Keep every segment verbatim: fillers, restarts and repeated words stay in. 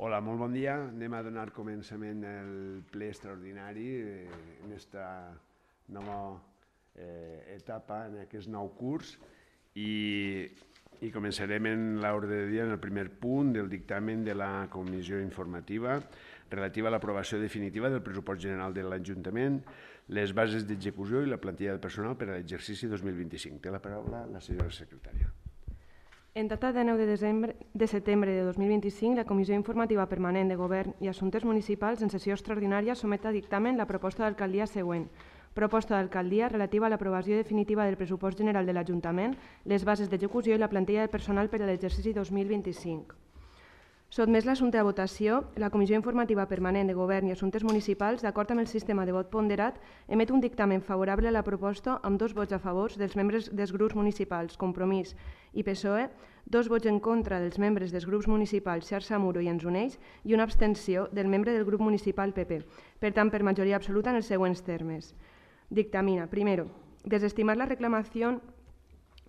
Hola, molt bon dia. Anem a donar començament al ple extraordinari eh, en aquesta nova eh, etapa, en aquest nou curs, i, i començarem en l'ordre de dia en el primer punt del dictamen de la comissió informativa relativa a l'aprovació definitiva del pressupost general de l'Ajuntament, les bases d'execució i la plantilla de personal per a l'exercici dos mil vint-i-cinc. Té la paraula la senyora secretària. En data de nou de, desembre, de setembre de dos mil vint-i-cinc, la Comissió Informativa Permanent de Govern i Assumptes Municipals en sessió extraordinària somet a dictamen la proposta d'alcaldia següent. Proposta d'alcaldia relativa a l'aprovació definitiva del pressupost general de l'Ajuntament, les bases d'execució i la plantilla de personal per a l'exercici dos mil vint-i-cinc. Sotmès l'assumpte a votació, la Comissió Informativa Permanent de Govern i Assumptes Municipals, d'acord amb el sistema de vot ponderat, emet un dictamen favorable a la proposta amb dos vots a favor dels membres dels grups municipals Compromís i P S O E, dos vots en contra dels membres dels grups municipals Xarxa Muro i Ens Uneix i una abstenció del membre del grup municipal P P. Per tant, per majoria absoluta en els següents termes. Dictamina, primero, desestimar la reclamación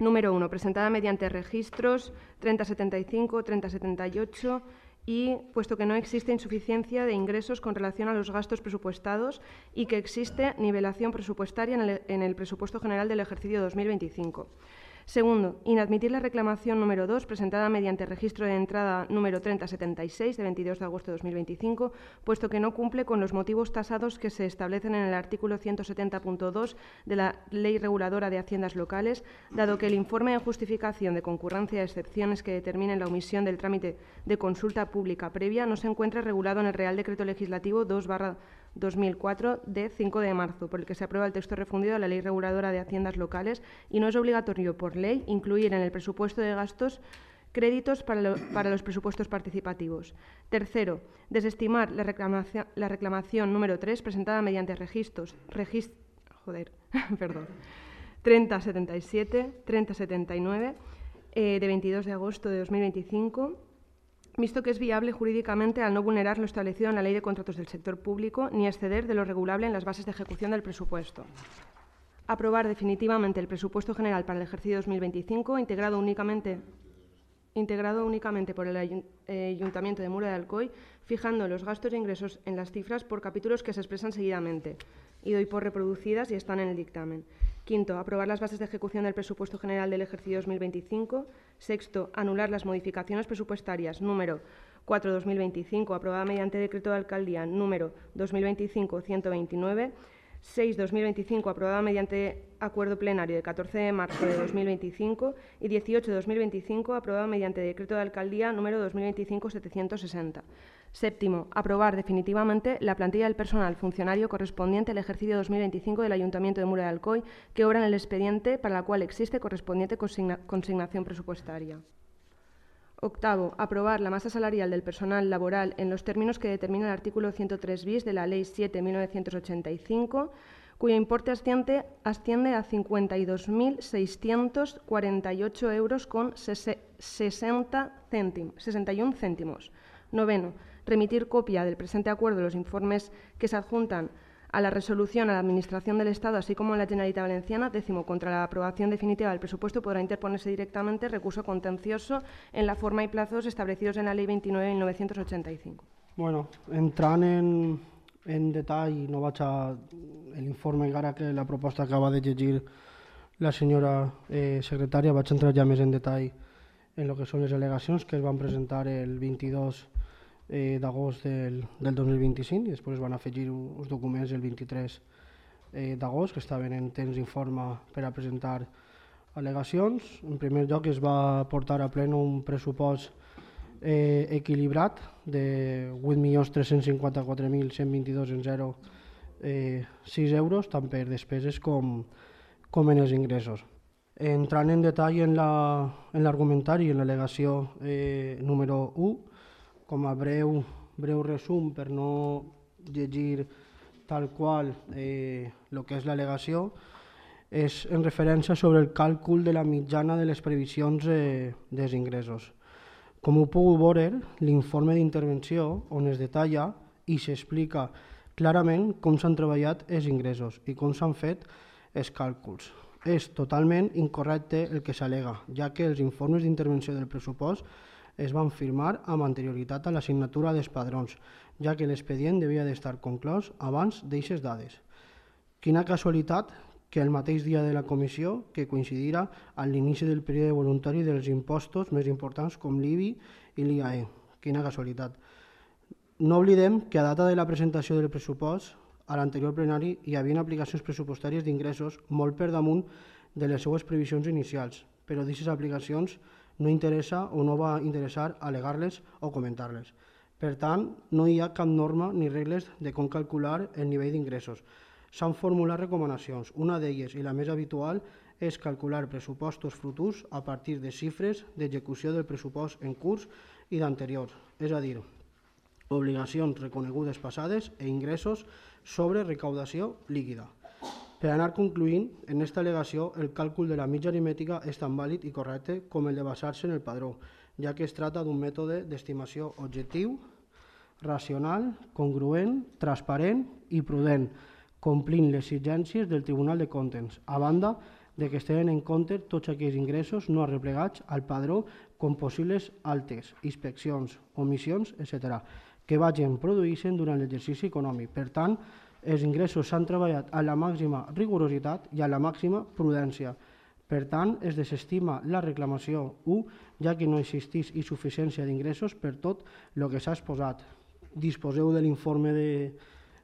número uno, presentada mediante registros treinta setenta y cinco, treinta setenta y ocho y puesto que no existe insuficiencia de ingresos con relación a los gastos presupuestados y que existe nivelación presupuestaria en el, en el presupuesto general del ejercicio dos mil veinticinco. Segundo, inadmitir la reclamación número dos, presentada mediante registro de entrada número treinta setenta y seis de veintidós de agosto de dos mil veinticinco, puesto que no cumple con los motivos tasados que se establecen en el artículo ciento setenta punto dos de la Ley Reguladora de Haciendas Locales, dado que el informe de justificación de concurrencia de excepciones que determinen la omisión del trámite de consulta pública previa no se encuentra regulado en el Real Decreto Legislativo dos barra dos mil cuatro de cinco de marzo, por el que se aprueba el texto refundido de la Ley Reguladora de Haciendas Locales y no es obligatorio por ley incluir en el presupuesto de gastos créditos para, lo, para los presupuestos participativos. Tercero, desestimar la reclamación, la reclamación número tres presentada mediante registros, regist, joder, perdón, treinta setenta y siete, treinta setenta y nueve eh, de veintidós de agosto de dos mil veinticinco, visto que es viable jurídicamente al no vulnerar lo establecido en la Ley de Contratos del Sector Público ni exceder de lo regulable en las bases de ejecución del presupuesto. Aprobar definitivamente el presupuesto general para el ejercicio dos mil veinticinco, integrado únicamente, integrado únicamente por el Ayuntamiento de Muro de Alcoy, fijando los gastos e ingresos en las cifras por capítulos que se expresan seguidamente, y doy por reproducidas y están en el dictamen. Quinto, aprobar las bases de ejecución del presupuesto general del ejercicio dos mil veinticinco. Sexto, anular las modificaciones presupuestarias número cuatro barra dos mil veinticinco, aprobada mediante decreto de alcaldía número dos mil veinticinco ciento veintinueve. seis barra dos mil veinticinco, aprobada mediante acuerdo plenario de catorce de marzo de dos mil veinticinco. Y dieciocho barra dos mil veinticinco, aprobada mediante decreto de alcaldía número dos mil veinticinco setecientos sesenta. Séptimo, aprobar definitivamente la plantilla del personal funcionario correspondiente al ejercicio dos mil veinticinco del Ayuntamiento de Muro de Alcoy, que obra en el expediente para la cual existe correspondiente consigna consignación presupuestaria. Octavo, aprobar la masa salarial del personal laboral en los términos que determina el artículo ciento tres bis de la Ley siete barra mil novecientos ochenta y cinco, cuyo importe asciende, asciende a cincuenta y dos mil seiscientos cuarenta y ocho euros con sesenta céntimos, sesenta y un céntimos. Noveno, remitir copia del presente acuerdo los informes que se adjuntan a la resolución a la Administración del Estado, así como a la Generalitat Valenciana. Décimo, contra la aprobación definitiva del presupuesto podrá interponerse directamente recurso contencioso en la forma y plazos establecidos en la Ley veintinueve de mil novecientos ochenta y cinco. Bueno, entrant en, en detall, no vaig a l'informe encara que la proposta acaba de llegir la senyora eh, secretària, vaig entrar ja més en detall en el que són les al·legacions que es van presentar el vint-i-dos Eh, d'agost del, del dos mil vint-i-cinc i després van afegir uns documents el vint-i-tres eh, d'agost que estaven en temps d'informe per a presentar al·legacions. En primer lloc es va portar a ple un pressupost eh, equilibrat de vuit milions tres-cents cinquanta-quatre mil cent vint-i-dos coma zero sis euros, tant per despeses com, com en els ingressos. Entrant en detall en l'argumentari la, en l'al·legació eh, número u, com a breu, breu resum per no llegir tal qual eh, el que és l'al·legació, és en referència sobre el càlcul de la mitjana de les previsions eh, dels ingressos. Com ho puc veure, l'informe d'intervenció on es detalla i s'explica clarament com s'han treballat els ingressos i com s'han fet els càlculs. És totalment incorrecte el que s'al·lega, ja que els informes d'intervenció del pressupost es van firmar amb anterioritat a la signatura dels padrons, ja que l'expedient devia d'estar conclòs abans d'eixes dades. Quina casualitat que el mateix dia de la comissió, que coincidirà a l'inici del període voluntari dels impostos més importants com l'I B I i l'I A E. Quina casualitat. No oblidem que a data de la presentació del pressupost, a l'anterior plenari hi havia aplicacions pressupostàries d'ingressos molt per damunt de les seues previsions inicials, però d'aquestes aplicacions no interessa o no va interessar alegar-les o comentar-les. Per tant, no hi ha cap norma ni regles de com calcular el nivell d'ingressos. S'han formulat recomanacions. Una d'elles, i la més habitual, és calcular pressupostos futurs a partir de xifres d'execució del pressupost en curs i d'anteriors, és a dir, obligacions reconegudes passades e ingressos sobre recaudació líquida. Per anar concluint, en aquesta al·legació el càlcul de la mitja aritmètica és tan vàlid i correcte com el de basar-se en el padró, ja que es tracta d'un mètode d'estimació objectiu, racional, congruent, transparent i prudent, complint les exigències del Tribunal de Comptes, a banda de que es tenen en compte tots aquells ingressos no arreplegats al padró com possibles altes, inspeccions, omissions, etcètera, que vagin produint-se durant l'exercici econòmic. Per tant, els ingressos s'han treballat a la màxima rigorositat i a la màxima prudència. Per tant, es desestima la reclamació u, ja que no existeix insuficiència d'ingressos per tot el que s'ha exposat. Disposeu de l'informe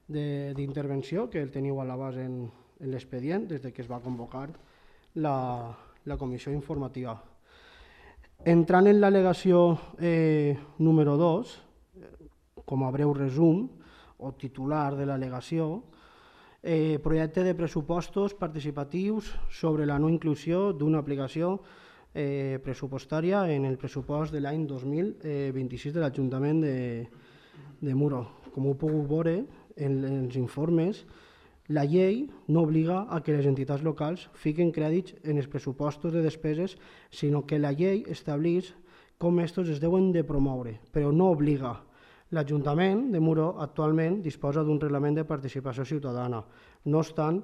d'intervenció, que el teniu a l'abast en, en l'expedient, des que es va convocar la, la comissió informativa. Entrant en l'al·legació eh, número dos, com a breu resum o titular de l'al·legació, eh, projecte de pressupostos participatius sobre la no inclusió d'una aplicació eh, pressupostària en el pressupost de l'any dos mil vint-i-sis de l'Ajuntament de, de Muro. Com ho puc veure en els informes, la llei no obliga a que les entitats locals fiquen crèdits en els pressupostos de despeses, sinó que la llei estableix com estos es deuen de promoure, però no obliga. L'Ajuntament de Muro actualment disposa d'un reglament de participació ciutadana. No obstant,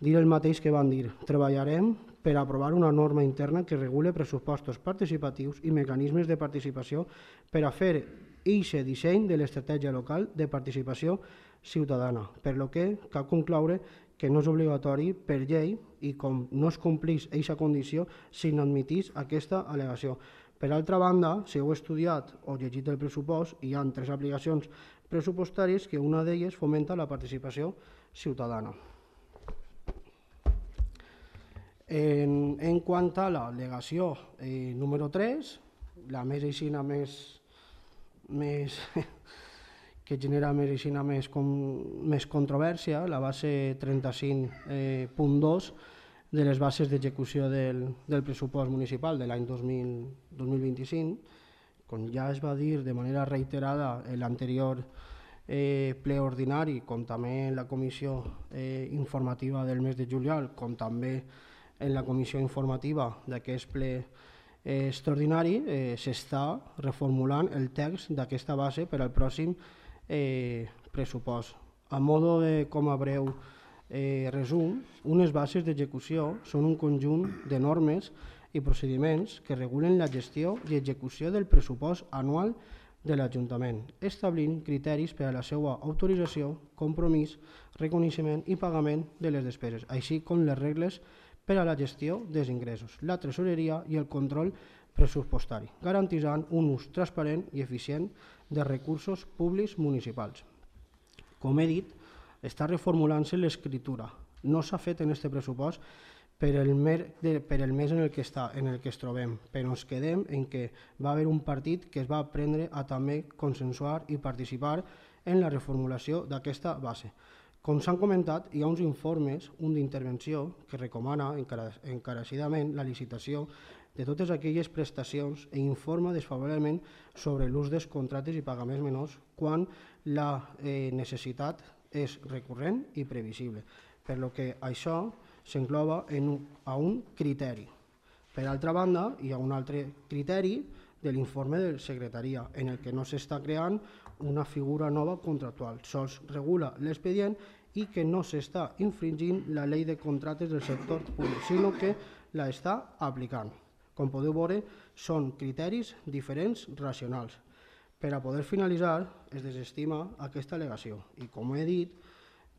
dir el mateix que van dir, treballarem per aprovar una norma interna que regule pressupostos participatius i mecanismes de participació per a fer eixe disseny de l'estratègia local de participació ciutadana, per lo que cal concloure que no és obligatori per llei i com no es complís eixa condició s'inadmitís aquesta al·legació. Per altra banda, si heu estudiat o llegit el pressupost, hi ha tres aplicacions pressupostàries que una d'elles fomenta la participació ciutadana. En, en quant a l'al·legació eh, número tres, la més aixina més, més que genera més aixina més, com, més controvèrsia, la base trenta-cinc punt dos, de les bases d'execució del, del pressupost municipal de l'any dos mil vint-i-cinc, com ja es va dir de manera reiterada en l'anterior eh, ple ordinari, com també en la comissió eh, informativa del mes de juliol, com també en la comissió informativa d'aquest ple eh, extraordinari, eh, s'està reformulant el text d'aquesta base per al pròxim eh, pressupost. A modo de, com a breu Eh, resum, unes bases d'execució són un conjunt de normes i procediments que regulen la gestió i execució del pressupost anual de l'Ajuntament, establint criteris per a la seva autorització, compromís, reconeixement i pagament de les despeses, així com les regles per a la gestió dels ingressos, la tresoreria i el control pressupostari, garantint un ús transparent i eficient de recursos públics municipals. Com he dit, està reformulant-se l'escriptura. No s'ha fet en aquest pressupost per el, mer de, per el mes en el, que està, en el que es trobem, però ens quedem en que va haver un partit que es va prendre a també consensuar i participar en la reformulació d'aquesta base. Com s'han comentat, hi ha uns informes, un d'intervenció, que recomana encarecidament la licitació de totes aquelles prestacions i informa desfavorablement sobre l'ús dels contractes i pagaments menors quan la eh, necessitat és recurrent i previsible, per lo que això s'engloba a un criteri. Per altra banda, hi ha un altre criteri de l'informe de secretaria, en el que no s'està creant una figura nova contractual, sols regula l'expedient i que no s'està infringint la llei de contractes del sector públic, sinó que la està aplicant. Com podeu veure, són criteris diferents racionals. Per a poder finalitzar, es desestima aquesta al·legació i, com he dit,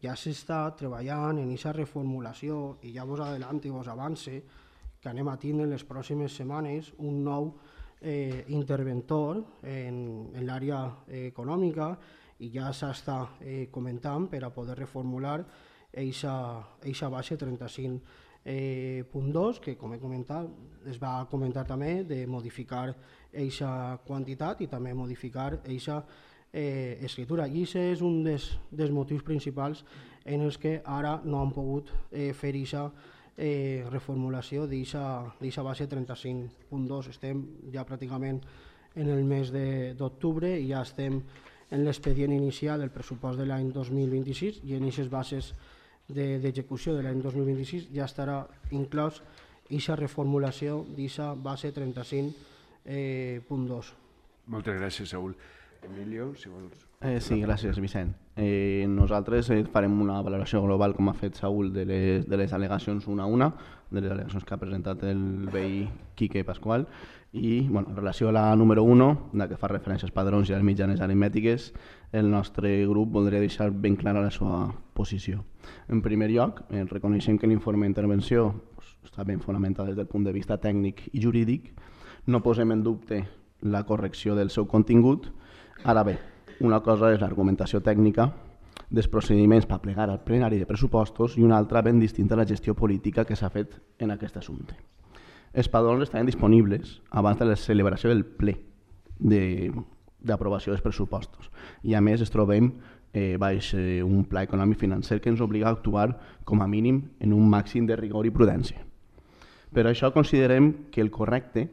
ja s'està treballant en aquesta reformulació i ja vos adelanto i vos avance que anem a tindre en les pròximes setmanes un nou eh, interventor en, en l'àrea eh, econòmica i ja s'està eh, comentant per a poder reformular aquesta base trenta-cinc punt dos, que com he comentat es va comentar també de modificar aquesta quantitat i també modificar aquesta eh, escritura. I aquest és un dels, dels motius principals en els que ara no han pogut eh, fer aquesta eh, reformulació d'aquesta base trenta-cinc punt dos. Estem ja pràcticament en el mes d'octubre i ja estem en l'expedient inicial del pressupost de l'any dos mil vint-i-sis i en aquestes bases d'execució de l'any dos mil vint-i-sis ja estarà inclòs aquesta reformulació d'aquesta base trenta-cinc punt dos. Moltes gràcies, Saúl. Emilio, si vols... Eh, sí, gràcies, Vicent. Eh, nosaltres eh, farem una valoració global, com ha fet Saúl, de les, de les al·legacions una a una, de les al·legacions que ha presentat el veí Quique Pasqual, i bueno, en relació a la número u, la que fa referència als padrons i a les mitjanes aritmètiques, el nostre grup voldria deixar ben clara la seva posició. En primer lloc, eh, reconeixem que l'informe d'intervenció pues, està ben fonamentat des del punt de vista tècnic i jurídic, no posem en dubte la correcció del seu contingut. Ara bé, una cosa és l'argumentació tècnica dels procediments per plegar al plenari de pressupostos i una altra ben distinta a la gestió política que s'ha fet en aquest assumpte. Els padrons estaven disponibles abans de la celebració del ple d'aprovació dels pressupostos i a més es trobem eh, baix eh, un pla econòmic financer que ens obliga a actuar com a mínim en un màxim de rigor i prudència. Per això considerem que el correcte,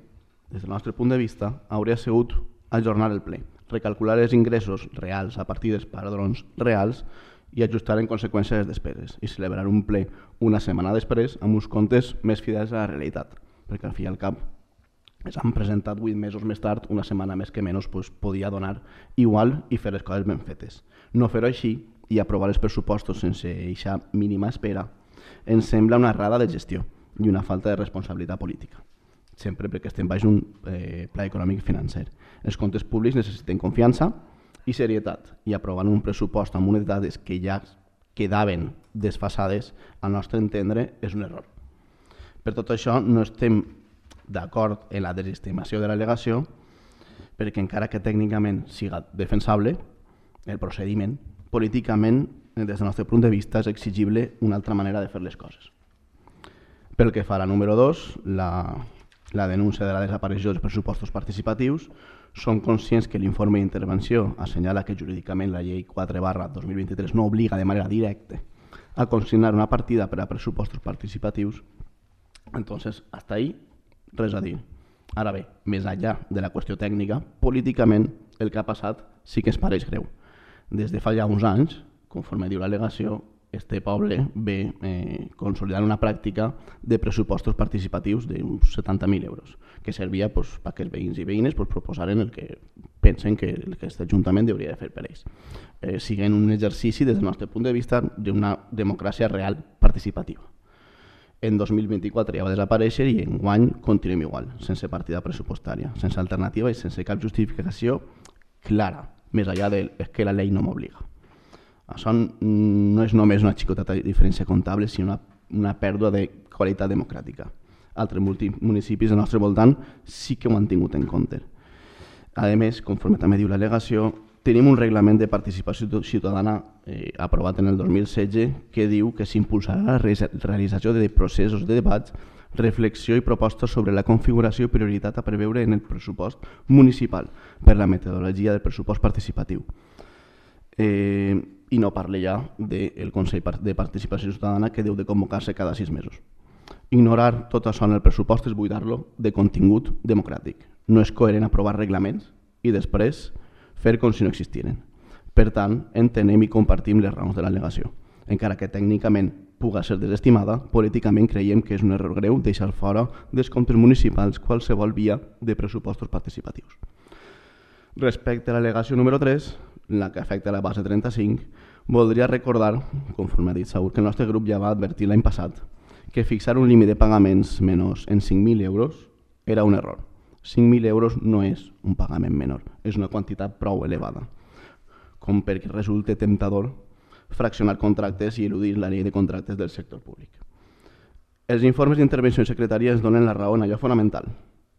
des del nostre punt de vista, hauria sigut ajornar el ple, recalcular els ingressos reals a partir dels padrons reals i ajustar en conseqüència les despeses i celebrar un ple una setmana després amb uns comptes més fidels a la realitat, perquè al fi i al cap es han presentat vuit mesos més tard, una setmana més que menys pues, podia donar igual i fer les coses ben fetes. No fer-ho així i aprovar els pressupostos sense aquesta mínima espera ens sembla una errada de gestió i una falta de responsabilitat política, sempre perquè estem baix un eh, pla econòmic i financer. Els comptes públics necessiten confiança i serietat i aprovant un pressupost amb unes dades que ja quedaven desfasades, al nostre entendre, és un error. Per tot això no estem d'acord en la desestimació de l'al·legació perquè encara que tècnicament siga defensable el procediment, políticament, des del nostre punt de vista, és exigible una altra manera de fer les coses. Pel que fa a la número dos, la, la denúncia de la desaparició dels pressupostos participatius, som conscients que l'informe d'intervenció assenyala que jurídicament la llei quatre barra dos mil vint-i-tres no obliga de manera directa a consignar una partida per a pressupostos participatius. Entonces, hasta ahí, res a dir. Ara bé, més enllà de la qüestió tècnica, políticament el que ha passat sí que es pareix greu. Des de fa ja uns anys, conforme diu l'al·legació, este poble ve eh, consolidant una pràctica de pressupostos participatius d'uns setanta mil euros, que servia pues, perquè els veïns i veïnes pues, proposaren el que pensen que aquest Ajuntament hauria de fer per ells. Eh, siguen un exercici, des del nostre punt de vista, d'una democràcia real participativa. En dos mil vint-i-quatre ja va desaparèixer i enguany continuem igual, sense partida pressupostària, sense alternativa i sense cap justificació clara, més enllà de que la llei no m'obliga. Això no és només una xicoteta diferència comptable, sinó una, una pèrdua de qualitat democràtica. Altres municipis del nostre voltant sí que ho han tingut en compte. A més, conforme també diu l'al·legació, tenim un reglament de participació ciutadana eh, aprovat en el dos mil setze que diu que s'impulsarà la realització de processos de debats, reflexió i propostes sobre la configuració i prioritat a preveure en el pressupost municipal per la metodologia del pressupost participatiu. Eh, I no parle ja del Consell de Participació Ciutadana que deu de convocar-se cada sis mesos. Ignorar tot això en el pressupost és buidar-lo de contingut democràtic. No és coherent aprovar reglaments i després fer com si no existiren. Per tant, entenem i compartim les raons de l'al·legació. Encara que tècnicament puga ser desestimada, políticament creiem que és un error greu deixar fora dels comptes municipals qualsevol via de pressupostos participatius. Respecte a l'al·legació número tres, la que afecta la base trenta-cinc, voldria recordar, conforme ha dit Saúl, que el nostre grup ja va advertir l'any passat que fixar un límit de pagaments menors en cinc mil euros era un error. cinc mil euros no és un pagament menor, és una quantitat prou elevada, com perquè resulta temptador fraccionar contractes i eludir la llei de contractes del sector públic. Els informes d'intervenció en secretaria ens donen la raó en allò fonamental.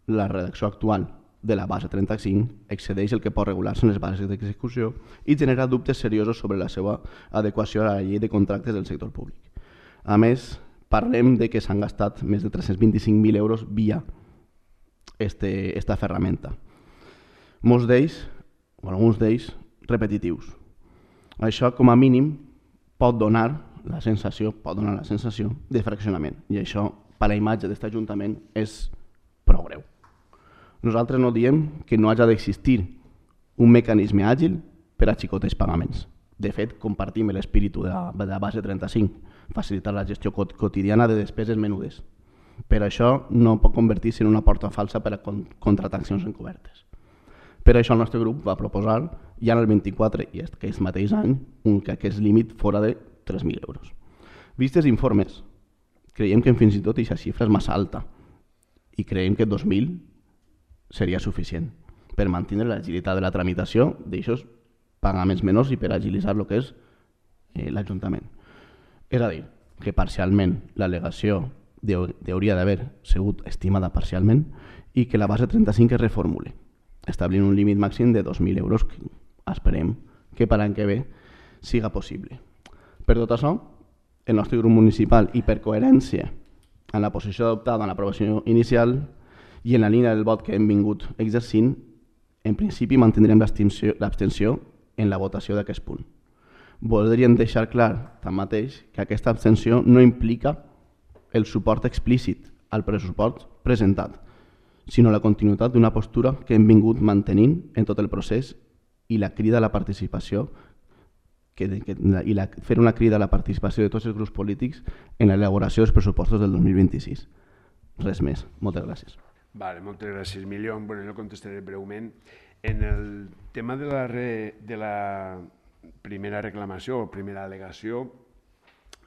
La redacció actual de la base trenta-cinc excedeix el que pot regular-se en les bases d'execució i genera dubtes seriosos sobre la seva adequació a la llei de contractes del sector públic. A més, parlem de que s'han gastat més de tres-cents vint-i-cinc mil euros via este, esta ferramenta. Molts d'ells, o alguns d'ells, repetitius. Això, com a mínim, pot donar la sensació, pot donar la sensació de fraccionament. I això, per a la imatge d'aquest Ajuntament, és prou greu. Nosaltres no diem que no hagi d'existir un mecanisme àgil per a xicotejar pagaments. De fet, compartim l'espíritu de, la, de la base trenta-cinc, facilitar la gestió quotidiana de despeses menudes. Per això no pot convertir-se en una porta falsa per a contractar accions encobertes. Per això el nostre grup va proposar, ja en el vint-i-quatre i aquest mateix any, un, que aquest límit fora de tres mil euros. Vistes informes, creiem que fins i tot aquesta xifra és massa alta i creiem que dos mil seria suficient per mantenir l'agilitat de la tramitació d'aixòs pagaments menors i per agilitzar el que és eh, l'Ajuntament. És a dir, que parcialment l'al·legació hauria d'haver sigut estimada parcialment i que la base trenta-cinc es reformule, establint un límit màxim de dos mil euros que esperem que per l'any que ve siga possible. Per tot això, el nostre grup municipal i per coherència en la posició adoptada en l'aprovació inicial i en la línia del vot que hem vingut exercint, en principi mantindrem l'abstenció en la votació d'aquest punt. Voldríem deixar clar, tanmateix, que aquesta abstenció no implica el suport explícit al pressupost presentat, sinó la continuïtat d'una postura que hem vingut mantenint en tot el procés i la crida a la participació que, que, i la, fer una crida a la participació de tots els grups polítics en l'elaboració dels pressupostos del dos mil vint-i-sis. Res més. Moltes gràcies. Vale, moltes gràcies, Milió. Bueno, jo contestaré breument. En el tema de la, re, de la primera reclamació o primera al·legació,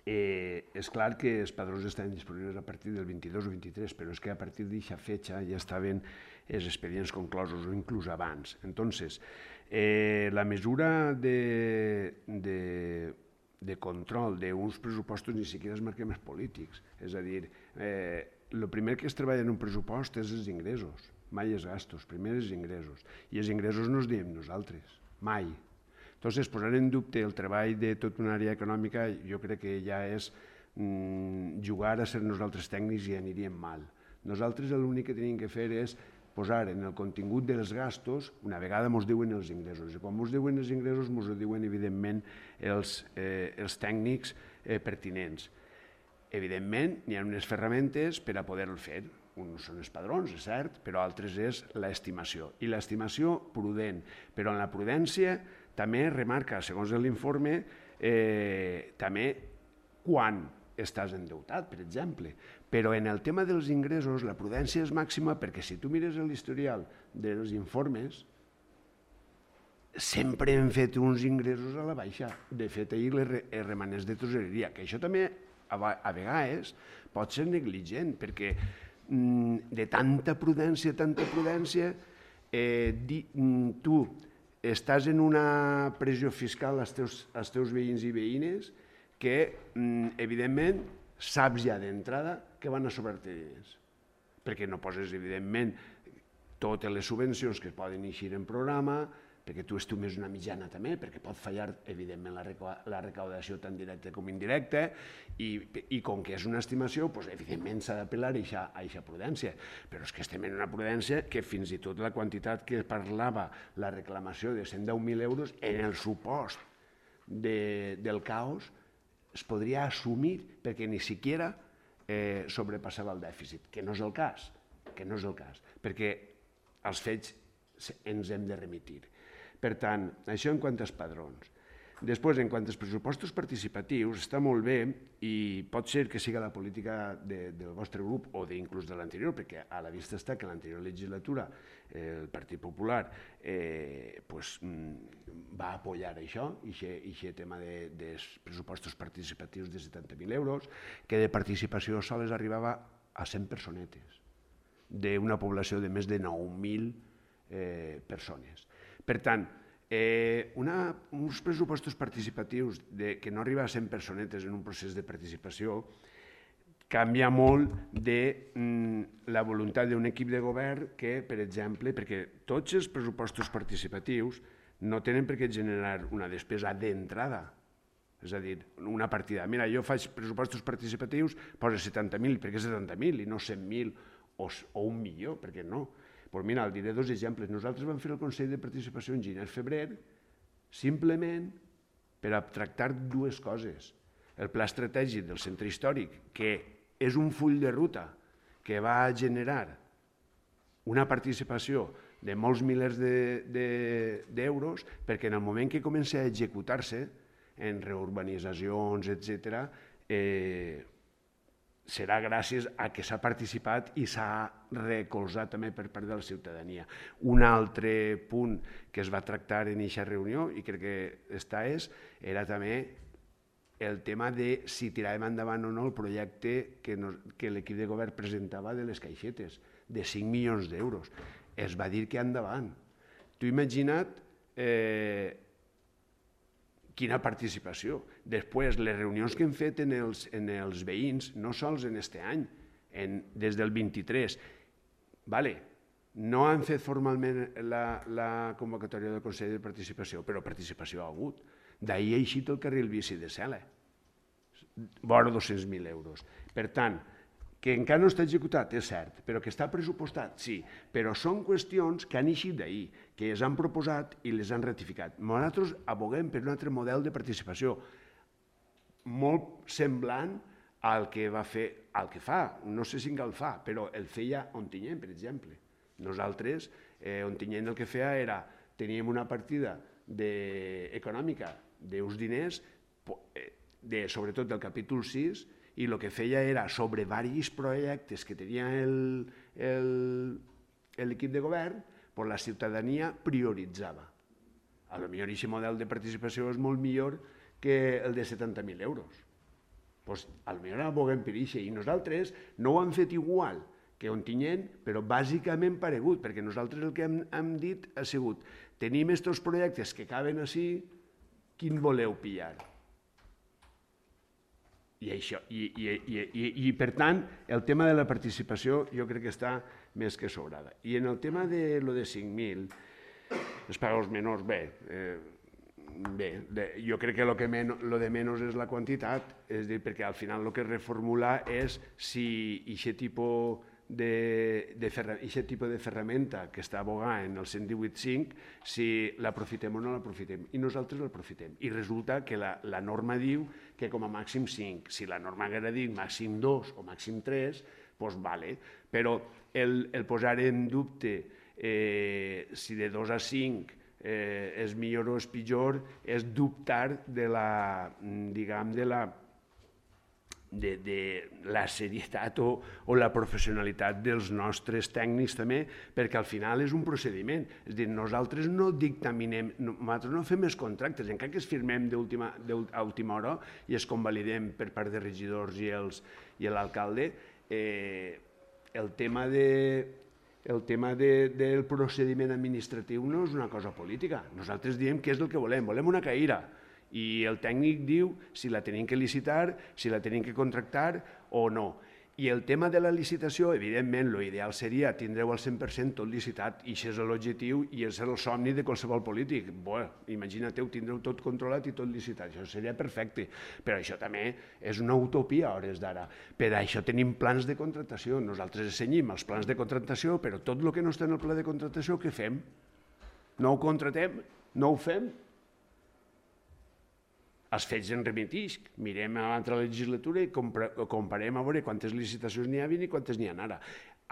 eh, és clar que els padrons estaven disponibles a partir del vint-i-dos o vint-i-tres, però és que a partir d'aquesta fetxa ja estaven els expedients conclosos o inclús abans. Entonces, eh, la mesura de, de, de control d'uns pressupostos ni siquiera es marquem els polítics. És a dir, eh, el primer que es treballa en un pressupost és els ingressos, mai els gastos, primer els ingressos. I els ingressos no els diem nosaltres, mai. Entonces, posar en dubte el treball de tota una àrea econòmica jo crec que ja és mm, jugar a ser nosaltres tècnics i aniríem mal. Nosaltres l'únic que tenim que fer és posar en el contingut dels gastos, una vegada ens diuen els ingressos. I quan ens diuen els ingressos, ens ho diuen evidentment els, eh, els tècnics eh, pertinents. Evidentment, hi ha unes ferramentes per a poder-ho fer. Uns són els padrons, és cert, però altres és l'estimació. I l'estimació prudent. Però en la prudència també remarca, segons l'informe, eh, també quan estàs endeutat, per exemple. Però en el tema dels ingressos la prudència és màxima perquè si tu mires l'historial dels informes, sempre hem fet uns ingressos a la baixa. De fet, ahir els remanents de tresoreria, que això també a vegades pot ser negligent, perquè de tanta prudència, tanta prudència, eh, di, tu estàs en una pressió fiscal als teus, als teus veïns i veïnes que, evidentment, saps ja d'entrada que van a sobrar-te diners. Perquè no poses, evidentment, totes les subvencions que poden eixir en programa, perquè tu estimes una mitjana també, perquè pot fallar, evidentment, la recaudació tant directa com indirecta, i, i com que és una estimació, doncs, evidentment s'ha d'apel·lar a aquesta prudència. Però és que estem en una prudència que fins i tot la quantitat que parlava la reclamació de cent deu mil euros, en el supost de, del caos, es podria assumir perquè ni siquiera eh, sobrepassava el dèficit, que no és el cas, que no és el cas, perquè els fets ens hem de remitir. Per tant, això en quant als padrons. Després, en quant als pressupostos participatius, està molt bé i pot ser que siga la política de, del vostre grup o inclús de l'anterior, perquè a la vista està que en l'anterior legislatura eh, el Partit Popular eh, pues, va apoyar això, aquest tema de, dels pressupostos participatius de setanta mil euros, que de participació sols arribava a cent personetes. d'una població de més de nou mil eh, persones. Per tant, eh, una, uns pressupostos participatius de, que no arriba a cent personetes en un procés de participació canvia molt de mm, la voluntat d'un equip de govern que, per exemple, perquè tots els pressupostos participatius no tenen per què generar una despesa d'entrada. És a dir, una partida. Mira, jo faig pressupostos participatius, posa setanta mil, per què setanta mil i no cent mil o, o un milió? Per què no? Pues mira, el diré dos exemples. Nosaltres vam fer el Consell de Participació en gener-febrer simplement per a tractar dues coses. El pla estratègic del centre històric, que és un full de ruta que va generar una participació de molts milers d'euros, perquè en el moment que comença a executar-se en reurbanitzacions, etcètera, eh, serà gràcies a que s'ha participat i s'ha recolzat també per part de la ciutadania. Un altre punt que es va tractar en aquesta reunió, i crec que està és, era també el tema de si tiràvem endavant o no el projecte que, no, que l'equip de govern presentava de les caixetes, de cinc milions d'euros. Es va dir que endavant. Tu imagina't eh, quina participació. Després, les reunions que hem fet en els, en els veïns, no sols en este any, en, des del vint-i-tres, vale, no han fet formalment la, la convocatòria del Consell de Participació, però participació ha hagut. D'ahir ha eixit el carril bici de Sela, vora dos-cents mil euros. Per tant, que encara no està executat, és cert, però que està pressupostat, sí, però són qüestions que han eixit d'ahir, que es han proposat i les han ratificat. Nosaltres aboguem per un altre model de participació molt semblant al que va fer, al que fa, no sé si encara el fa, però el feia Ontinyent, per exemple. Nosaltres, eh, Ontinyent el que feia era, teníem una partida de, econòmica d'uns diners, de, sobretot del capítol sis, i el que feia era, sobre diversos projectes que tenia l'equip de govern, pues la ciutadania prioritzava. A lo millor aquest model de participació és molt millor que el de setanta mil euros. Pues, a lo millor aboguem per això, i nosaltres no ho hem fet igual que Ontinyent, però bàsicament paregut, perquè nosaltres el que hem, hem dit ha sigut tenim aquests projectes que caben així, quin voleu pillar? I, això, i, i, i, i, i per tant, el tema de la participació jo crec que està més que sobrada. I en el tema de lo de cinc mil, els pagos menors, bé, eh, bé de, jo crec que lo, que men, lo de menys és la quantitat, és dir, perquè al final el que reformula és si aquest tipus de, de, ferra, tipus de ferramenta que està abogada en el cent divuit cinc, si l'aprofitem o no l'aprofitem. I nosaltres l'aprofitem. I resulta que la, la norma diu que com a màxim cinc. Si la norma haguera dit màxim dos o màxim tres, doncs vale. Però el, el posar en dubte eh, si de dos a cinc eh, és millor o és pitjor és dubtar de la, diguem, de la De, de la serietat o, o la professionalitat dels nostres tècnics també, perquè al final és un procediment. És a dir, nosaltres no dictaminem, no, nosaltres no fem els contractes, encara que es firmem a última hora i es convalidem per part de regidors i, els, i l'alcalde, eh, el tema, de, el tema de, del procediment administratiu no és una cosa política. Nosaltres diem què és el que volem, volem una caïra. I el tècnic diu si la tenim que licitar, si la tenim que contractar o no. I el tema de la licitació, evidentment, l'ideal seria tindreu al cent per cent tot licitat, i això és l'objectiu i és el somni de qualsevol polític. Bé, imagina't-ho, tindreu tot controlat i tot licitat, això seria perfecte, però això també és una utopia a hores d'ara. Per això tenim plans de contractació, nosaltres assenyim els plans de contractació, però tot el que no està en el pla de contractació, què fem? No ho contractem? No ho fem? Els fets en remitix, mirem a l'altra legislatura i comparem a veure quantes licitacions n'hi havia i quantes n'hi ha ara.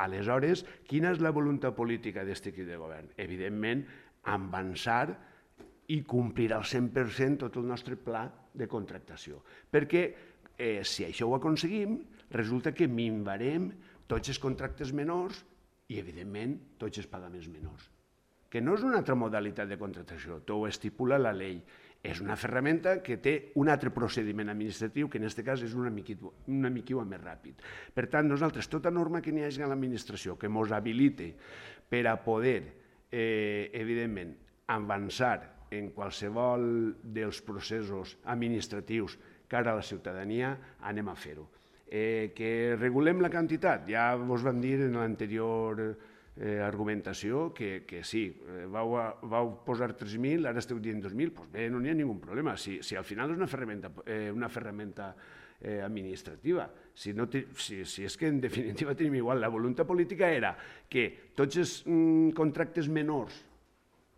Aleshores, quina és la voluntat política d'aquest equip de govern? Evidentment, avançar i complir al cent per cent tot el nostre pla de contractació. Perquè eh, si això ho aconseguim, resulta que minvarem tots els contractes menors i, evidentment, tots els pagaments menors. Que no és una altra modalitat de contractació, tot ho estipula la llei. És una ferramenta que té un altre procediment administratiu, que en aquest cas és una miqueta més ràpid. Per tant, nosaltres, tota norma que n'hi hagi a l'administració que ens habilite per a poder, evidentment, avançar en qualsevol dels processos administratius cara a la ciutadania, anem a fer-ho. Que regulem la quantitat, ja vos vam dir en l'anterior argumentació que sí, vau posar tres mil, ara esteu dient dos mil, doncs bé, no n'hi ha ningun problema, si al final és una ferramenta administrativa, si és que en definitiva tenim igual, la voluntat política era que tots els contractes menors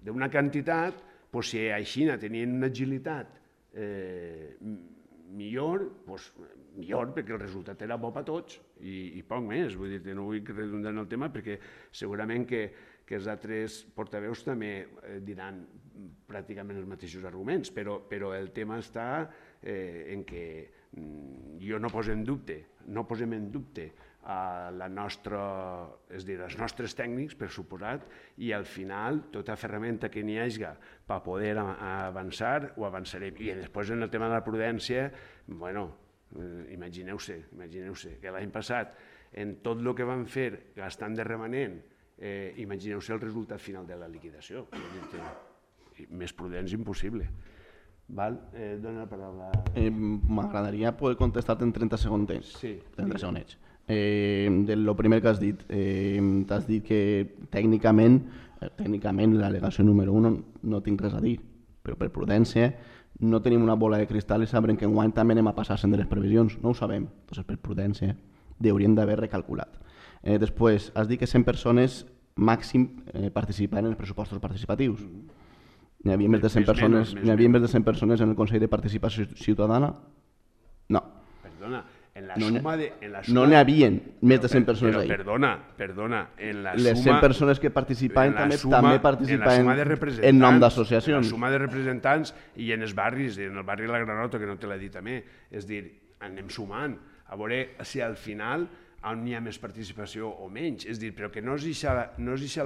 d'una quantitat, si així tenien una agilitat millor, doncs millor, perquè el resultat era bo per a tots i poc més. Vull dir, no vull redundar en el tema perquè segurament que els altres portaveus també diran pràcticament els mateixos arguments, però el tema està en què jo no poso en dubte, no posem en dubte la nostra, és a dir, els nostres tècnics, per suposat, i al final tota ferramenta que n'hi hagi per poder avançar, ho avançarem. I després en el tema de la prudència, bueno, imagineu-se, imagineu-se que l'any passat, en tot el que vam fer gastant de remanent, imagineu-se el resultat final de la liquidació. Més prudents impossible. Dóna la paraula. M'agradaria poder contestar-te en trenta segons. Sí. trenta segons. Del primer que has dit, t'has dit que tècnicament, tècnicament l'al·legació número un no tinc res a dir, però per prudència no tenim una bola de cristal i sabrem que enguany també anem a passar-se'n de les previsions, no ho sabem, doncs per prudència hauríem d'haver recalculat. Després, has dit que cent persones màxim participaran en els pressupostos participatius. N'hi havia més de cent persones en el Consell de Participació Ciutadana? No. Perdona, en la suma de... No n'hi havia més de cent persones ahí. Perdona, perdona, en la suma... Les cent persones que participaven també participaven en nom d'associacions. En la suma de representants i en els barris, en el barri de la Granota, que no te l'he dit també, és dir, anem sumant, a veure si al final on hi ha més participació o menys, és dir, però que no és això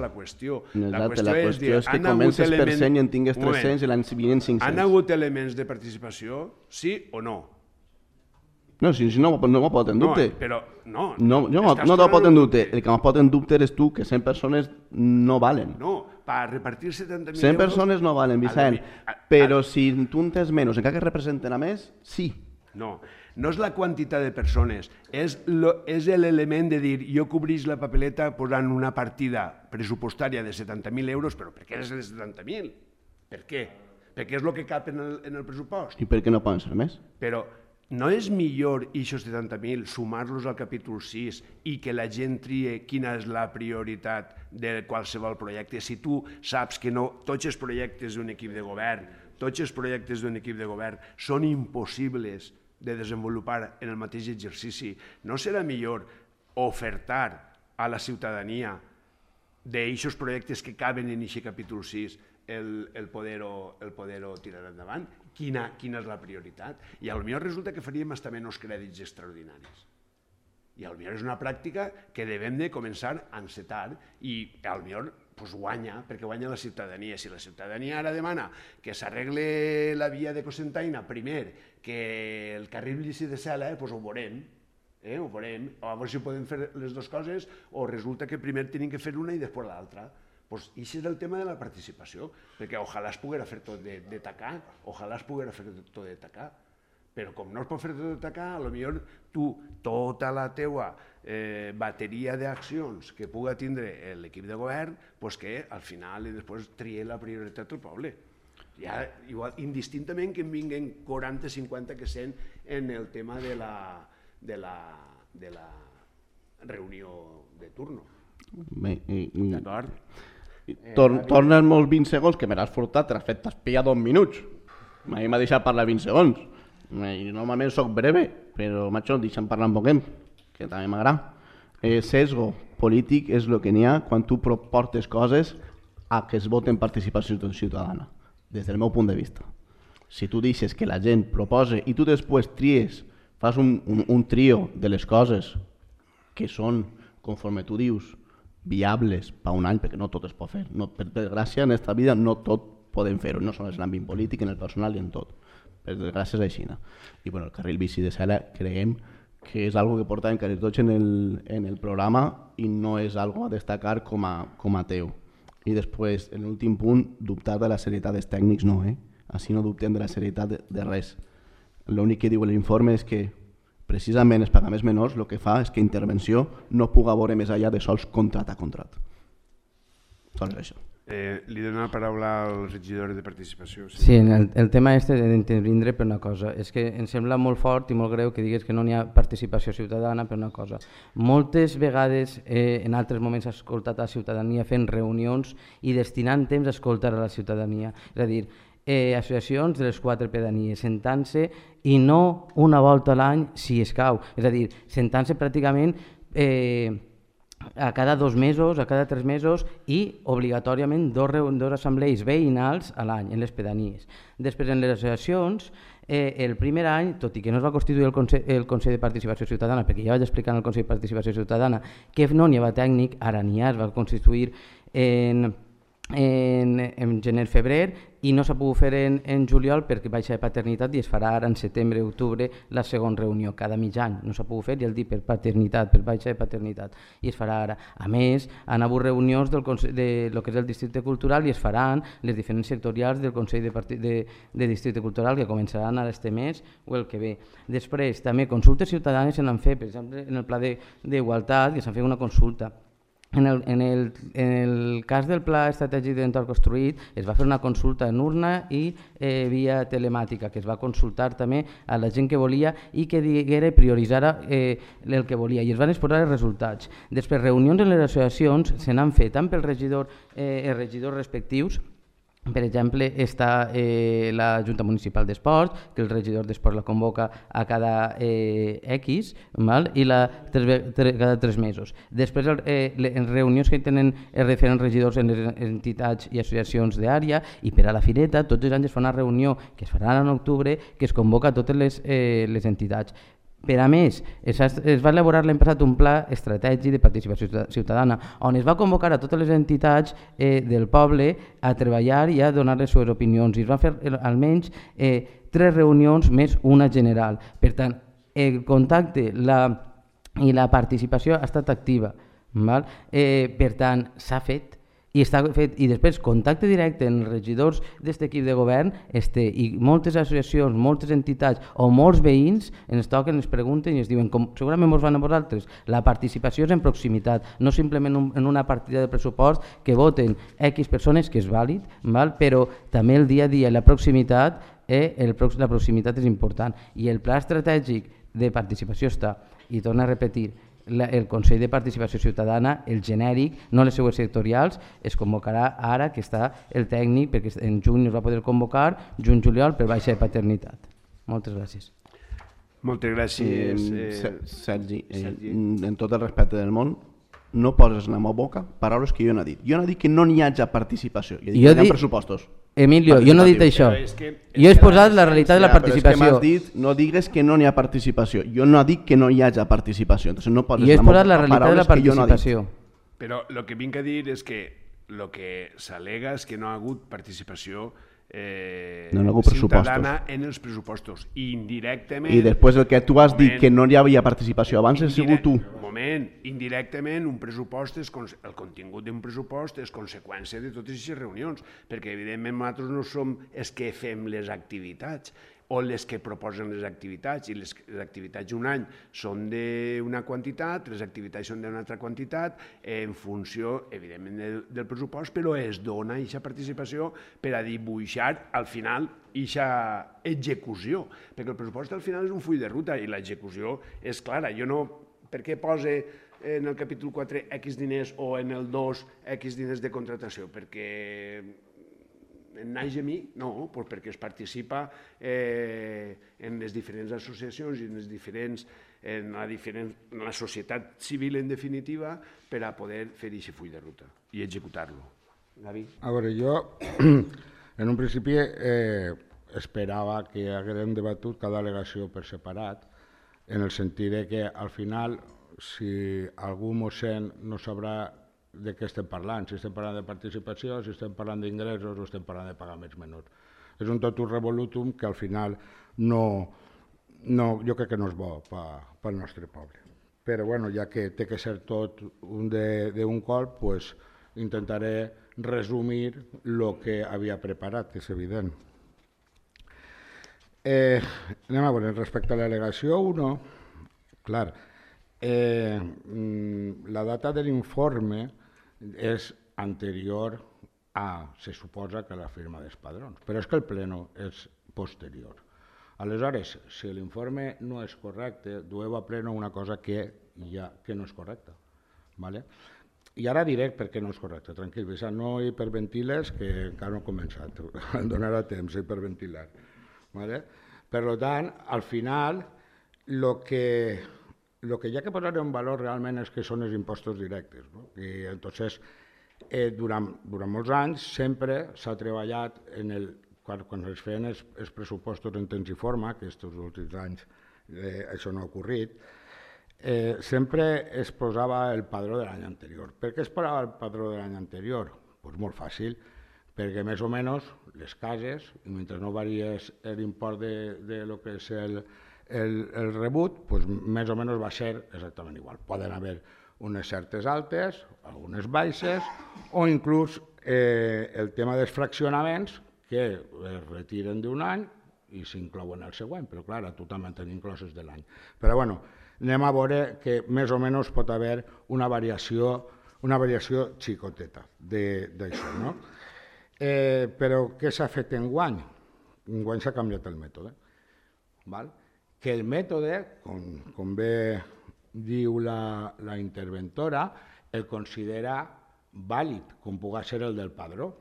la qüestió. La qüestió és que comences per cent i en tingues tres-cents i l'any vinent cinc-cents. Han hagut elements de participació, sí o no? No, si no m'ho pot en dubte. No, però no. No t'ho pot en dubte. El que m'ho pot en dubte eres tu, que cent persones no valen. No, per repartir setanta mil euros... cent persones no valen, Vicent. Però si tu en tens menys, encara que representen a més, sí. No, no és la quantitat de persones, és l'element de dir jo cobreix la papeleta posant una partida pressupostària de setanta mil euros, però per què és de setanta mil? Per què? Perquè és el que cap en el pressupost. I per què no poden ser més? Però no és millor aquests setanta mil sumar-los al capítol sis i que la gent trie quina és la prioritat de qualsevol projecte? Si tu saps que tots els projectes d'un equip de govern, tots els projectes d'un equip de govern són impossibles de desenvolupar en el mateix exercici, no serà millor ofertar a la ciutadania d'aquests projectes que caben en aquest capítol sis el poder-ho tirar endavant? Quina és la prioritat? I potser resulta que faríem fins menys crèdits extraordinaris. I potser és una pràctica que devem de començar a encetar i potser guanya, perquè guanya la ciutadania. Si la ciutadania ara demana que s'arregle la via de Cocentaina primer, que el carril bici de Sela, doncs ho veurem, ho veurem, a veure si podem fer les dues coses o resulta que primer tenim que fer una i després l'altra. Doncs això és el tema de la participació, perquè ojalà es poguera fer tot de tacar, ojalà es poguera fer tot de tacar, però com no es pot fer tot de tacar, potser tu, tota la teua bateria d'accions que puga tindre l'equip de govern, doncs que al final després trie la prioritat del poble. Ja, igual, indistintament que en vinguen quaranta, cinquanta, que cent en el tema de la reunió de turno. D'acord? Torna molts vint segons, que me l'has furtat, te l'has fet espiar dos minuts. A mi m'ha deixat parlar vint segons. Normalment soc breve, però macho, deixa'm parlar un poquet, que també m'agrada. Sesgo polític és el que n'hi ha quan tu proportes coses a que es voten participació ciutadana, des del meu punt de vista. Si tu deixes que la gent propose i tu després tries, fas un trio de les coses que són, conforme tu dius, viables per un any, perquè no tot es pot fer. Per gràcia, en aquesta vida no tot podem fer-ho, no només en l'àmbit polític, en el personal i en tot. Per desgràcia és així. I bueno, el carril bici de Sela creiem que és algo que portàvem quasi tots en el, en el programa i no és algo a destacar com a, com a teu. I després, en l'últim punt, dubtar de la serietat dels tècnics no, eh? Així no dubtem de la serietat de, de res. L'únic que diu l'informe és que precisament els pagaments menors el que fa és que intervenció no puga veure més enllà de sols contrat a contrat. Sols això. Eh, li dono la paraula al regidor de participació. Sí, sí el, el tema este d'intervindre per una cosa. És que em sembla molt fort i molt greu que digues que no n'hi ha participació ciutadana per una cosa. Moltes vegades eh, en altres moments he escoltat a la ciutadania fent reunions i destinant temps a escoltar a la ciutadania. És a dir, eh, associacions de les quatre pedanies sentant-se i no una volta a l'any si escau. És a dir, sentant-se pràcticament eh, a cada dos mesos, a cada tres mesos i obligatòriament dos, dos assemblees veïnals a l'any en les pedanies. Després en les associacions, eh, el primer any, tot i que no es va constituir el Consell, el Consell de Participació Ciutadana, perquè ja vaig explicar en el Consell de Participació Ciutadana que no n'hi havia tècnic, ara n'hi ha, es va constituir en, en, en gener-febrer i no s'ha pogut fer en, en juliol perquè baixa de paternitat i es farà ara en setembre-octubre la segona reunió, cada mig any. No s'ha pogut fer, ja el dic, per paternitat, per baixa de paternitat, i es farà ara. A més, han hagut reunions del Consell, de lo que és el Districte Cultural i es faran les diferents sectorials del Consell de, Parti, de, de Districte Cultural que començaran ara este mes o el que ve. Després, també consultes ciutadanes se n'han fet, per exemple, en el Pla d'Igualtat, que s'han fet una consulta. En el, en, el, en el cas del Pla Estratègic d'Entorn Construït es va fer una consulta en urna i eh, via telemàtica, que es va consultar també a la gent que volia i que diguera i prioritzara eh, el que volia, i es van exposar els resultats. Després, reunions en les associacions se n'han fet tant pels regidors, eh, els regidors respectius. Per exemple, està eh, la Junta Municipal d'Esports, que el regidor d'Esports la convoca a cada eh, X, val? I la, tres, tres, cada tres mesos. Després, eh, en reunions que tenen els diferents regidors en les entitats i associacions d'àrea, i per a la Fireta, tots els anys es fa una reunió que es farà en octubre, que es convoca a totes les, eh, les entitats. Per a més, es, es va elaborar l'any passat un pla estratègic de participació ciutadana on es va convocar a totes les entitats eh, del poble a treballar i a donar les seves opinions. I es van fer almenys eh, tres reunions més una general. Per tant, el contacte la, i la participació ha estat activa. Val? Eh, per tant, s'ha fet. I, està fet, i després contacte directe amb els regidors d'aquest equip de govern este, i moltes associacions, moltes entitats o molts veïns ens toquen, ens pregunten i ens diuen, com segurament ens van a vosaltres, la participació és en proximitat, no simplement un, en una partida de pressupost que voten X persones, que és vàlid, val? Però també el dia a dia i la proximitat, eh, el, la proximitat és important. I el pla estratègic de participació està, i torno a repetir, La, el Consell de Participació Ciutadana, el genèric, no les seues sectorials, es convocarà ara que està el tècnic, perquè en juny es va poder convocar, juny-juliol, per baixa de paternitat. Moltes gràcies. Moltes gràcies. Eh, Sergi, eh, Sergi, en tot el respecte del món, no poses en la meva boca paraules que jo no he dit. Jo no he dit que no n'hi hagi participació, jo he dit jo que hi ha pressupostos. Emilio, jo no he dit això. És que, és jo he exposat la realitat de la participació. Però és que m'has dit, no digues que no n'hi ha participació. Jo no dic que no hi hagi participació. Entonces no poses jo he exposat la realitat de la participació. No Però el que vinc a dir és que el que s'al·lega és que no ha hagut participació eh, no ciutadana en els pressupostos. I indirectament... I després el que tu has moment, dit que no hi havia participació abans has sigut tu. Un moment, indirectament un pressupost és, el contingut d'un pressupost és conseqüència de totes aquestes reunions, perquè evidentment nosaltres no som els que fem les activitats o les que proposen les activitats, i les, les activitats un any són d'una quantitat, les activitats són d'una altra quantitat, en funció, evidentment, del, del pressupost, però es dona aquesta participació per a dibuixar, al final, aquesta execució, perquè el pressupost al final és un full de ruta i l'execució és clara. Jo no, per què posa en el capítol quatre X diners o en el dos X diners de contratació? Perquè en naix a mi? No, doncs perquè es participa eh, en les diferents associacions i en, les diferents, en, la diferent, en la societat civil, en definitiva, per a poder fer aquest full de ruta i executar-lo. Gavi? A veure, jo en un principi eh, esperava que haguérem debatut cada al·legació per separat, en el sentit que al final, si algú mossèn no sabrà de què estem parlant, si estem parlant de participació, si estem parlant d'ingressos o estem parlant de pagaments menors. És un totum revolutum que al final no, no, jo crec que no és bo pel nostre poble. Però bueno, ja que té que ser tot d'un colp, pues, intentaré resumir el que havia preparat, que és evident. Eh, anem a veure, respecte a l'al·legació u, clar, eh, la data de l'informe és anterior a, se suposa, que la firma dels padrons, però és que el pleno és posterior. Aleshores, si l'informe no és correcte, dueu a pleno una cosa que, ja, que no és correcta. ¿Vale? I ara diré per què no és correcte, tranquil, Vicent, no hiperventiles, que encara no he començat, em donarà temps a hiperventilar. ¿Vale? Per tant, al final, el que, lo que hi ha que posar en valor realment és que són els impostos directes. No? I entonces, eh, durant, durant molts anys sempre s'ha treballat en el, quan, quan es feien els, els pressupostos en temps i forma, que aquests últims anys eh, això no ha ocorrit, eh, sempre es posava el padró de l'any anterior. Per què es posava el padró de l'any anterior? Pues molt fàcil, perquè més o menys les cases, i mentre no varies l'import de, de lo que és el, el, el rebut, pues més o menys va ser exactament igual. Poden haver unes certes altes, algunes baixes, o inclús eh, el tema dels fraccionaments que es retiren d'un any i s'inclouen al següent, però clar, a tu també en tenim incloses de l'any. Però bueno, anem a veure que més o menys pot haver una variació, una variació xicoteta d'això, no? Eh, però què s'ha fet enguany? Enguany s'ha canviat el mètode. Val? Que el mètode, com, com bé diu la, la interventora, el considera vàlid, com pugui ser el del padró.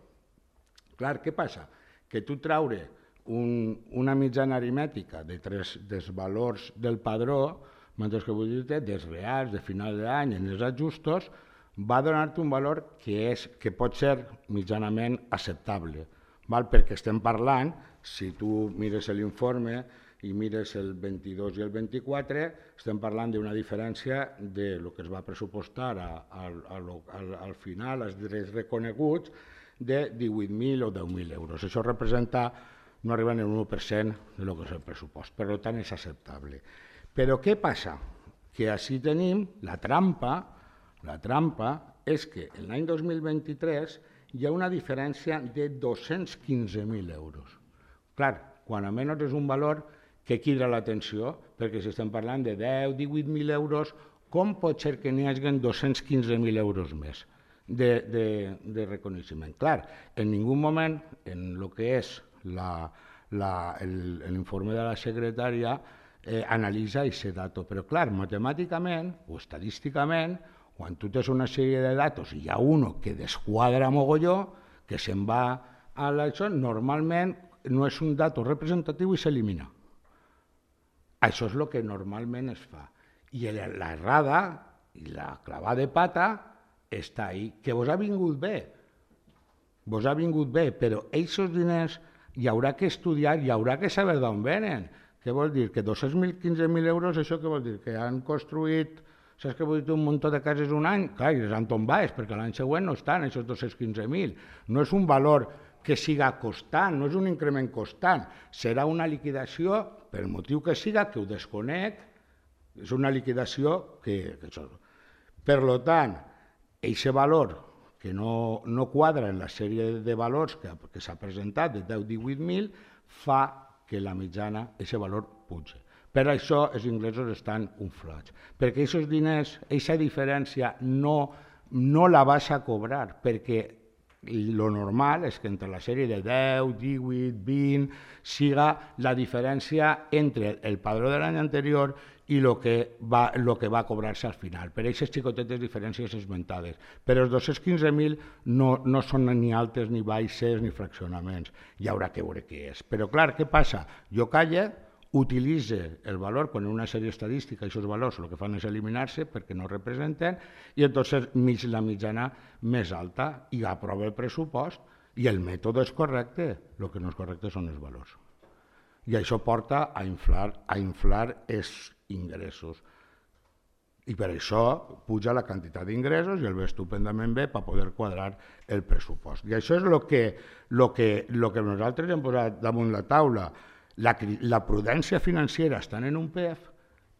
Clar, què passa? Que tu traure un, una mitjana aritmètica de tres, dels valors del padró, mentre que vull dir-te, dels reals, de final d'any, en els ajustos, va donar-te un valor que, és, que pot ser mitjanament acceptable. Val? Perquè estem parlant, si tu mires l'informe i mires el vint-i-dos i el vint-i-quatre, estem parlant d'una diferència de lo que es va pressupostar a, a, a, a, al final, als drets reconeguts, de divuit mil o deu mil euros. Això representa, no arriba ni un u per cent de lo que és el pressupost, per tant és acceptable. Però què passa? Que així tenim la trampa, la trampa és que l'any dos mil vint-i-tres hi ha una diferència de dos-cents quinze mil euros. Clar, quan a menys és un valor que crida l'atenció, perquè si estem parlant de deu, divuit mil euros, com pot ser que n'hi hagi dos-cents quinze mil euros més de, de, de reconeixement? Clar, en ningú moment, en el que és l'informe de la secretària, eh, analitza aquest dato. Però clar, matemàticament o estadísticament, quan tu tens una sèrie de datos i hi ha un que desquadra mogolló, que se'n va a l'això, normalment no és un dato representatiu i s'elimina. Això és el que normalment es fa. I l'errada i la clavada de pata està ahí, que vos ha vingut bé. Vos ha vingut bé, però aquests diners hi haurà que estudiar, hi haurà que saber d'on venen. Què vol dir? Que dos-cents quinze mil euros, això què vol dir? Que han construït, saps què vol dir, un munt de cases un any? Clar, i les han tombat, perquè l'any següent no estan, aquests dos-cents quinze mil. No és un valor que siga constant, no és un increment constant. Serà una liquidació, per motiu que siga, que ho desconec, és una liquidació que... que per tant, aquest valor que no, no quadra en la sèrie de valors que, que s'ha presentat, de deu a divuit mil, fa que la mitjana, aquest valor, puja. Per això els ingressos estan inflats. Perquè aquests diners, aquesta diferència no, no la vas a cobrar, perquè el normal és que entre la sèrie de deu, divuit, vint, siga la diferència entre el padró de l'any anterior i el que va, lo que va cobrar-se al final. Per aquestes xicotetes diferències esmentades. Però els dos-cents quinze mil no, no són ni altes, ni baixes, ni fraccionaments. Hi haurà que veure què és. Però clar, què passa? Jo calle, utilitze el valor, quan en una sèrie estadística aquests valors el que fan és eliminar-se perquè no representen, i entonces mig la mitjana més alta i aprova el pressupost i el mètode és correcte, el que no és correcte són els valors. I això porta a inflar, a inflar els ingressos. I per això puja la quantitat d'ingressos i el ve estupendament bé per poder quadrar el pressupost. I això és el que, lo que, lo que nosaltres hem posat damunt la taula. La, la prudència financera estant en un P E F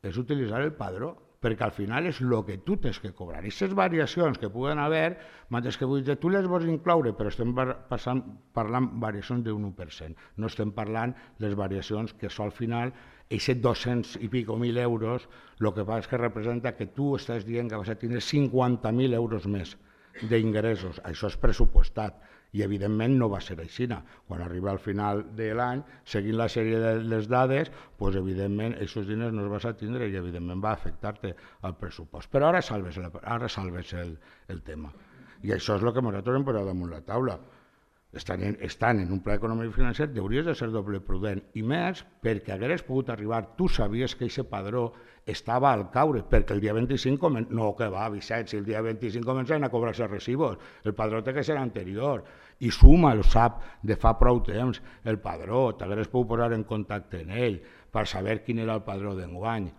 és utilitzar el padró, perquè al final és el que tu tens que cobrar. I aquestes variacions que puguen haver, mentre que vull dir, tu les vols incloure, però estem passant, parlant variacions d'un u per cent. No estem parlant les variacions que són al final aquests dos-cents i pico mil euros, el que fa és que representa que tu estàs dient que vas a tenir cinquanta mil euros més d'ingressos. Això és pressupostat i evidentment no va ser així. Quan arriba al final de l'any, seguint la sèrie de les dades, doncs evidentment aquests diners no els vas a tindre i evidentment va afectar-te al pressupost. Però ara salves, ara salves el, el tema. I això és el que nosaltres hem posat damunt la taula. Estan en, estan en un pla econòmic i financer, hauries de ser doble prudent. I més perquè hagués pogut arribar, tu sabies que aquest padró estava al caure, perquè el dia vint-i-cinc, comen... no que va, Vicent, si el dia vint-i-cinc començaven a cobrar-se recibos, el padró té que ser anterior, i Suma el sap de fa prou temps, el padró, t'hagués pogut posar en contacte amb ell per saber quin era el padró d'enguany.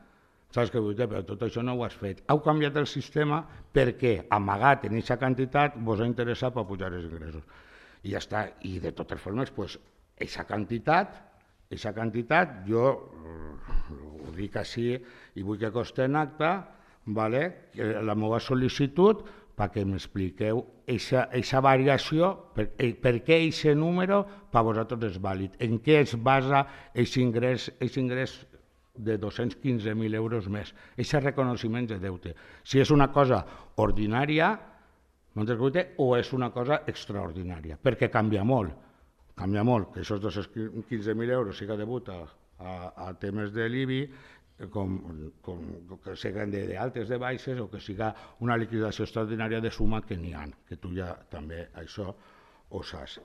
Saps què vull dir? Però tot això no ho has fet. Heu canviat el sistema perquè, amagat en aquesta quantitat, vos ha interessat per pujar els ingressos. I ja està. I de totes formes, doncs, aquesta quantitat, aquesta quantitat, jo ho dic així i vull que costi en acte, vale? La meva sol·licitud perquè m'expliqueu aquesta variació, per, per què aquest número per vosaltres és vàlid, en què es basa aquest ingrés, aquest ingrés de dos-cents quinze mil euros més, aquest reconeixement de deute. Si és una cosa ordinària, o és una cosa extraordinària, perquè canvia molt, canvia molt, que aquests dos-cents quinze mil euros siga degut a, a, a temes de l'I B I, com, com que siguin d'altes de baixes o que siga una liquidació extraordinària de suma que n'hi ha, que tu ja també això ho saps.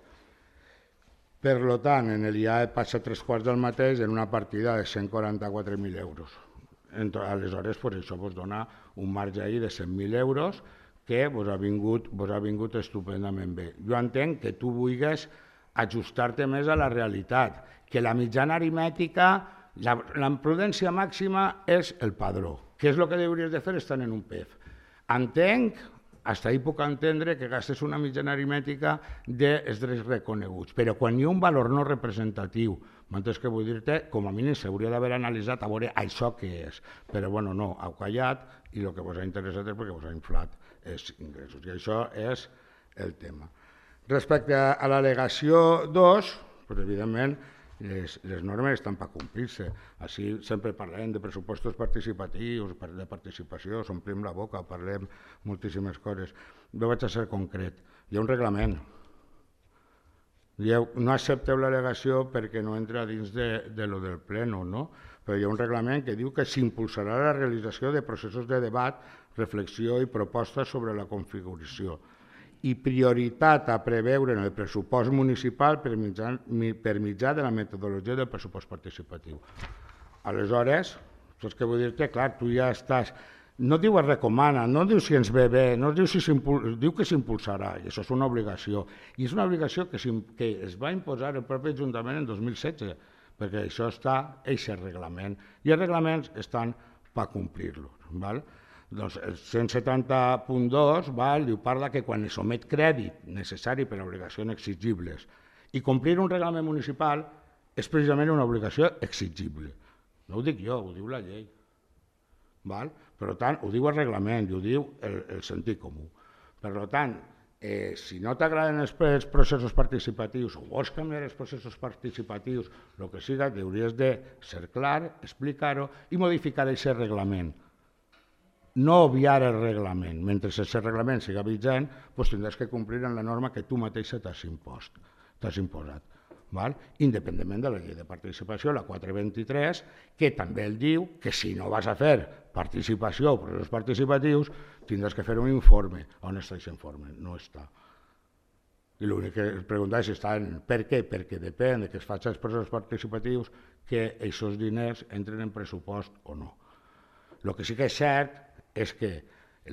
Per tant, en l'I A E passa tres quarts del mateix en una partida de cent quaranta-quatre mil euros. Aleshores, pues, això vos dona un marge ahí de cent mil euros que vos ha vingut, vos ha vingut estupendament bé. Jo entenc que tu vulguis ajustar-te més a la realitat, que la mitjana aritmètica, la, la prudència màxima és el padró. Què és el que hauries de fer estant en un P E F? Entenc, fins ahir puc entendre que gastes una mitjana aritmètica dels drets reconeguts, però quan hi ha un valor no representatiu, m'entens que vull dir-te, com a mínim s'hauria d'haver analitzat a veure això què és. Però bueno, no, heu callat i el que vos ha interessat és perquè vos ha inflat els ingressos. I això és el tema. Respecte a l'al·legació dos, doncs, evidentment, les, les normes estan per complir-se. Així sempre parlem de pressupostos participatius, de participació, s'omplim la boca, parlem moltíssimes coses. Jo vaig a ser concret. Hi ha un reglament. Dieu, no accepteu l'al·legació perquè no entra dins de, de lo del pleno, no? Però hi ha un reglament que diu que s'impulsarà la realització de processos de debat, reflexió i propostes sobre la configuració i prioritat a preveure en el pressupost municipal per mitjà, per mitjà de la metodologia del pressupost participatiu. Aleshores, saps què vull dir-te? Clar, tu ja estàs... No diu es recomana, no diu si ens ve bé, no diu, si diu que s'impulsarà, i això és una obligació. I és una obligació que, que es va imposar el propi Ajuntament en dos mil setze, perquè això està, aquest reglament, i els reglaments estan per complir-lo. Doncs el cent setanta punt dos diu, parla que quan es somet crèdit necessari per a obligacions exigibles i complir un reglament municipal és precisament una obligació exigible. No ho dic jo, ho diu la llei. Val? Per tant, ho diu el reglament i ho diu el, el sentit comú. Per tant, eh, si no t'agraden els, els processos participatius o vols canviar els processos participatius, el que siga, hauries de ser clar, explicar-ho i modificar aquest reglament. No obviar el reglament. Mentre aquest reglament siga vigent, doncs tindràs que complir amb la norma que tu mateixa t'has impost, t'has imposat. Val? Independentment de la llei de participació, la quatre vint-i-tres, que també el diu que si no vas a fer participació o processos participatius, tindràs que fer un informe. On està aquest informe? No està. I l'únic que es pregunta és si està en per què, perquè depèn de que es facin els processos participatius que aquests diners entren en pressupost o no. El que sí que és cert és que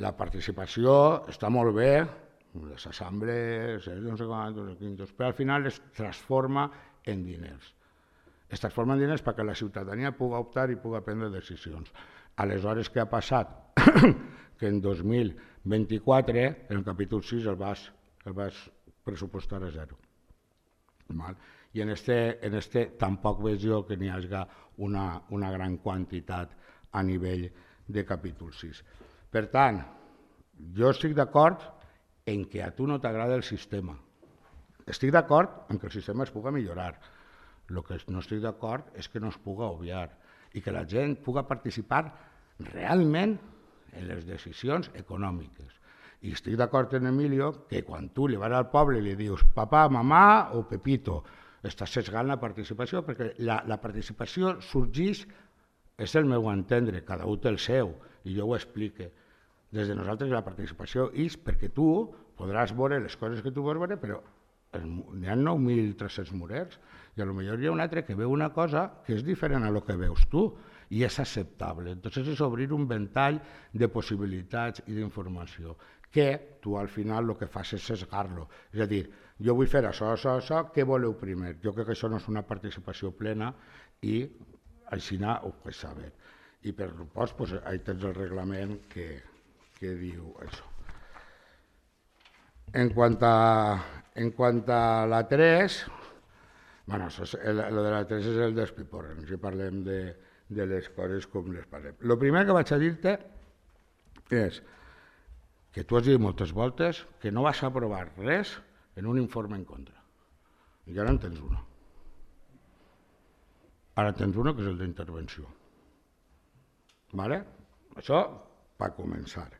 la participació està molt bé, les assemblees, no sé quantos, però al final es transforma en diners. Es transforma en diners perquè la ciutadania pugui optar i pugui prendre decisions. Aleshores, què ha passat? que en dos mil vint-i-quatre, en el capítol sis, el vas, el vas pressupostar a zero. Val? I en este, en este tampoc veig jo que n'hi hagi una, una gran quantitat a nivell de capítol sis. Per tant, jo estic d'acord en que a tu no t'agrada el sistema. Estic d'acord en que el sistema es puga millorar. El que no estic d'acord és que no es puga obviar i que la gent puga participar realment en les decisions econòmiques. I estic d'acord en Emilio que quan tu li vas al poble i li dius papà, mamà o Pepito, estàs sesgant la participació, perquè la, la participació sorgeix, és el meu entendre, cada un té el seu, i jo ho explique. Des de nosaltres la participació és perquè tu podràs veure les coses que tu vols veure, però n'hi ha nou mil tres-cents murers, i potser hi ha un altre que veu una cosa que és diferent a lo que veus tu, i és acceptable. Entonces és obrir un ventall de possibilitats i d'informació, que tu al final el que fas és sesgar-lo. És a dir, jo vull fer això, això, això, què voleu primer? Jo crec que això no és una participació plena i així ho puc saber. I per supost, doncs, ahí tens el reglament que, que diu això. En quant a, en quant a la tres, bueno, el, el de la tres és el despiporren, si parlem de, de les coses com les parlem. El primer que vaig a dir-te és que tu has dit moltes voltes que no vas aprovar res en un informe en contra. I ara en tens una. Ara tens una que és el d'intervenció. Vale? Això per començar.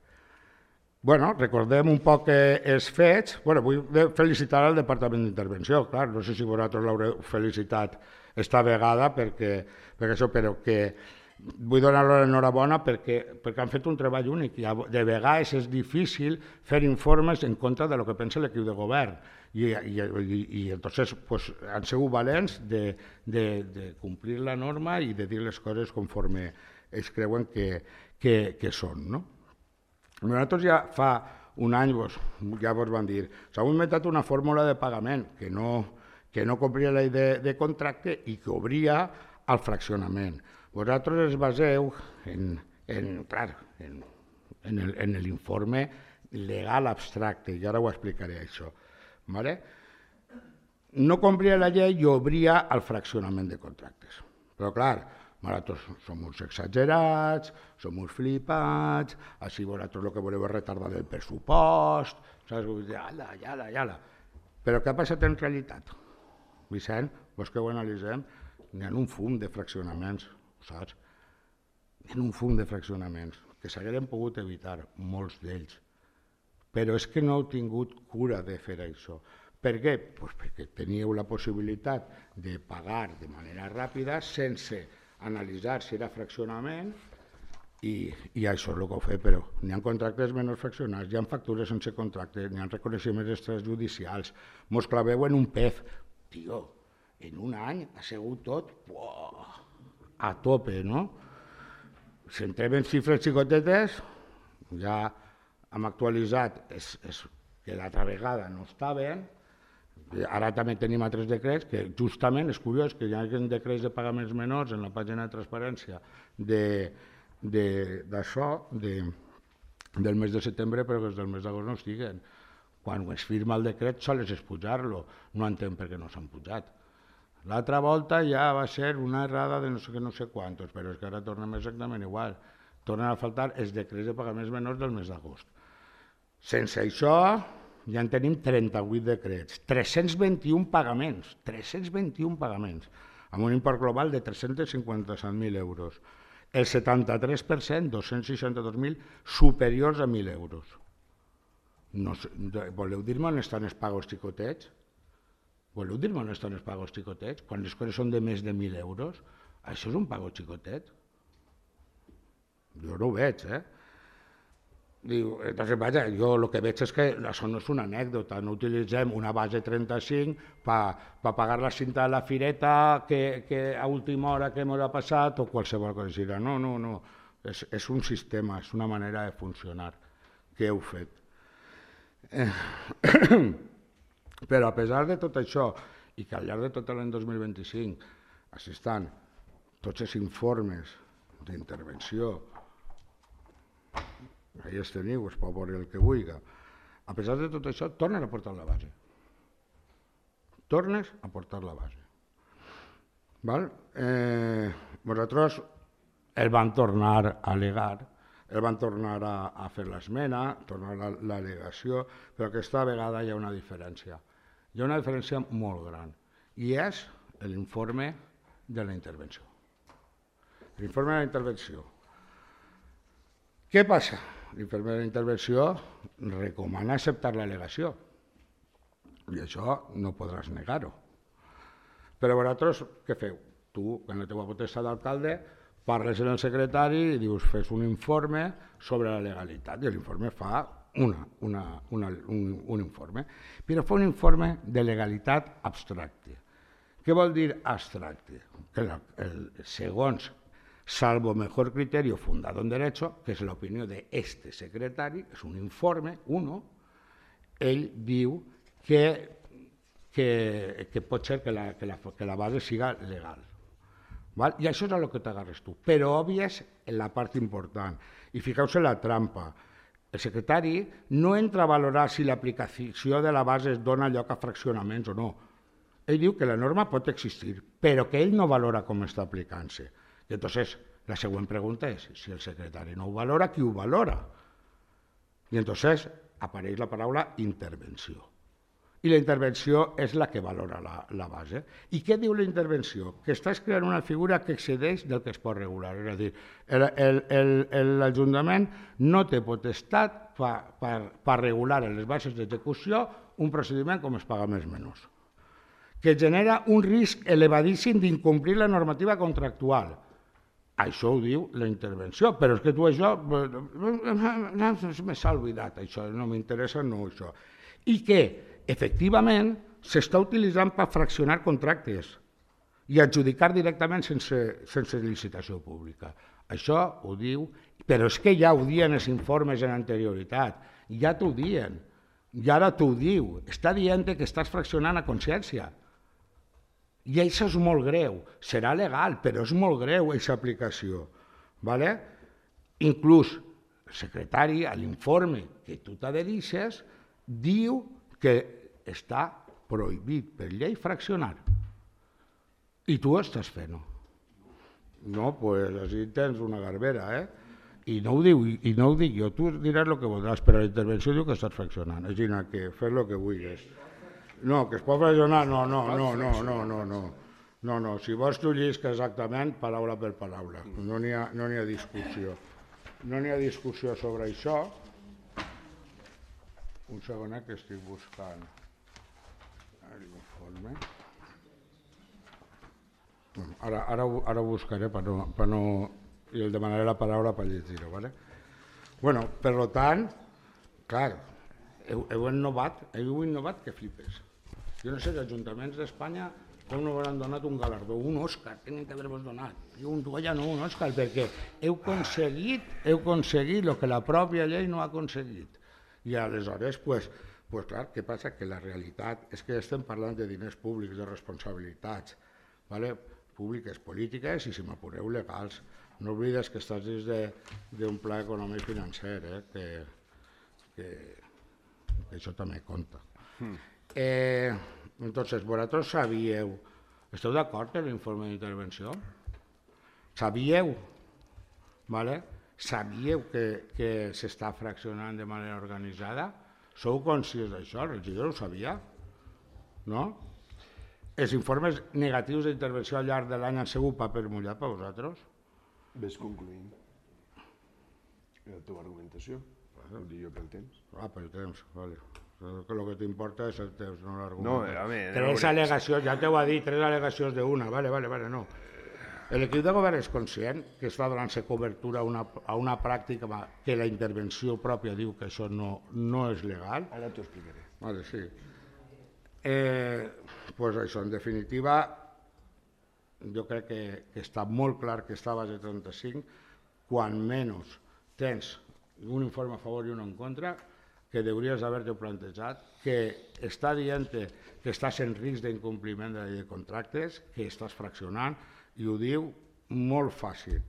Bueno, recordem un poc els fets. Bueno, vull felicitar al Departament d'Intervenció, clar, no sé si vosaltres l'haureu felicitat esta vegada, perquè, perquè això, però que vull donar-los l'enhorabona perquè, perquè han fet un treball únic i de vegades és difícil fer informes en contra de lo que pensa l'equip de govern i, i, i, i entonces pues, han sigut valents de, de, de complir la norma i de dir les coses conforme es creuen que, que, que són, no? Nosaltres ja fa un any vos, ja vos van dir s'ha inventat una fórmula de pagament que no, que no complia la llei de, de contracte i que obria al fraccionament. Vosaltres es baseu en, en, clar, en, en l'informe legal abstracte, i ara ho explicaré això. Vale? No complia la llei i obria al fraccionament de contractes. Però clar, nosaltres som uns exagerats, som uns flipats, així vosaltres el que voleu és retardar el pressupost, saps? Ala, ala, ala. Però què ha passat en realitat? Vicent, vos que ho analitzem, n'hi ha un fum de fraccionaments, saps? N'hi ha un fum de fraccionaments que s'hagueren pogut evitar, molts d'ells. Però és que no heu tingut cura de fer això. Per què? Pues perquè teníeu la possibilitat de pagar de manera ràpida sense analitzar si era fraccionament i, i això és el que ho fet, però n'hi ha contractes menys fraccionats, hi ha factures sense contracte, n'hi ha reconeixements extrajudicials, mos claveu en un P E F. Tio, en un any ha sigut tot uah, a tope, no? Si entrem en xifres xicotetes, ja hem actualitzat, és, és que l'altra vegada no estaven. Ara també tenim altres decrets que justament és curiós que hi ha decrets de pagaments menors en la pàgina de transparència d'això, de, de, del mes de setembre, però que els del mes d'agost no estiguen. Quan es firma el decret sols és pujar-lo, no entenc per què no s'han pujat. L'altra volta ja va ser una errada de no sé què, no sé quantos, però és que ara tornem exactament igual. Tornen a faltar els decrets de pagaments menors del mes d'agost. Sense això ja en tenim trenta-vuit decrets, tres-cents vint-i-un pagaments, tres-cents vint-i-un pagaments, amb un import global de tres-cents cinquanta-set mil euros. El setanta-tres per cent, dos-cents seixanta-dos mil, superiors a mil euros. No, voleu dir-me on estan els pagos xicotets? Voleu dir-me on estan els pagos xicotets? Quan les coses són de més de mil euros, això és un pago xicotet? Jo no ho veig, eh? Diu, entonces, vaja, jo el que veig és que això no és una anècdota, no utilitzem una base trenta-cinc per pa pagar la cinta de la fireta que, que a última hora que ens ha passat o qualsevol cosa així. No, no, no, és, és un sistema, és una manera de funcionar que heu fet. Eh, però a pesar de tot això i que al llarg de tot l'any dos mil vint-i-cinc així estan tots els informes d'intervenció ahí es teniu, es pot veure el que vulgui. A pesar de tot això, tornen a portar la base. Tornes a portar la base. Val? Eh, vosaltres el van tornar a al·legar, el van tornar a, a fer l'esmena, tornar a l'al·legació, però aquesta vegada hi ha una diferència. Hi ha una diferència molt gran, i és l'informe de la intervenció. L'informe de la intervenció. Què passa? L'informe de la intervenció recomana acceptar l'al·legació, i això no podràs negar-ho. Però vosaltres què feu? Tu, en la teva potestat d'alcalde, parles amb el secretari i dius fes un informe sobre la legalitat, i l'informe fa una, una, una, un, un informe, però fa un informe de legalitat abstracte. Què vol dir abstracte? Que la, el, segons salvo mejor criterio fundado en derecho, que és l'opinió d'este secretari, és un informe, uno, ell diu que, que, que pot ser que la, que, la, que la base siga legal. Val? I això és el que t'agarres tu, però obvies la part important. I fiqueu-se la trampa. El secretari no entra a valorar si l'aplicació de la base es dona lloc a fraccionaments o no. Ell diu que la norma pot existir, però que ell no valora com està aplicant-se. I entonces la següent pregunta és, si el secretari no ho valora, qui ho valora? I entonces apareix la paraula intervenció. I la intervenció és la que valora la, la base. I què diu la intervenció? Que estàs creant una figura que excedeix del que es pot regular. És a dir, l'Ajuntament no té potestat per, per, per regular en les bases d'execució un procediment com els pagaments menors, que genera un risc elevadíssim d'incomplir la normativa contractual. Això ho diu la intervenció, però és que tu això... Me s'ha oblidat, això, no m'interessa, no això. I que efectivament, s'està utilitzant per fraccionar contractes i adjudicar directament sense, sense licitació pública. Això ho diu, però és que ja ho diuen els informes en anterioritat, ja t'ho diuen, i ara t'ho diu, està dient que estàs fraccionant a consciència. I això és molt greu, serà legal, però és molt greu aquesta aplicació. ¿Vale? Inclús el secretari, a l'informe que tu t'adherixes, diu que està prohibit per llei fraccionar. I tu ho estàs fent-ho. No, doncs així tens una garbera, eh? I no ho diu, i no ho dic jo, tu diràs el que voldràs, però la intervenció diu que estàs fraccionant. Així que fes el que vulguis. No, que es pot fraccionar, no, no, no, no, no, no, no. No, no, si vols tu llisca exactament, paraula per paraula. No n'hi ha, no n'hi ha discussió. No n'hi ha discussió sobre això. Un segonet que estic buscant l'informe. Bueno, ara, ara, ara ho buscaré per no, per no, i el demanaré la paraula per llegir-ho. ¿Vale? Bueno, per tant, clar, heu, heu innovat, heu innovat que flipes. Jo no sé, els ajuntaments d'Espanya com no hauran donat un galardó, un Òscar, tenen que haver-vos donat. Jo un toalla no, un Òscar, perquè heu aconseguit, heu aconseguit el que la pròpia llei no ha aconseguit. I aleshores, pues, pues clar, què passa? Que la realitat és que estem parlant de diners públics, de responsabilitats, ¿vale? Públiques, polítiques i, si m'apureu, legals. No oblides que estàs dins d'un pla econòmic financer, eh? que, que, que això també compta. Mm. Eh, entonces, vosaltres sabíeu, esteu d'acord amb l'informe d'intervenció? Sabíeu, ¿vale? Sabíeu que, que s'està fraccionant de manera organitzada? Sou conscients d'això? El regidor ho sabia? No? Els informes negatius d'intervenció al llarg de l'any han sigut paper mullat per vosaltres? Ves concluint la teva argumentació. Ho dic jo pel temps. Ah, pel temps, vale. El que t'importa és el temps, no l'argument. No, home... Tres al·legacions, ja t'ho ha dit, tres al·legacions d'una, vale, vale, vale, no. L'equip de govern és conscient que està donant-se cobertura a una, a una pràctica que la intervenció pròpia diu que això no, no és legal. Ara t'ho explicaré. Vale, sí. Eh, pues això, en definitiva, jo crec que, que està molt clar que està a base trenta-cinc, quan menys tens un informe a favor i un en contra, que hauries d'haver-te plantejat, que està dient que estàs en risc d'incompliment de la llei de contractes, que estàs fraccionant, i ho diu molt fàcil,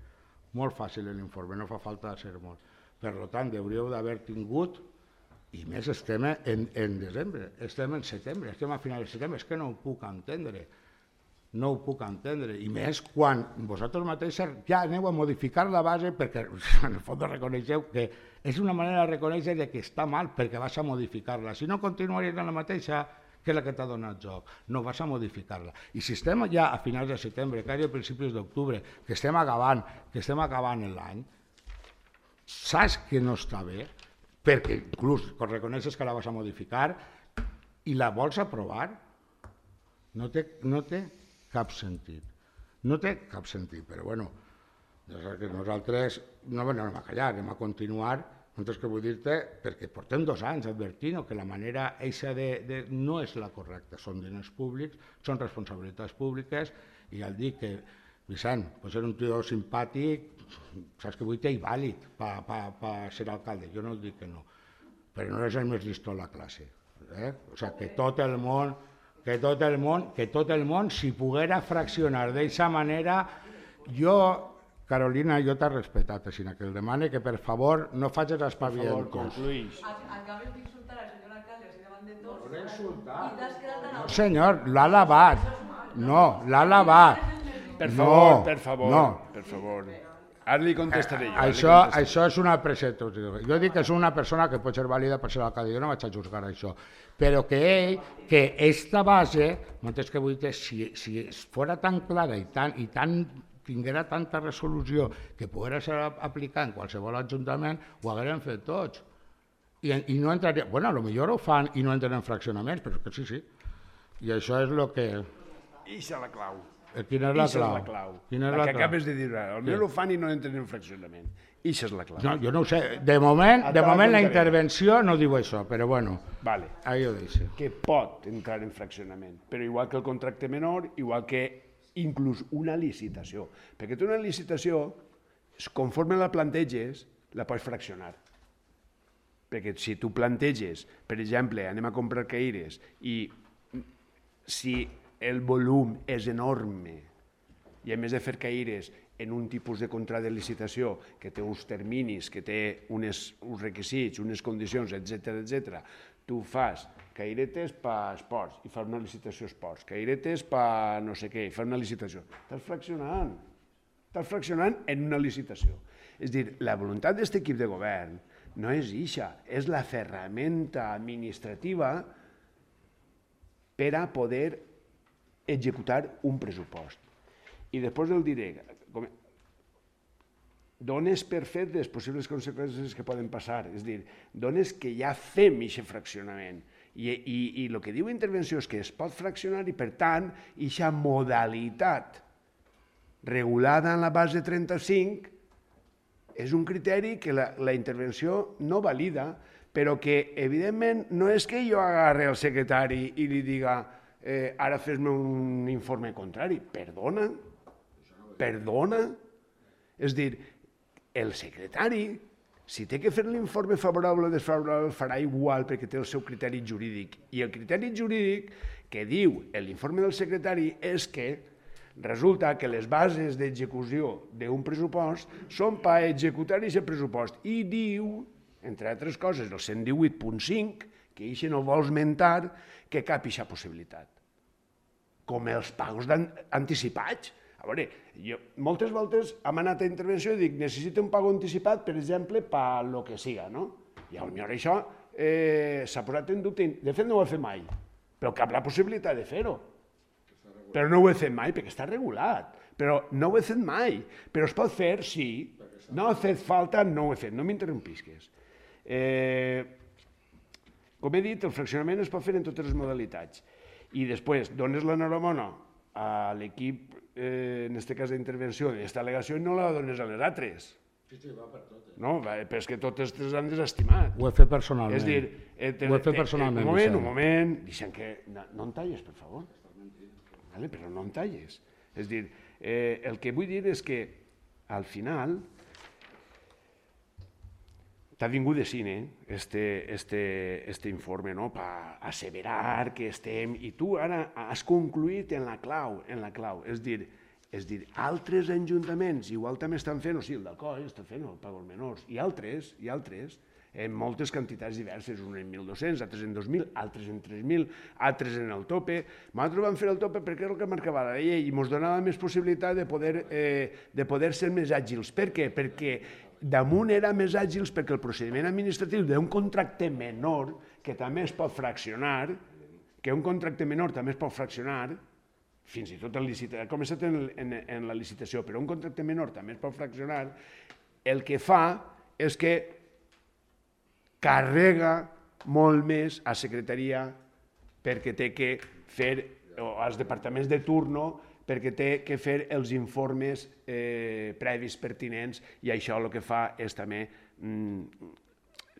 molt fàcil l'informe, no fa falta ser molt. Per tant, hauríeu d'haver tingut, i més estem en, en desembre, estem en setembre, estem a finals de setembre, és que no ho puc entendre. No ho puc entendre, i més quan vosaltres mateixos ja aneu a modificar la base perquè en el fons reconeixeu que és una manera de reconèixer que està mal perquè vas a modificar-la. Si no continuaries en la mateixa, que és la que t'ha donat joc, no vas a modificar-la. I si estem ja a finals de setembre, quasi a principis d'octubre, que estem acabant, que estem acabant l'any, saps que no està bé, perquè inclús quan reconeixes que la vas a modificar i la vols aprovar, no té, no té cap sentit. No té cap sentit, però bueno, nosaltres no anem a callar, anem a continuar, nosaltres que vull dir-te, perquè portem dos anys advertint que la manera eixa de, de, no és la correcta, són diners públics, són responsabilitats públiques, i ja el dic que Vicent, pot ser un tio simpàtic, saps que vull dir, i vàlid per pa, pa ser alcalde, jo no el dic que no, però no és el més llistó a la classe. Eh? O sigui, que tot el món que tot el món, que tot el món, si poguera fraccionar d'aquesta manera, jo, Carolina, jo t'he respectat, sinó que el demane que per favor no facis espavientos. Per favor, concluïs. Acabes d'insultar al senyor alcalde, així davant de tots. No l'he insultat. I t'has quedat tan... No, senyor, l'ha lavat. No, l'ha lavat. Per favor, no, per favor, no. per favor. Ara li contestaré jo. Això, això és una presentació. Jo dic que és una persona que pot ser vàlida per ser alcalde, jo no vaig a juzgar això, però que ell, que esta base, m'entens que vull dir, si, si fos tan clara i, tan, i tan, tinguera tanta resolució que poguera ser aplicada en qualsevol ajuntament, ho haguérem fet tots. I, i no entraria, bueno, potser ho fan i no entren en fraccionaments, però que sí, sí. I això és el que... Ixa la clau. Quina és la Ixa clau? és la clau. Quina és la la que clau? acabes de dir ara. Potser ho fan i no entren en fraccionament. Ixa és la clau. No, jo no ho sé. De moment, Ara de te la moment la contaré. intervenció no diu això, però bueno, Vale. ahí ho deixo. Que pot entrar en fraccionament, però igual que el contracte menor, igual que inclús una licitació. Perquè tu una licitació, conforme la planteges, la pots fraccionar. Perquè si tu planteges, per exemple, anem a comprar caires, i si el volum és enorme, i a més de fer caires en un tipus de contracte de licitació que té uns terminis, que té unes, uns requisits, unes condicions, etcètera, etcètera, tu fas cairetes per esports i fas una licitació esports, cairetes per no sé què i fas una licitació. Estàs fraccionant, estàs fraccionant en una licitació. És a dir, la voluntat d'aquest equip de govern no és ixa, és la ferramenta administrativa per a poder executar un pressupost. I després el diré, dones per fet les possibles conseqüències que poden passar, és a dir, dones que ja fem aquest fraccionament. I, i, i el que diu intervenció és que es pot fraccionar i, per tant, aquesta modalitat regulada en la base trenta-cinc és un criteri que la, la intervenció no valida, però que, evidentment, no és que jo agarre el secretari i li diga eh, ara fes-me un informe contrari. Perdona, perdona. És dir, el secretari, si té que fer l'informe favorable o desfavorable, farà igual perquè té el seu criteri jurídic. I el criteri jurídic que diu l'informe del secretari és que resulta que les bases d'execució d'un pressupost són per executar aquest pressupost. I diu, entre altres coses, el cent divuit punt cinc, que això no vol esmentar que cap aquesta possibilitat. Com els pagos anticipats. A veure, jo moltes voltes hem anat a intervenció i dic necessito un pago anticipat, per exemple, per lo que siga, no? I potser això eh, s'ha posat en dubte. De fet, no ho he fet mai, però cap la possibilitat de fer-ho. Però no ho he fet mai perquè està regulat. Però no ho he fet mai. Però es pot fer, sí. No ha fet falta, no ho he fet. No m'interrompisques. Eh, com he dit, el fraccionament es pot fer en totes les modalitats. I després dones l'enhorabona a l'equip, eh, en aquest cas d'intervenció, d'aquesta al·legació, i no la dones a les altres. Sí, sí, va per totes. No, va, però és que totes les han desestimat. Ho he fet personalment. És dir, eh, ho he fet personalment. Un moment, un moment, deixem que... No, no em talles, per favor. Vale, però no em talles. És dir, eh, el que vull dir és que, al final, t'ha vingut de cine este, este, este informe, no?, per asseverar que estem... I tu ara has concluït en la clau, en la clau. És dir, És a dir, altres ajuntaments igual també estan fent, o sigui, el d'Alcoi està fent el pago als menors, i altres, i altres, en moltes quantitats diverses, uns en mil dos-cents, altres en dos mil, altres en tres mil, altres en el tope. Nosaltres vam fer el tope perquè era el que marcava la llei i ens donava més possibilitat de poder, eh, de poder ser més àgils. Per què? Perquè damunt era més àgils perquè el procediment administratiu d'un contracte menor, que també es pot fraccionar, que un contracte menor també es pot fraccionar, fins i tot en licitació, ha començat en, en, en la licitació, però un contracte menor també es pot fraccionar, el que fa és que carrega molt més a secretaria perquè té que fer, o als departaments de turno, perquè té que fer els informes eh, previs pertinents i això el que fa és també mm,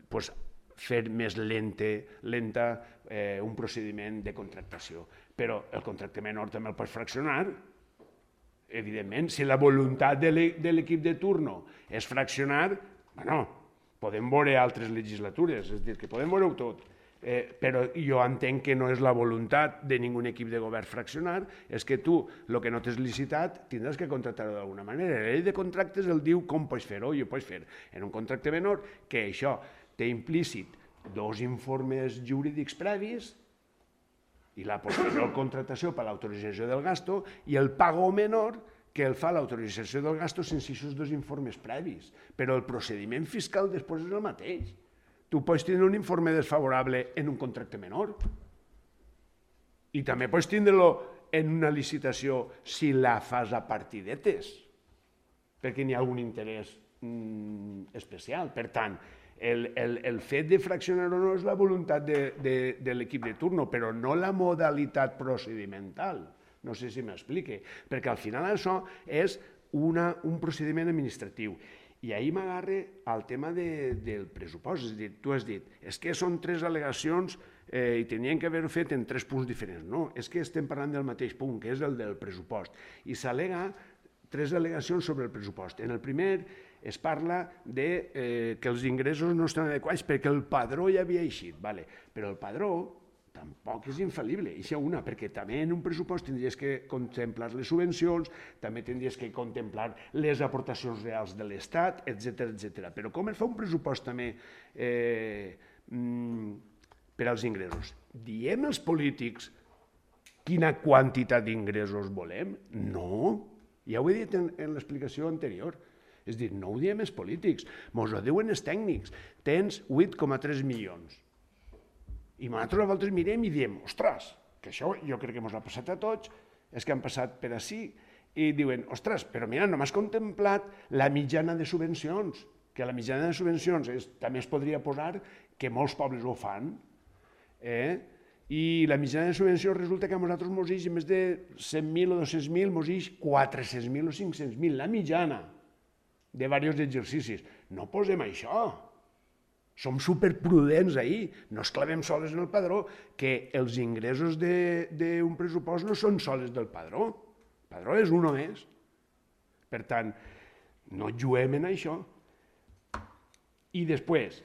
pues, fer més lente, lenta eh, un procediment de contractació. Però el contracte menor també el pots fraccionar. Evidentment, si la voluntat de l'equip de turno és fraccionar, bueno, podem veure altres legislatures, és a dir, que podem veure-ho tot. Eh, però jo entenc que no és la voluntat de ningú equip de govern fraccionar, és que tu, el que no t'has licitat, tindràs que contractar-ho d'alguna manera. La llei de contractes el diu com pots fer-ho, i ho pots fer en un contracte menor, que això té implícit dos informes jurídics previs, i la posterior contractació per l'autorització del gasto, i el pago menor que el fa l'autorització del gasto sense aquests dos informes previs. Però el procediment fiscal després és el mateix. Tu pots tenir un informe desfavorable en un contracte menor i també pots tindre-lo en una licitació si la fas a partidetes, perquè n'hi ha algun interès mm, especial. Per tant, El, el, el fet de fraccionar o no és la voluntat de, de, de l'equip de turno, però no la modalitat procedimental. No sé si m'explique, perquè al final això és una, un procediment administratiu. I ahir m'agarre al tema de, del pressupost. És a dir, tu has dit, és que són tres al·legacions eh, i tenien que haver-ho fet en tres punts diferents. No, és que estem parlant del mateix punt, que és el del pressupost. I s'al·lega tres al·legacions sobre el pressupost. En el primer es parla de eh, que els ingressos no estan adequats perquè el padró ja havia eixit, vale. Però el padró tampoc és infal·lible, eixa una, perquè també en un pressupost tindries que contemplar les subvencions, també tindries que contemplar les aportacions reals de l'Estat, etcètera, etcètera. Però com es fa un pressupost també eh, per als ingressos? Diem els polítics quina quantitat d'ingressos volem? No, ja ho he dit en, en l'explicació anterior. És a dir, no ho diem els polítics, mos ho diuen els tècnics. Tens vuit coma tres milions. I nosaltres a vegades mirem i diem, ostres, que això jo crec que mos ha passat a tots, és que han passat per ací, i diuen, ostres, però mira, no m'has contemplat la mitjana de subvencions, que la mitjana de subvencions és, també es podria posar que molts pobles ho fan, eh? I la mitjana de subvencions resulta que a nosaltres mos ix més de cent mil o dos-cents mil, mos ix quatre-cents mil o cinc-cents mil, la mitjana de diversos exercicis. No posem això. Som superprudents ahir. No es clavem soles en el padró, que els ingressos d'un pressupost no són soles del padró. El padró és un més. Per tant, no juguem en això. I després,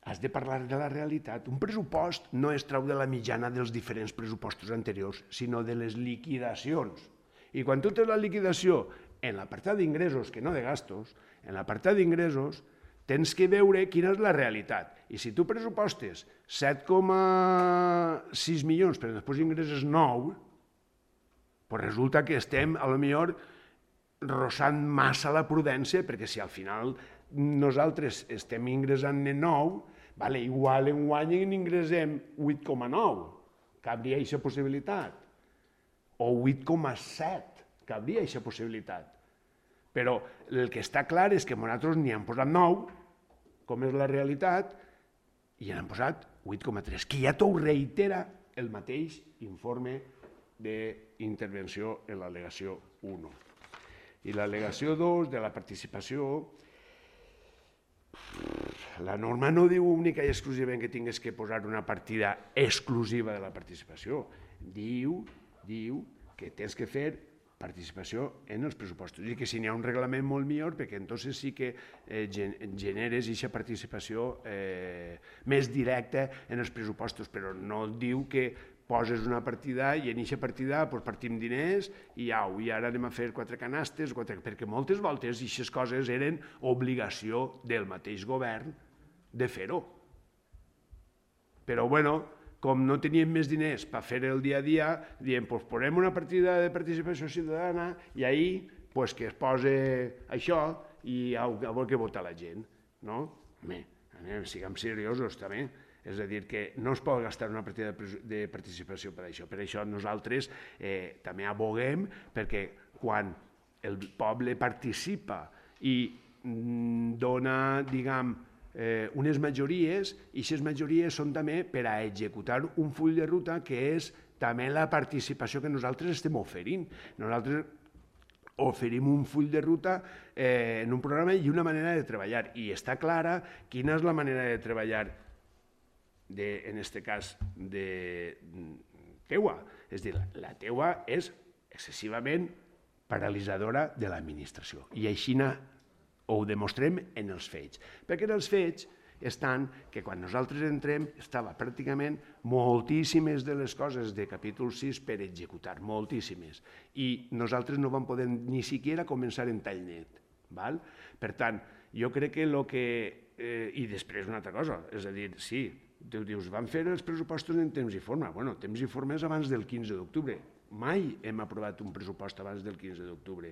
has de parlar de la realitat. Un pressupost no es trau de la mitjana dels diferents pressupostos anteriors, sinó de les liquidacions. I quan tu tens la liquidació en l'apartat d'ingressos, que no de gastos, en l'apartat d'ingressos tens que veure quina és la realitat. I si tu pressupostes set coma sis milions, però després ingresses nou, doncs resulta que estem, a lo millor, rossant massa la prudència, perquè si al final nosaltres estem ingressant en nou, vale, igual en guany ingressem vuit coma nou, cabria aquesta possibilitat, o vuit coma set, cabria aquesta possibilitat. Però el que està clar és que nosaltres n'hi hem posat nou, com és la realitat, i n'hem posat vuit coma tres, que ja t'ho reitera el mateix informe d'intervenció en l'al·legació un. I l'al·legació dos de la participació, la norma no diu única i exclusivament que tingués que posar una partida exclusiva de la participació. Diu, diu que tens que fer participació en els pressupostos i que si n'hi ha un reglament molt millor perquè entonces sí que eh, generes aquesta participació eh, més directa en els pressupostos, però no diu que poses una partida i en aquesta partida doncs, partim diners i au, i ara anem a fer quatre canastes, quatre... perquè moltes voltes aquestes coses eren obligació del mateix govern de fer-ho. Però, bueno, com no teníem més diners per fer el dia a dia, diem, doncs posem una partida de participació ciutadana i ahir pues, que es posa això i a veure què vota la gent. No? Home, anem, siguem seriosos també. És a dir, que no es pot gastar una partida de participació per això. Per això nosaltres eh, també aboguem perquè quan el poble participa i dona, diguem, eh, unes majories, i aquestes majories són també per a executar un full de ruta que és també la participació que nosaltres estem oferint. Nosaltres oferim un full de ruta eh, en un programa i una manera de treballar. I està clara quina és la manera de treballar de, en aquest cas, de teua. És dir, la teua és excessivament paralitzadora de l'administració. I així ho demostrem en els fets. Perquè en els fets estan que quan nosaltres entrem estava pràcticament moltíssimes de les coses de capítol sis per executar, moltíssimes. I nosaltres no vam poder ni siquiera començar en tall net. Val? Per tant, jo crec que el que... Eh, I després una altra cosa, és a dir, sí, tu dius, van fer els pressupostos en temps i forma. Bueno, temps i forma és abans del quinze d'octubre. Mai hem aprovat un pressupost abans del quinze d'octubre.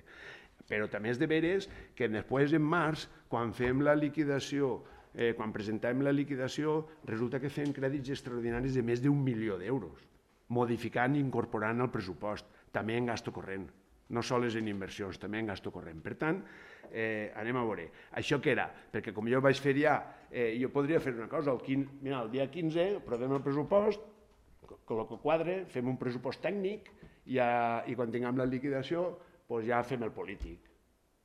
Però també és de veres que després, en març, quan fem la liquidació, eh, quan presentem la liquidació, resulta que fem crèdits extraordinaris de més d'un milió d'euros, modificant i incorporant al pressupost, també en gasto corrent. No sols en inversions, també en gasto corrent. Per tant, eh, anem a veure. Això què era? Perquè com jo vaig fer ja, eh, jo podria fer una cosa, el, quinze, mira, el dia quinze aprovem el pressupost, el que quadre, fem un pressupost tècnic i, ja, i quan tinguem la liquidació doncs ja fem el polític.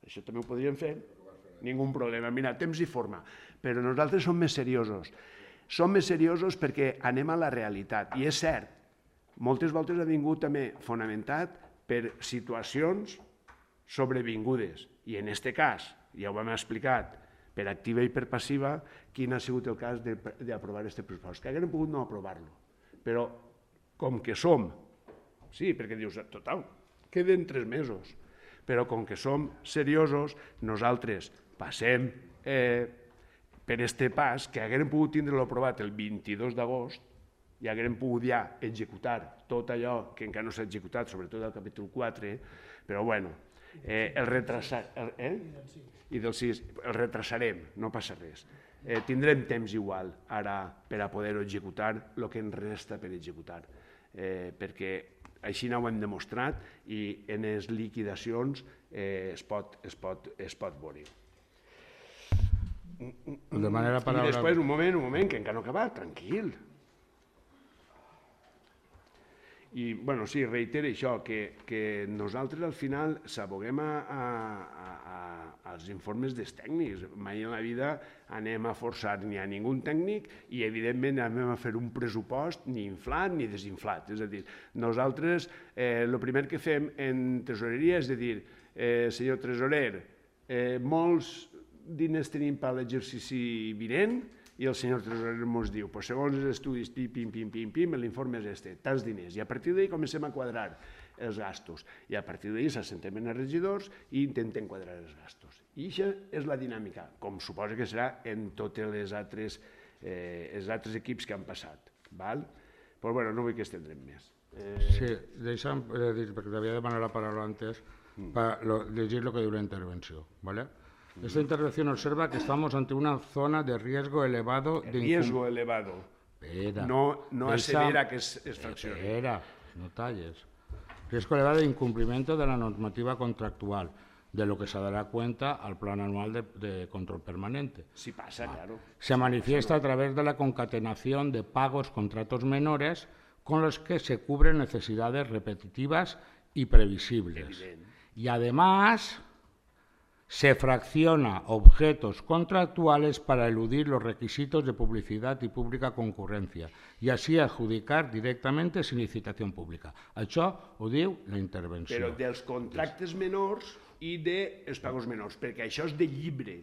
Això també ho podríem fer, ningú problema. Mira, temps i forma. Però nosaltres som més seriosos. Som més seriosos perquè anem a la realitat. I és cert, moltes voltes ha vingut també fonamentat per situacions sobrevingudes. I en aquest cas, ja ho hem explicat, per activa i per passiva, quin ha sigut el cas d'aprovar aquest pressupost. Que haguem pogut no aprovar-lo. Però com que som, sí, perquè dius, total, queden tres mesos, però com que som seriosos, nosaltres passem eh, per este pas, que haguem pogut tindre-lo aprovat el vint-i-dos d'agost, i haguem pogut ja executar tot allò que encara no s'ha executat, sobretot el capítol quatre, però bueno, eh, el retrasarem, eh? I del sis, el retrasarem, no passa res. Eh, tindrem temps igual ara per a poder executar el que ens resta per executar, eh, perquè així no ho hem demostrat i en les liquidacions eh, es, pot, es, pot, es pot veure. De manera paraula... I després, un moment, un moment, que encara no ha acabat, tranquil. I, bueno, sí, reitero això, que, que nosaltres al final s'aboguem a, a, a, als informes dels tècnics. Mai en la vida anem a forçar ni a ningú tècnic i, evidentment, anem a fer un pressupost ni inflat ni desinflat. És a dir, nosaltres el eh, primer que fem en tresoreria és de dir, eh, senyor tresorer, eh, molts diners tenim per l'exercici vinent, i el senyor tresorer ens diu, pues, segons els estudis, pim, pim, pim, pim, pim, l'informe és este, tants diners. I a partir d'ahir comencem a quadrar els gastos. I a partir d'ahir s'assentem en els regidors i intentem quadrar els gastos. I això és la dinàmica, com suposa que serà en tots els altres, eh, els altres equips que han passat. Val? Però bueno, no vull que estendrem més. Eh... Sí, deixa'm eh, dir, perquè t'havia demanat la paraula antes, mm. per lo, llegir el que diu la intervenció. ¿Vale? Esta intervención observa que estamos ante una zona de riesgo elevado. De riesgo elevado. Espera. No, no Esa... asevera que es, es fraccione. Espera, no talles. Riesgo elevado de incumplimiento de la normativa contractual, de lo que se dará cuenta al plan anual de, de control permanente. Sí pasa, ah. claro. Se manifiesta a través de la concatenación de pagos contratos menores con los que se cubren necesidades repetitivas y previsibles. Evidente. Y además... se fracciona objetos contractuales para eludir los requisitos de publicidad y pública concurrencia y así adjudicar directamente sin licitación pública. Això ho diu la intervenció. Però dels contractes menors i dels pagos menors, perquè això és de llibre,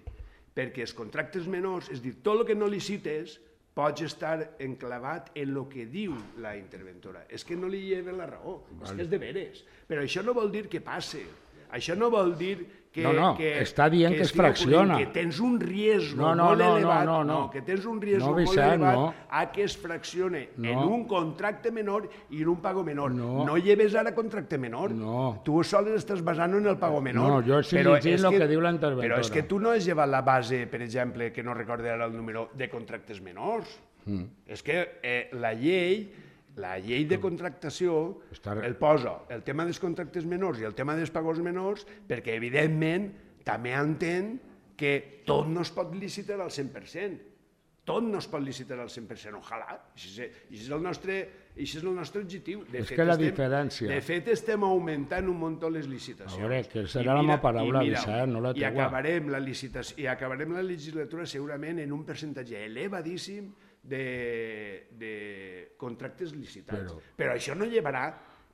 perquè els contractes menors, és dir, tot el que no licites, pots estar enclavat en el que diu la interventora. És que no li lleva la raó, és que és de veres. Però això no vol dir que passe. Això no vol dir que... No, no, que, està dient que es fracciona. Que tens un riesgo no, no, molt no, elevat, no, no, no. que tens un riesgo no, molt Vicent, elevat no. a que es fraccione no. en un contracte menor i en un pago menor. No, no lleves ara contracte menor. No. Tu sols estàs basant en el pago menor. No, jo estic llegint el que, que diu la interventora. Però és que tu no has llevat la base, per exemple, que no recorde ara el número, de contractes menors. Mm. És que eh, la llei... La llei de contractació el posa el tema dels contractes menors i el tema dels pagos menors perquè, evidentment, també entén que tot no es pot licitar al cent per cent. Tot no es pot licitar al cent per cent. Ojalà. Això és el nostre, això és el nostre objectiu. De és fet, que la estem, diferència... De fet, estem augmentant un munt les licitacions. A veure, que serà la meva paraula, Vicent, no la I teua. acabarem la licitació, i acabarem la legislatura segurament en un percentatge elevadíssim de, de contractes licitats. Però, Però això no llevarà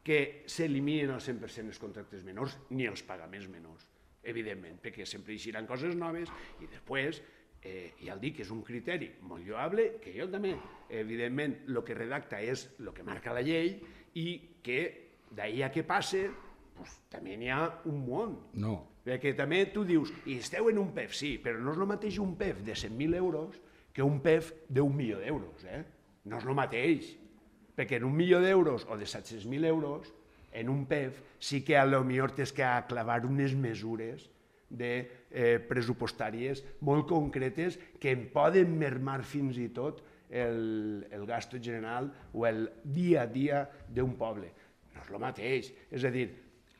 que s'eliminin al cent per cent els contractes menors ni els pagaments menors, evidentment, perquè sempre hi seran coses noves i després, eh, ja el dic, és un criteri molt lloable, que jo també, evidentment, el que redacta és el que marca la llei i que d'ahir a què passe, pues, també n'hi ha un món. No. Perquè també tu dius, i esteu en un P E F, sí, però no és el mateix un P E F de cent mil euros que un P E F d'un milió d'euros, eh? No és el mateix, perquè en un milió d'euros o de set-cents mil euros, en un P E F sí que a lo millor tens que clavar unes mesures de, eh, pressupostàries molt concretes que en poden mermar fins i tot el, el gasto general o el dia a dia d'un poble. No és el mateix, és a dir,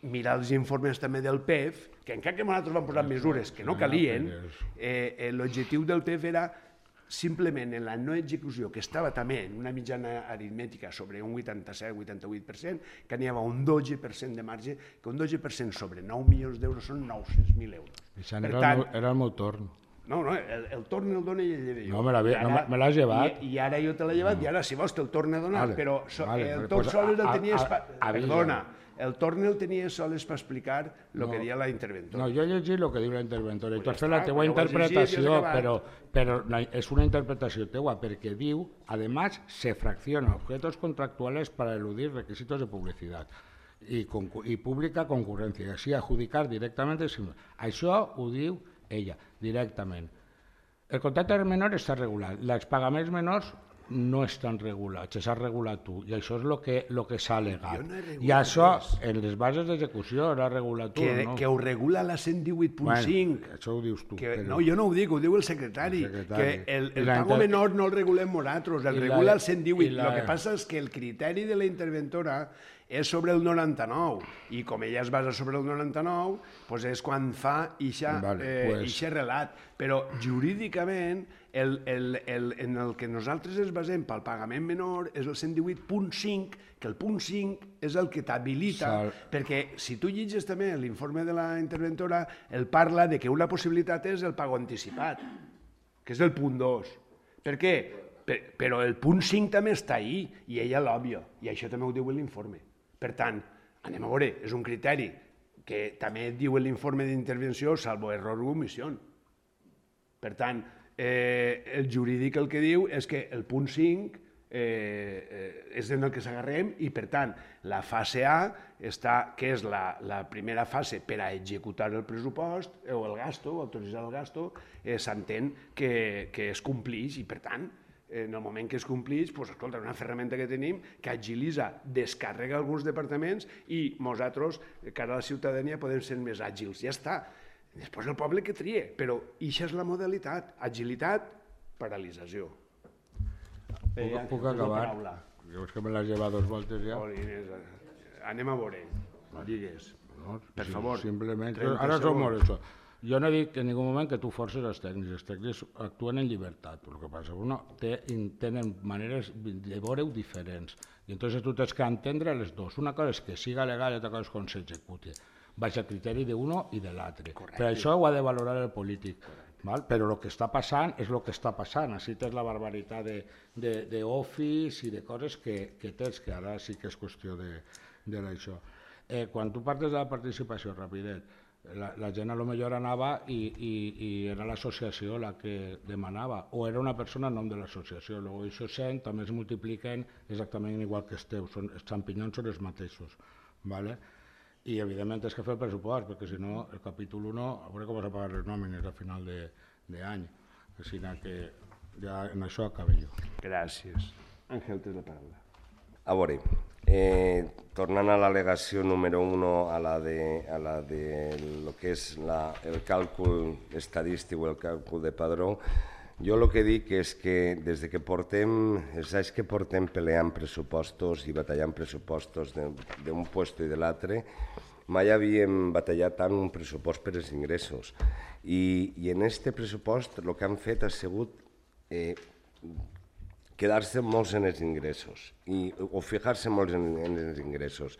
mirar els informes també del P E F, que encara que nosaltres vam posar mesures que no calien, eh, eh, l'objectiu del P E F era simplement en la no execució, que estava també en una mitjana aritmètica sobre un vuitanta-set vuitanta-vuit per cent, que n'hi havia un dotze per cent de marge, que un dotze per cent sobre nou milions d'euros són nou-cents mil euros. Això era, tant, el, era el meu torn. No, no, el, el torn el dona i el lleve jo. No, me l'has no, llevat. I, I ara jo te l'he llevat, no. I ara si vols te'l torna a donar, vale, però so, vale, el vale, tot pues sols el a, tenies... A, a, perdona, el torn el tenies sols per explicar el no, que deia la interventora. No, jo he llegit el que diu la interventora, i pues tu has ja fet la està, teua interpretació, llegit, però, però és una interpretació teua, perquè diu, además, se fracciona objetos contractuales para eludir requisitos de publicidad y, y pública concurrencia, y así adjudicar directamente. Això ho diu ella, directament. El contracte menor està regulat, els pagaments menors no estan regulats, s'ha regulat tu, i això és el que, lo que s'ha alegat. No I això, res. En les bases d'execució, l'ha regulat tu, que, no? Que ho regula la cent divuit punt cinc. Bueno, això ho dius tu. Que, però... No, jo no ho dic, ho diu el secretari. El secretari. Que el, el pago inter... menor no el regulem nosaltres, el I regula la... el cent divuit. El la... que passa és que el criteri de la interventora és sobre el noranta-nou, i com ella es basa sobre el noranta-nou, doncs és quan fa ixa, vale, eh, pues... ixa relat. Però jurídicament, el, el, el, en el que nosaltres ens basem pel pagament menor és el cent divuit punt cinc, que el punt cinc és el que t'habilita, Sal... perquè si tu llegis també l'informe de la interventora, el parla de que una possibilitat és el pago anticipat, que és el punt dos. Per què? Per, però el punt cinc també està ahí, i ella l'òbvia, i això també ho diu l'informe. Per tant, anem a veure, és un criteri que també diu l'informe d'intervenció, salvo error o omissió. Per tant, eh, el jurídic el que diu és que el punt cinc eh, eh, és en el que s'agarrem i, per tant, la fase A, està, que és la, la primera fase per a executar el pressupost o el gasto, autoritzar el gasto, eh, s'entén que, que es complix i, per tant, en el moment que es complix, doncs, escolta, una ferramenta que tenim que agilitza, descarrega alguns departaments i nosaltres, cara a la ciutadania, podem ser més àgils. Ja està. Després el poble que trie, però això és la modalitat. Agilitat, paralització. Puc, puc acabar? Jo és que me l'has llevat dos voltes ja. Anem a veure. Digues. No, per sí, favor. Simplement. Ara som molt això. Jo no he dit en ningú moment que tu forces els tècnics, els tècnics actuen en llibertat, el que passa que uno té, tenen maneres de veure-ho diferents, i entonces tu tens que entendre les dues. Una cosa és que siga legal i altra cosa és com s'executi, baix al criteri d'uno i de l'altre. Per això ho ha de valorar el polític, val? Però el que està passant és el que està passant, així tens la barbaritat d'office i de coses que, que tens, que ara sí que és qüestió de, de l'això. Eh, quan tu parles de la participació, rapidet, La, la gent a lo millor anava i, i, i era l'associació la que demanava, o era una persona en nom de l'associació. Llavors això cent també es multipliquen exactament igual que esteu, són, els xampinyons són els mateixos. ¿Vale? I evidentment és que fer el pressupost, perquè si no el capítol u, a veure com vas a pagar les nòmines a final d'any. Així que ja en això acabo jo. Gràcies. Àngel, tens la paraula. A veure, eh, tornant a l'al·legació número uno, a la de, a la de lo que és la, el càlcul estadístic o el càlcul de padró, jo el que dic és que des de que portem, els anys que portem peleant pressupostos i batallant pressupostos d'un puesto i de l'altre, mai havíem batallat tant un pressupost per als ingressos. I, i en aquest pressupost el que han fet ha sigut eh, quedar-se molts en els ingressos i, o fijar-se molts en, en els ingressos.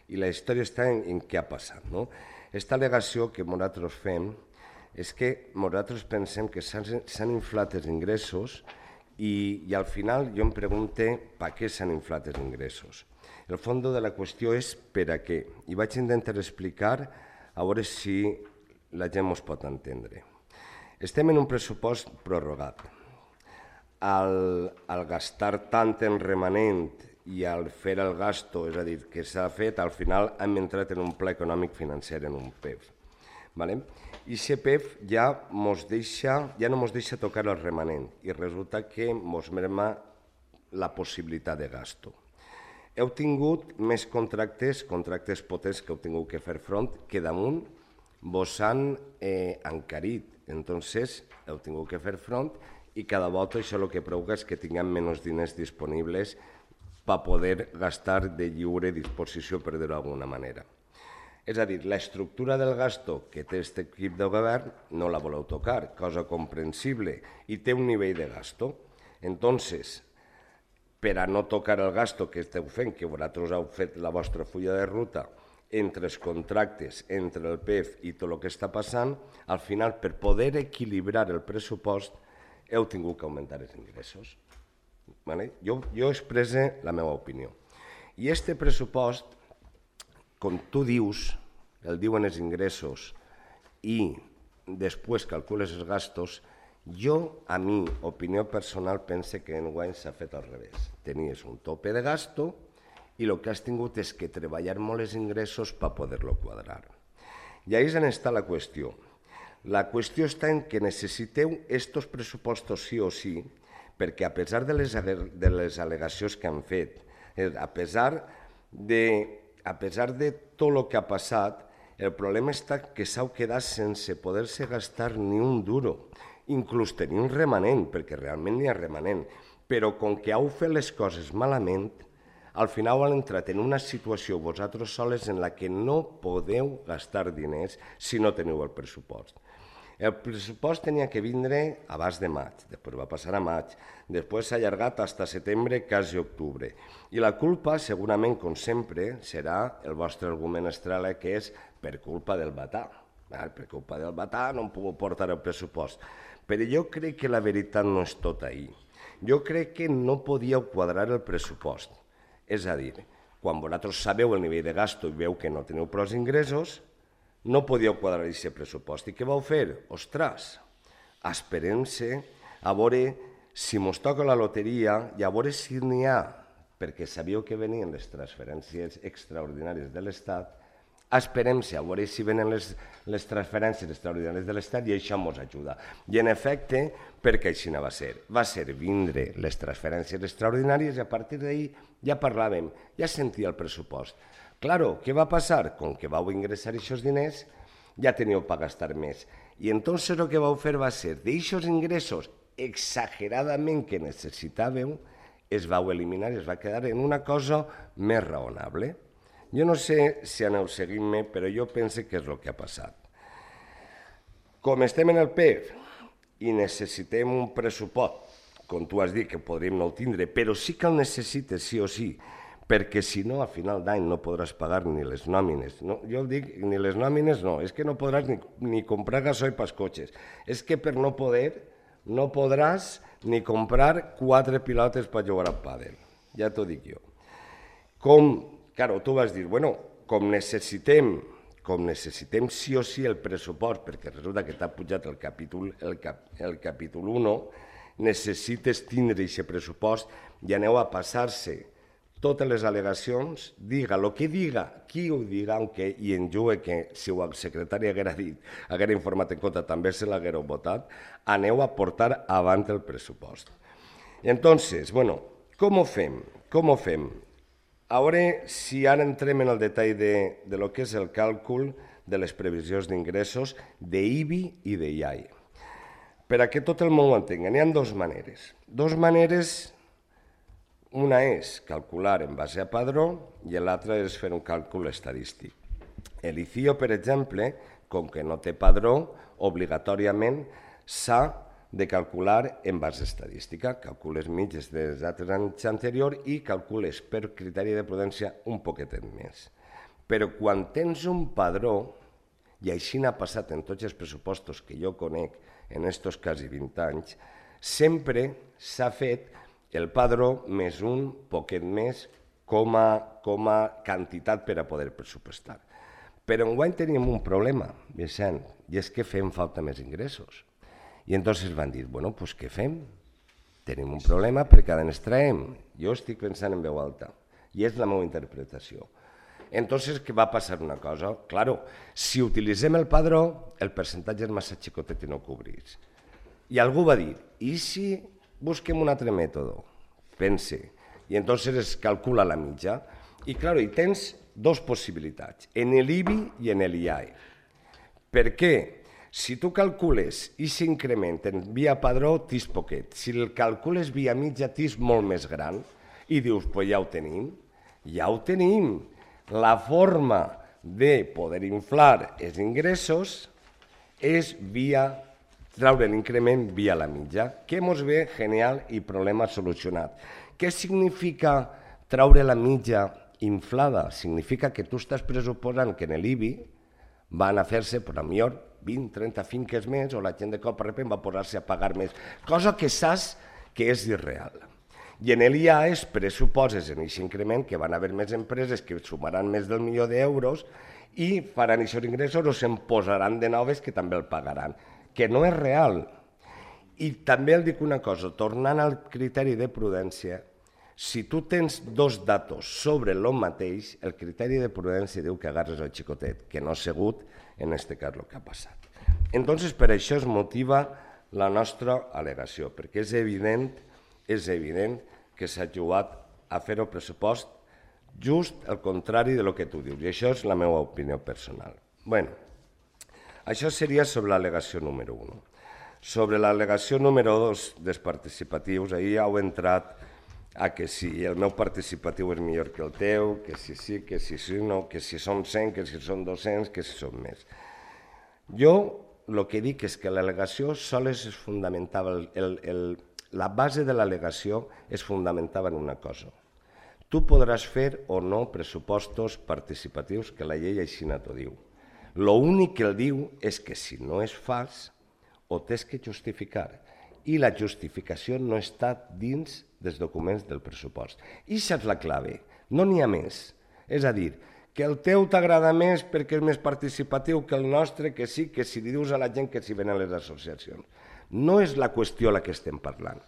I la història està en, en què ha passat. No? Esta al·legació que nosaltres fem és que nosaltres pensem que s'han inflat els ingressos i, i al final jo em pregunto per què s'han inflat els ingressos. El fons de la qüestió és per a què. I vaig intentar explicar a veure si la gent ens pot entendre. Estem en un pressupost prorrogat. Al, al gastar tant en remanent i al fer el gasto, és a dir, que s'ha fet, al final hem entrat en un pla econòmic financer, en un P E F. ¿Vale? I aquest P E F ja, mos deixa, ja no ens deixa tocar el remanent i resulta que ens merma la possibilitat de gasto. Heu tingut més contractes, contractes potents que heu tingut que fer front, que damunt vos han eh, encarit. Entonces, heu tingut que fer front i cada volta això el que provoca és que tinguem menys diners disponibles per poder gastar de lliure disposició, per dir-ho d'alguna manera. És a dir, l'estructura del gasto que té aquest equip de govern no la voleu tocar, cosa comprensible, i té un nivell de gasto. Entonces, per a no tocar el gasto que esteu fent, que vosaltres heu fet la vostra fulla de ruta entre els contractes, entre el P E F i tot el que està passant, al final, per poder equilibrar el pressupost, heu tingut que augmentar els ingressos. Vale? Jo, jo expresse la meva opinió. I aquest pressupost, com tu dius, el diuen els ingressos i després calcules els gastos, jo, a mi, opinió personal, pense que enguany s'ha fet al revés. Tenies un tope de gasto i el que has tingut és que treballar molt els ingressos per poder-lo quadrar. I ahí és on està la qüestió. La qüestió està en que necessiteu estos pressupostos sí o sí, perquè a pesar de les, de les al·legacions que han fet, a pesar de, a pesar de tot el que ha passat, el problema està que s'heu quedat sense poder-se gastar ni un duro, inclús tenir un remanent, perquè realment n'hi ha remanent, però com que heu fet les coses malament, al final heu entrat en una situació vosaltres soles en la que no podeu gastar diners si no teniu el pressupost. El pressupost tenia que vindre abans de maig, després va passar a maig, després s'ha allargat fins a setembre, quasi octubre. I la culpa, segurament, com sempre, serà el vostre argument estrella, que és per culpa del batà. Per culpa del batà no hem pogut portar el pressupost. Però jo crec que la veritat no és tot ahí. Jo crec que no podíeu quadrar el pressupost. És a dir, quan vosaltres sabeu el nivell de gasto i veu que no teniu prou ingressos, no podíeu quadrar aquest pressupost. I què vau fer? Ostres, esperem-se a veure si mos toca la loteria i a veure si n'hi ha, perquè sabíeu que venien les transferències extraordinàries de l'Estat, esperem-se a veure si venen les, les transferències extraordinàries de l'Estat i això ens ajuda. I en efecte, perquè així no va ser. Va ser vindre les transferències extraordinàries i a partir d'ahir ja parlàvem, ja sentia el pressupost. Claro, què va passar? Com que vau ingressar aquests diners, ja teníeu per gastar més. I entonces el que vau fer va ser, d'aquests ingressos exageradament que necessitàveu, es vau eliminar i es va quedar en una cosa més raonable. Jo no sé si aneu seguint-me, però jo penso que és el que ha passat. Com estem en el P E F i necessitem un pressupost, com tu has dit que podríem no tindre, però sí que el necessites sí o sí, perquè si no, a final d'any no podràs pagar ni les nòmines. No, jo dic, ni les nòmines no, és que no podràs ni, ni comprar gasoil pels cotxes. És que per no poder, no podràs ni comprar quatre pilotes per jugar al pàdel. Ja t'ho dic jo. Com, claro, tu vas dir, bueno, com necessitem, com necessitem sí o sí el pressupost, perquè resulta que t'ha pujat el capítol, el cap, el capítol u, necessites tindre aquest pressupost i aneu a passar-se totes les al·legacions, diga el que diga, qui ho diga, aunque, i en jugue que si el secretari haguera dit, haguera informat en compte, també se l'haguera votat, aneu a portar avant el pressupost. Entonces, bueno, com ho fem? Com ho fem? A veure si ara entrem en el detall de, de lo que és el càlcul de les previsions d'ingressos d'I B I i de I A I. Per a que tot el món ho entengui, n'hi ha dues maneres. Dues maneres. Una és calcular en base a padró i l'altra és fer un càlcul estadístic. El I C I O, per exemple, com que no té padró, obligatòriament s'ha de calcular en base estadística. Calcules mitges dels altres anys anteriors i calcules per criteri de prudència un poquetet més. Però quan tens un padró, i així n'ha passat en tots els pressupostos que jo conec en estos quasi vint anys, sempre s'ha fet el padró més un poquet més com a, com a quantitat per a poder pressupostar. Però enguany tenim un problema, Vicent, i és que fem falta més ingressos. I entonces van dir, bueno, doncs què fem? Tenim un problema perquè ara ens traiem. Jo estic pensant en veu alta, i és la meva interpretació. Entonces, què va passar una cosa? Claro, si utilitzem el padró, el percentatge és massa xicotet i no cobrís. I algú va dir, i si busquem un altre mètode? Pense. I entonces es calcula la mitja. I, claro, hi tens dues possibilitats, en l'I B I i en l'I A I. Per què? Si tu calcules i s'increment en via padró, tens poquet. Si el calcules via mitja, tens molt més gran. I dius, pues ja ho tenim. Ja ho tenim. La forma de poder inflar els ingressos és via traure l'increment via la mitja, que mos ve genial i problema solucionat. Què significa traure la mitja inflada? Significa que tu estàs pressuposant que en l'I B I van a fer-se, per a millor, vint, trenta finques més, o la gent de cop a repent va posar-se a pagar més, cosa que saps que és irreal. I en l'I A es pressuposes en aquest increment que van haver més empreses que sumaran més del milió d'euros i faran aquests ingressos o se'n posaran de noves que també el pagaran, que no és real. I també el dic una cosa, tornant al criteri de prudència, si tu tens dos datos sobre el mateix, el criteri de prudència diu que agarres el xicotet, que no ha sigut en aquest cas el que ha passat. Entonces, per això es motiva la nostra al·legació, perquè és evident, és evident que s'ha jugat a fer el pressupost just el contrari de lo que tu dius, i això és la meva opinió personal. Bueno, això seria sobre l'al·legació número un. Sobre l'al·legació número dos dels participatius, ahir ja heu entrat a que si el meu participatiu és millor que el teu, que si sí, que si sí, no, que si són cent, que si són dos-cents, que si són més. Jo el que dic és que l'al·legació sols es fundamentava, el, el, el, la base de l'al·legació es fundamentava en una cosa. Tu podràs fer o no pressupostos participatius, que la llei així no t'ho diu. L'únic que el diu és que si no es fas, ho tens que justificar. I la justificació no està dins dels documents del pressupost. I això és la clave, no n'hi ha més. És a dir, que el teu t'agrada més perquè és més participatiu que el nostre, que sí, que si dius a la gent que s'hi venen les associacions. No és la qüestió la que estem parlant.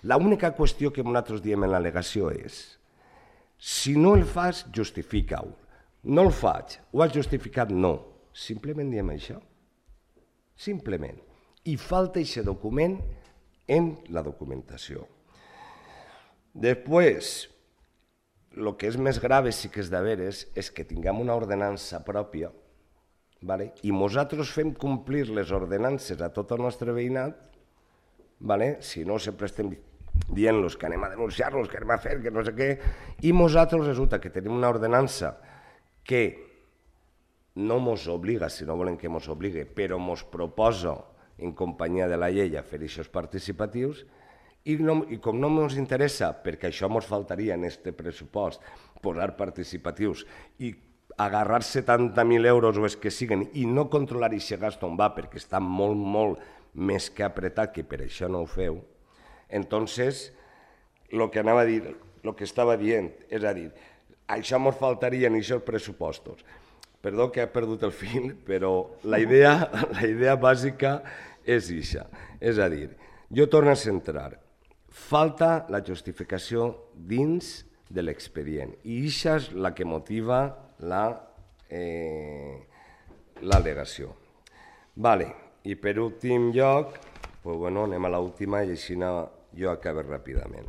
L'única qüestió que nosaltres diem en l'al·legació és si no el fas, justifica-ho. No el faig, ho has justificat? No. Simplement diem això. Simplement. I falta aquest document en la documentació. Després, el que és més grave sí que és de veres és que tinguem una ordenança pròpia, vale? I nosaltres fem complir les ordenances a tot el nostre veïnat, vale? Si no sempre estem dient-los que anem a denunciar-los, que anem a fer, que no sé què, i nosaltres resulta que tenim una ordenança que no mos obliga, si no volem que mos obligue, però mos proposa en companyia de la llei a fer aquests participatius i, no, i com no ens interessa, perquè això ens faltaria en aquest pressupost, posar participatius i agarrar setanta mil euros o els que siguen i no controlar aquest gast on va perquè està molt, molt més que apretat, que per això no ho feu, entonces el que anava a dir, el que estava dient, és a dir, això ens faltaria en aquests pressupostos. perdó que he perdut el fil, però la idea, la idea bàsica és ixa. És a dir, jo torno a centrar. Falta la justificació dins de l'expedient i ixa és la que motiva l'al·legació. Vale. I per últim lloc, pues bueno, anem a l'última i així jo acabo ràpidament.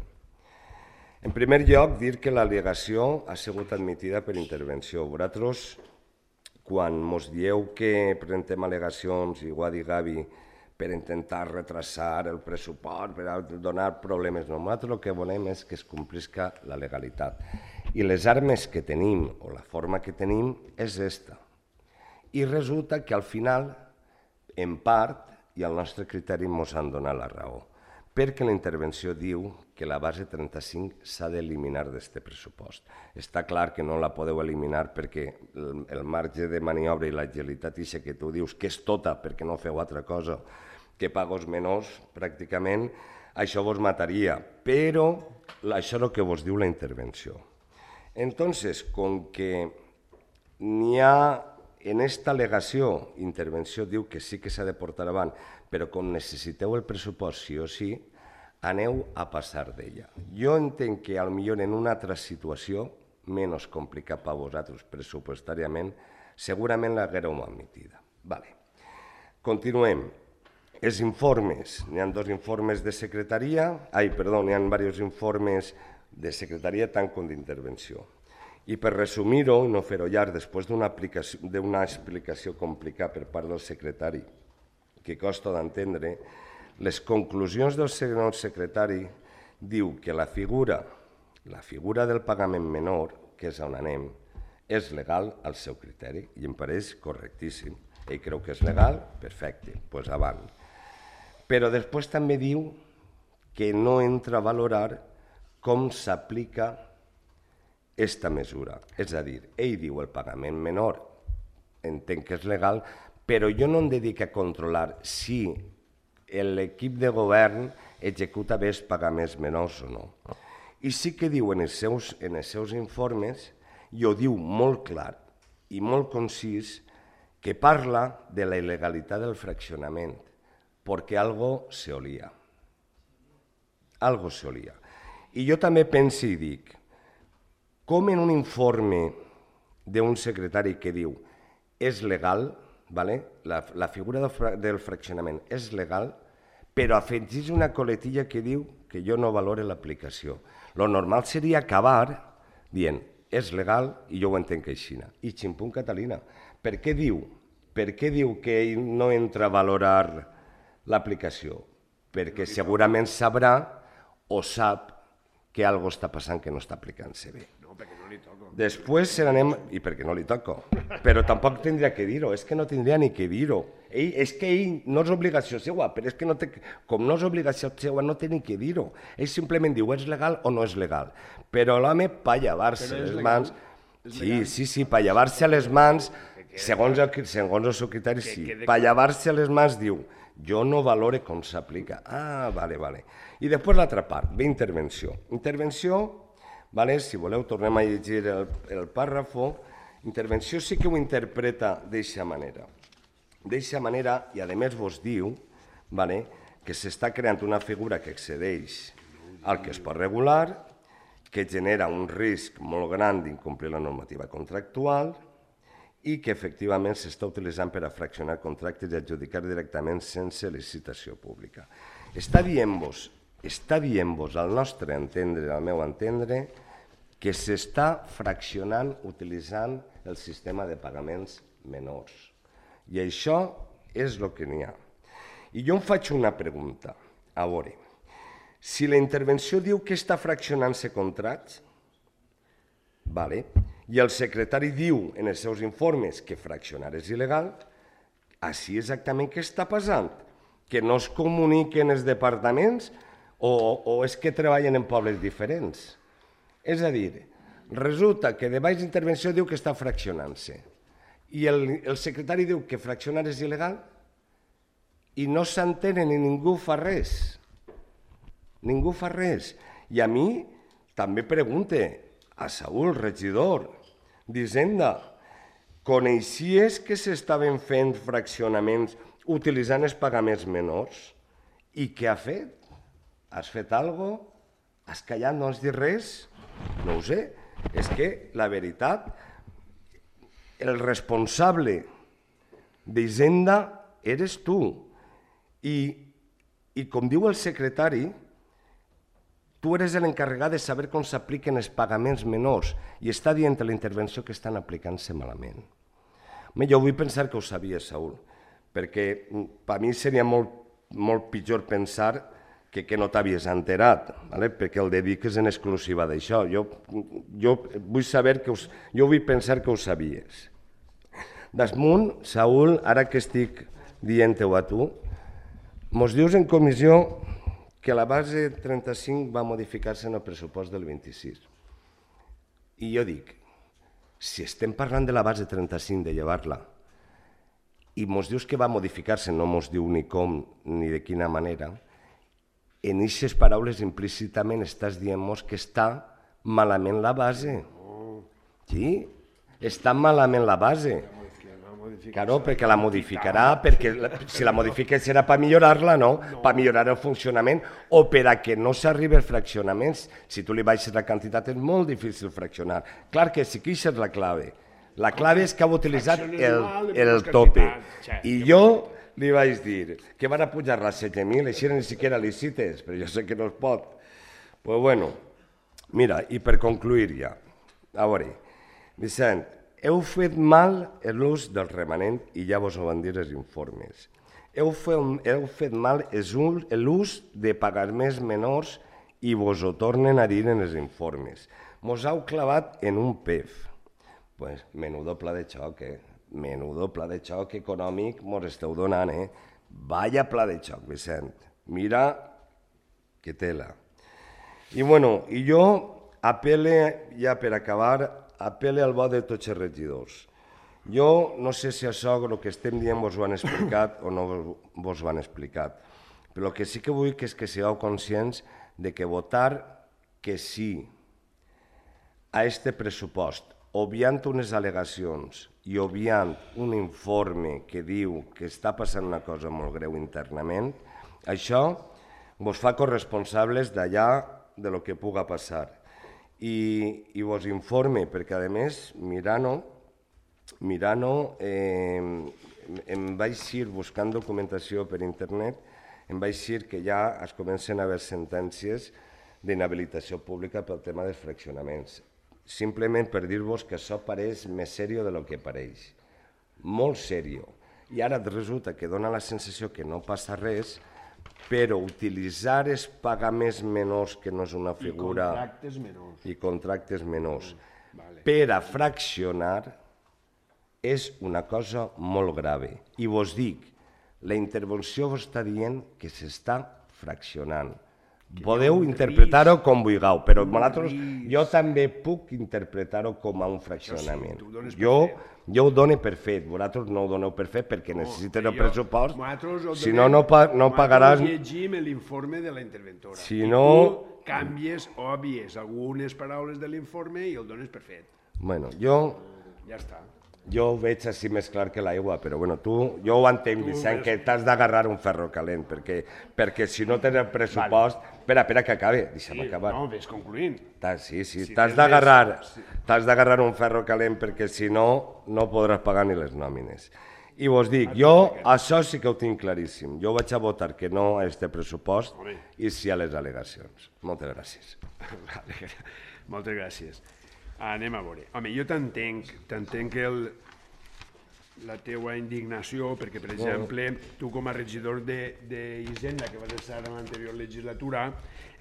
En primer lloc, dir que l'al·legació ha sigut admitida per intervenció. Vosaltres, quan ens dieu que presentem al·legacions, i ho ha dit Gavi, per intentar retrasar el pressupost, per donar problemes, nosaltres el que volem és que es complisca la legalitat. I les armes que tenim, o la forma que tenim, és esta. I resulta que al final, en part, i al nostre criteri ens han donat la raó, perquè la intervenció diu que la base trenta-cinc s'ha d'eliminar d'aquest pressupost. Està clar que no la podeu eliminar perquè el marge de maniobra i l'agilitat ixa que tu dius que és tota perquè no feu altra cosa que pagos menors, pràcticament, això vos mataria, però això és el que vos diu la intervenció. Entonces, com que n'hi ha en esta al·legació, intervenció diu que sí que s'ha de portar avant, però com necessiteu el pressupost sí o sí, aneu a passar d'ella. Jo entenc que potser en una altra situació, menys complicat per vosaltres pressupostàriament, segurament l'haguéreu admitida. Vale. Continuem. Els informes, n'hi ha dos informes de secretaria, ai, perdó, n'hi ha diversos informes de secretaria tant com d'intervenció. I per resumir-ho i no fer-ho llarg, després d'una explicació complicada per part del secretari, que costa d'entendre, les conclusions del senyor secretari diu que la figura, la figura del pagament menor, que és on anem, és legal al seu criteri i em pareix correctíssim. Ell creu que és legal, perfecte, doncs avant. Però després també diu que no entra a valorar com s'aplica aquesta mesura. És a dir, ell diu el pagament menor, entenc que és legal, però jo no em dedico a controlar si l'equip de govern executa bé els pagaments menors o no. I sí que diu en els seus, en els seus informes, i ho diu molt clar i molt concís, que parla de la il·legalitat del fraccionament, perquè algo se olia. Algo se olia. I jo també penso i dic, com en un informe d'un secretari que diu és legal, la figura del fraccionament és legal, però afegeix una coletilla que diu que jo no valore l'aplicació. Lo normal seria acabar dient és legal i jo ho entenc així. I ximpunt Catalina. Per què diu? Per què diu que ell no entra a valorar l'aplicació? Perquè segurament sabrà o sap que alguna cosa està passant que no està aplicant-se bé. Després se n'anem... I perquè no li toco. Però tampoc tindria que dir-ho, és que no tindria ni que dir-ho. És que ell no és obligació seva, però és que com no és obligació seva no té ni que dir-ho. Ell simplement diu és legal o no és legal. Però l'home, per llevar-se les mans... Sí, sí, sí, per llevar-se les mans, segons el seu criteri, sí. Per llevar-se les mans diu jo no valore com s'aplica. Ah, vale, vale. I després l'altra part, ve intervenció. Intervenció... Si voleu, tornem a llegir el pàrrafo. Intervenció sí que ho interpreta d'aquesta manera. D'aquesta manera, i a més vos diu que s'està creant una figura que excedeix al que es pot regular, que genera un risc molt gran d'incomplir la normativa contractual i que efectivament s'està utilitzant per a fraccionar contractes i adjudicar directament sense licitació pública. Està dient-vos està dient-vos al nostre entendre, al meu entendre, que s'està fraccionant utilitzant el sistema de pagaments menors. I això és el que n'hi ha. I jo em faig una pregunta. A veure, si la intervenció diu que està fraccionant-se contractes, i el secretari diu en els seus informes que fraccionar és il·legal, així exactament què està passant? Que no es comuniquen els departaments o és que treballen en pobles diferents? És a dir, resulta que de baix d'intervenció diu que està fraccionant-se i el secretari diu que fraccionar és il·legal i no s'entenen i ningú fa res. Ningú fa res. I a mi també pregunte a Saúl, regidor d'Hisenda, coneixies que s'estaven fent fraccionaments utilitzant els pagaments menors? I què ha fet? Has fet alguna cosa? Has callat, no has dit res? No ho sé. És que, la veritat, el responsable d'Hisenda eres tu. I, i com diu el secretari, tu eres l'encarregat de saber com s'apliquen els pagaments menors i està dient a la intervenció que estan aplicant-se malament. Jo vull pensar que ho sabia, Saúl, perquè per mi seria molt, molt pitjor pensar que, que no t'havies enterat, ¿vale? Perquè el dediques en exclusiva d'això. Jo, jo vull saber que us, jo vull pensar que ho sabies. Desmunt, Saúl, ara que estic dient-ho a tu, mos dius en comissió que la base trenta-cinc va modificar-se en el pressupost del vint-i-sis. I jo dic, si estem parlant de la base trenta-cinc, de llevar-la, i mos dius que va modificar-se, no mos diu ni com ni de quina manera, en aquestes paraules implícitament estàs dient-nos que està malament la base. Sí, està malament la base. Claro, perquè la modificarà, perquè si la modifica serà per millorar-la, no? Per millorar el funcionament o per a que no s'arribi als fraccionaments. Si tu li baixes la quantitat és molt difícil fraccionar. Clar que sí que això és la clave. La clave és que ha utilitzat el, el tope. I jo li vaig dir que van a pujar-la a setze mil, així ni siquiera licites, però jo sé que no es pot. Pues bueno, mira, i per concluir ja, a veure, Vicent, heu fet mal l'ús del remanent i ja vos ho van dir els informes. Heu fet, heu fet mal l'ús de pagaments menors i vos ho tornen a dir en els informes. Mos heu clavat en un P E F. Pues menudo pla de xoc, eh? Menudo pla de xoc econòmic mos esteu donant, eh? Vaya pla de xoc, Vicent. Mira que tela. I bueno, i jo apele, ja per acabar, apele al bo de tots els regidors. Jo no sé si això el que estem dient vos ho han explicat o no vos ho han explicat, però el que sí que vull és que sigueu conscients de que votar que sí a este pressupost, obviant unes al·legacions i obviant un informe que diu que està passant una cosa molt greu internament, això vos fa corresponsables d'allà de lo que puga passar. I, i vos informe, perquè a més, mirant-ho, mirant-ho, eh, em vaig ir buscant documentació per internet, em vaig dir que ja es comencen a haver sentències d'inhabilitació pública pel tema dels fraccionaments. Simplement per dir-vos que això pareix més seriós del que pareix. Molt seriós. I ara resulta que dona la sensació que no passa res, però utilitzar els pagaments menors, que no és una figura... I contractes menors. I contractes menors. Per a fraccionar és una cosa molt grave. I vos dic, la intervenció vos està dient que s'està fraccionant. Podeu interpretar-ho com vulgueu, però jo també puc interpretar-ho com a un fraccionament. Jo, jo ho dono per fet, vosaltres no ho doneu per fet perquè necessiten el pressupost, si no, no pagaràs... Nosaltres llegim l'informe de la interventora. Si I no... tu canvies o obvies algunes paraules de l'informe i el dones per fet. Bueno, jo... Ja està. Jo ho veig així més clar que l'aigua, però bueno, tu, jo ho entenc, Vicent, que t'has d'agarrar un ferro calent, perquè, perquè si no tens el pressupost... Vale. Espera, espera que acabe, deixa'm sí, acabar. No, ves concluint. Sí, sí, si t'has d'agarrar sí. t'has d'agarrar un ferro calent perquè si no, no podràs pagar ni les nòmines. I vos dic, jo això sí que ho tinc claríssim. Jo vaig a votar que no a este pressupost Home. I sí a les al·legacions. Moltes gràcies. Moltes gràcies. Anem a veure. Home, jo t'entenc, t'entenc el, la teua indignació, perquè, per exemple, tu com a regidor d'Hisenda, que vas estar en l'anterior legislatura,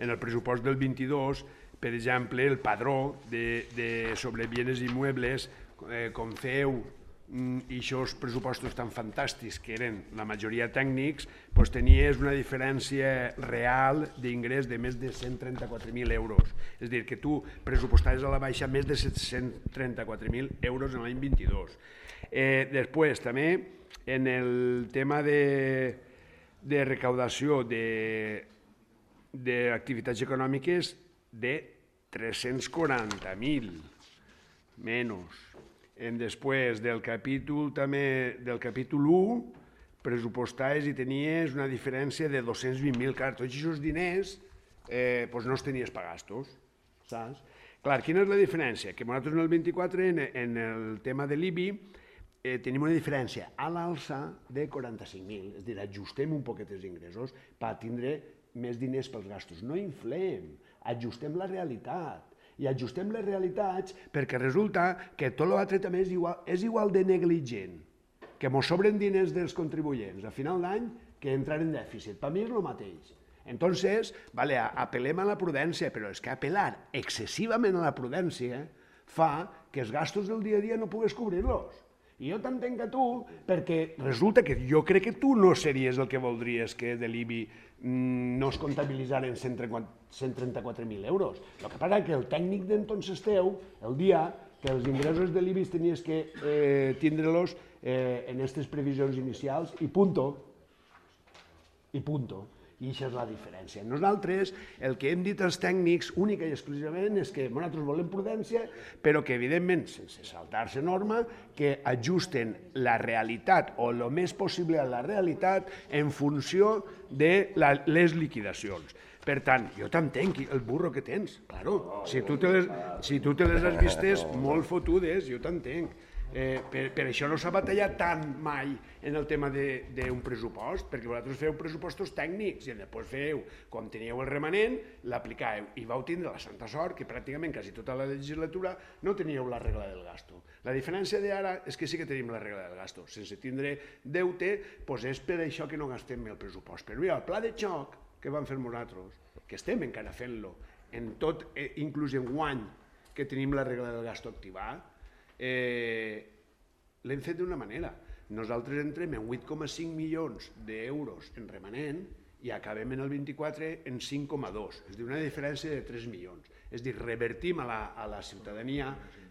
en el pressupost del vint-i-dos, per exemple, el padró de, de sobre bienes immuebles, eh, com feu i aquests pressupostos tan fantàstics que eren la majoria tècnics, doncs tenies una diferència real d'ingrés de més de cent trenta-quatre mil euros. És a dir, que tu pressupostaves a la baixa més de set-cents trenta-quatre mil euros en l'any vint-i-dos. Eh, després, també, en el tema de, de recaudació d'activitats econòmiques de tres-cents quaranta mil menys. Després del capítol també del capítol u, pressupostaves i tenies una diferència de dos-cents vint mil. Clar, tots aquests diners eh, pues no els tenies per gastos, saps? Clar, quina és la diferència? Que nosaltres en el vint-i-quatre, en, en el tema de l'I B I, eh, tenim una diferència a l'alça de quaranta-cinc mil, és a dir, ajustem un poquet els ingressos per tindre més diners pels gastos. No inflem, ajustem la realitat. I ajustem les realitats perquè resulta que tot l'altre també és igual, és igual de negligent, que mos sobren diners dels contribuents a final d'any que entrar en dèficit. Per mi és el mateix. Entonces, vale, apel·lem a la prudència, però és que apel·lar excessivament a la prudència fa que els gastos del dia a dia no pugues cobrir-los. I jo t'entenc a tu, perquè resulta que jo crec que tu no series el que voldries que de l'I B I no es comptabilitzaren cent trenta-quatre mil euros. El que passa és que el tècnic d'entonces teu, el dia que els ingressos de l'I B I tenies que eh, tindre-los eh, en aquestes previsions inicials i punto. I punto. I això és la diferència. Nosaltres el que hem dit als tècnics única i exclusivament és que nosaltres volem prudència, però que evidentment, sense saltar-se norma, que ajusten la realitat o el més possible a la realitat en funció de la, les liquidacions. Per tant, jo t'entenc el burro que tens, claro. Si tu te les, si tu te les has vistes molt fotudes, jo t'entenc. Eh, per, per això no s'ha batallat tant mai en el tema d'un pressupost, perquè vosaltres feu pressupostos tècnics i després feu, quan teníeu el remanent, l'aplicàveu i vau tindre la santa sort que pràcticament quasi tota la legislatura no teníeu la regla del gasto. La diferència d'ara és que sí que tenim la regla del gasto. Sense tindre deute, doncs és per això que no gastem el pressupost. Però mira, el pla de xoc que vam fer nosaltres, que estem encara fent-lo, en tot, eh, inclús en guany que tenim la regla del gasto activada, Eh, l'hem fet d'una manera. Nosaltres entrem en vuit coma cinc milions d'euros en remanent i acabem en el vint-i-quatre en cinc coma dos, és a dir, una diferència de tres milions. És a dir, revertim a la, a la ciutadania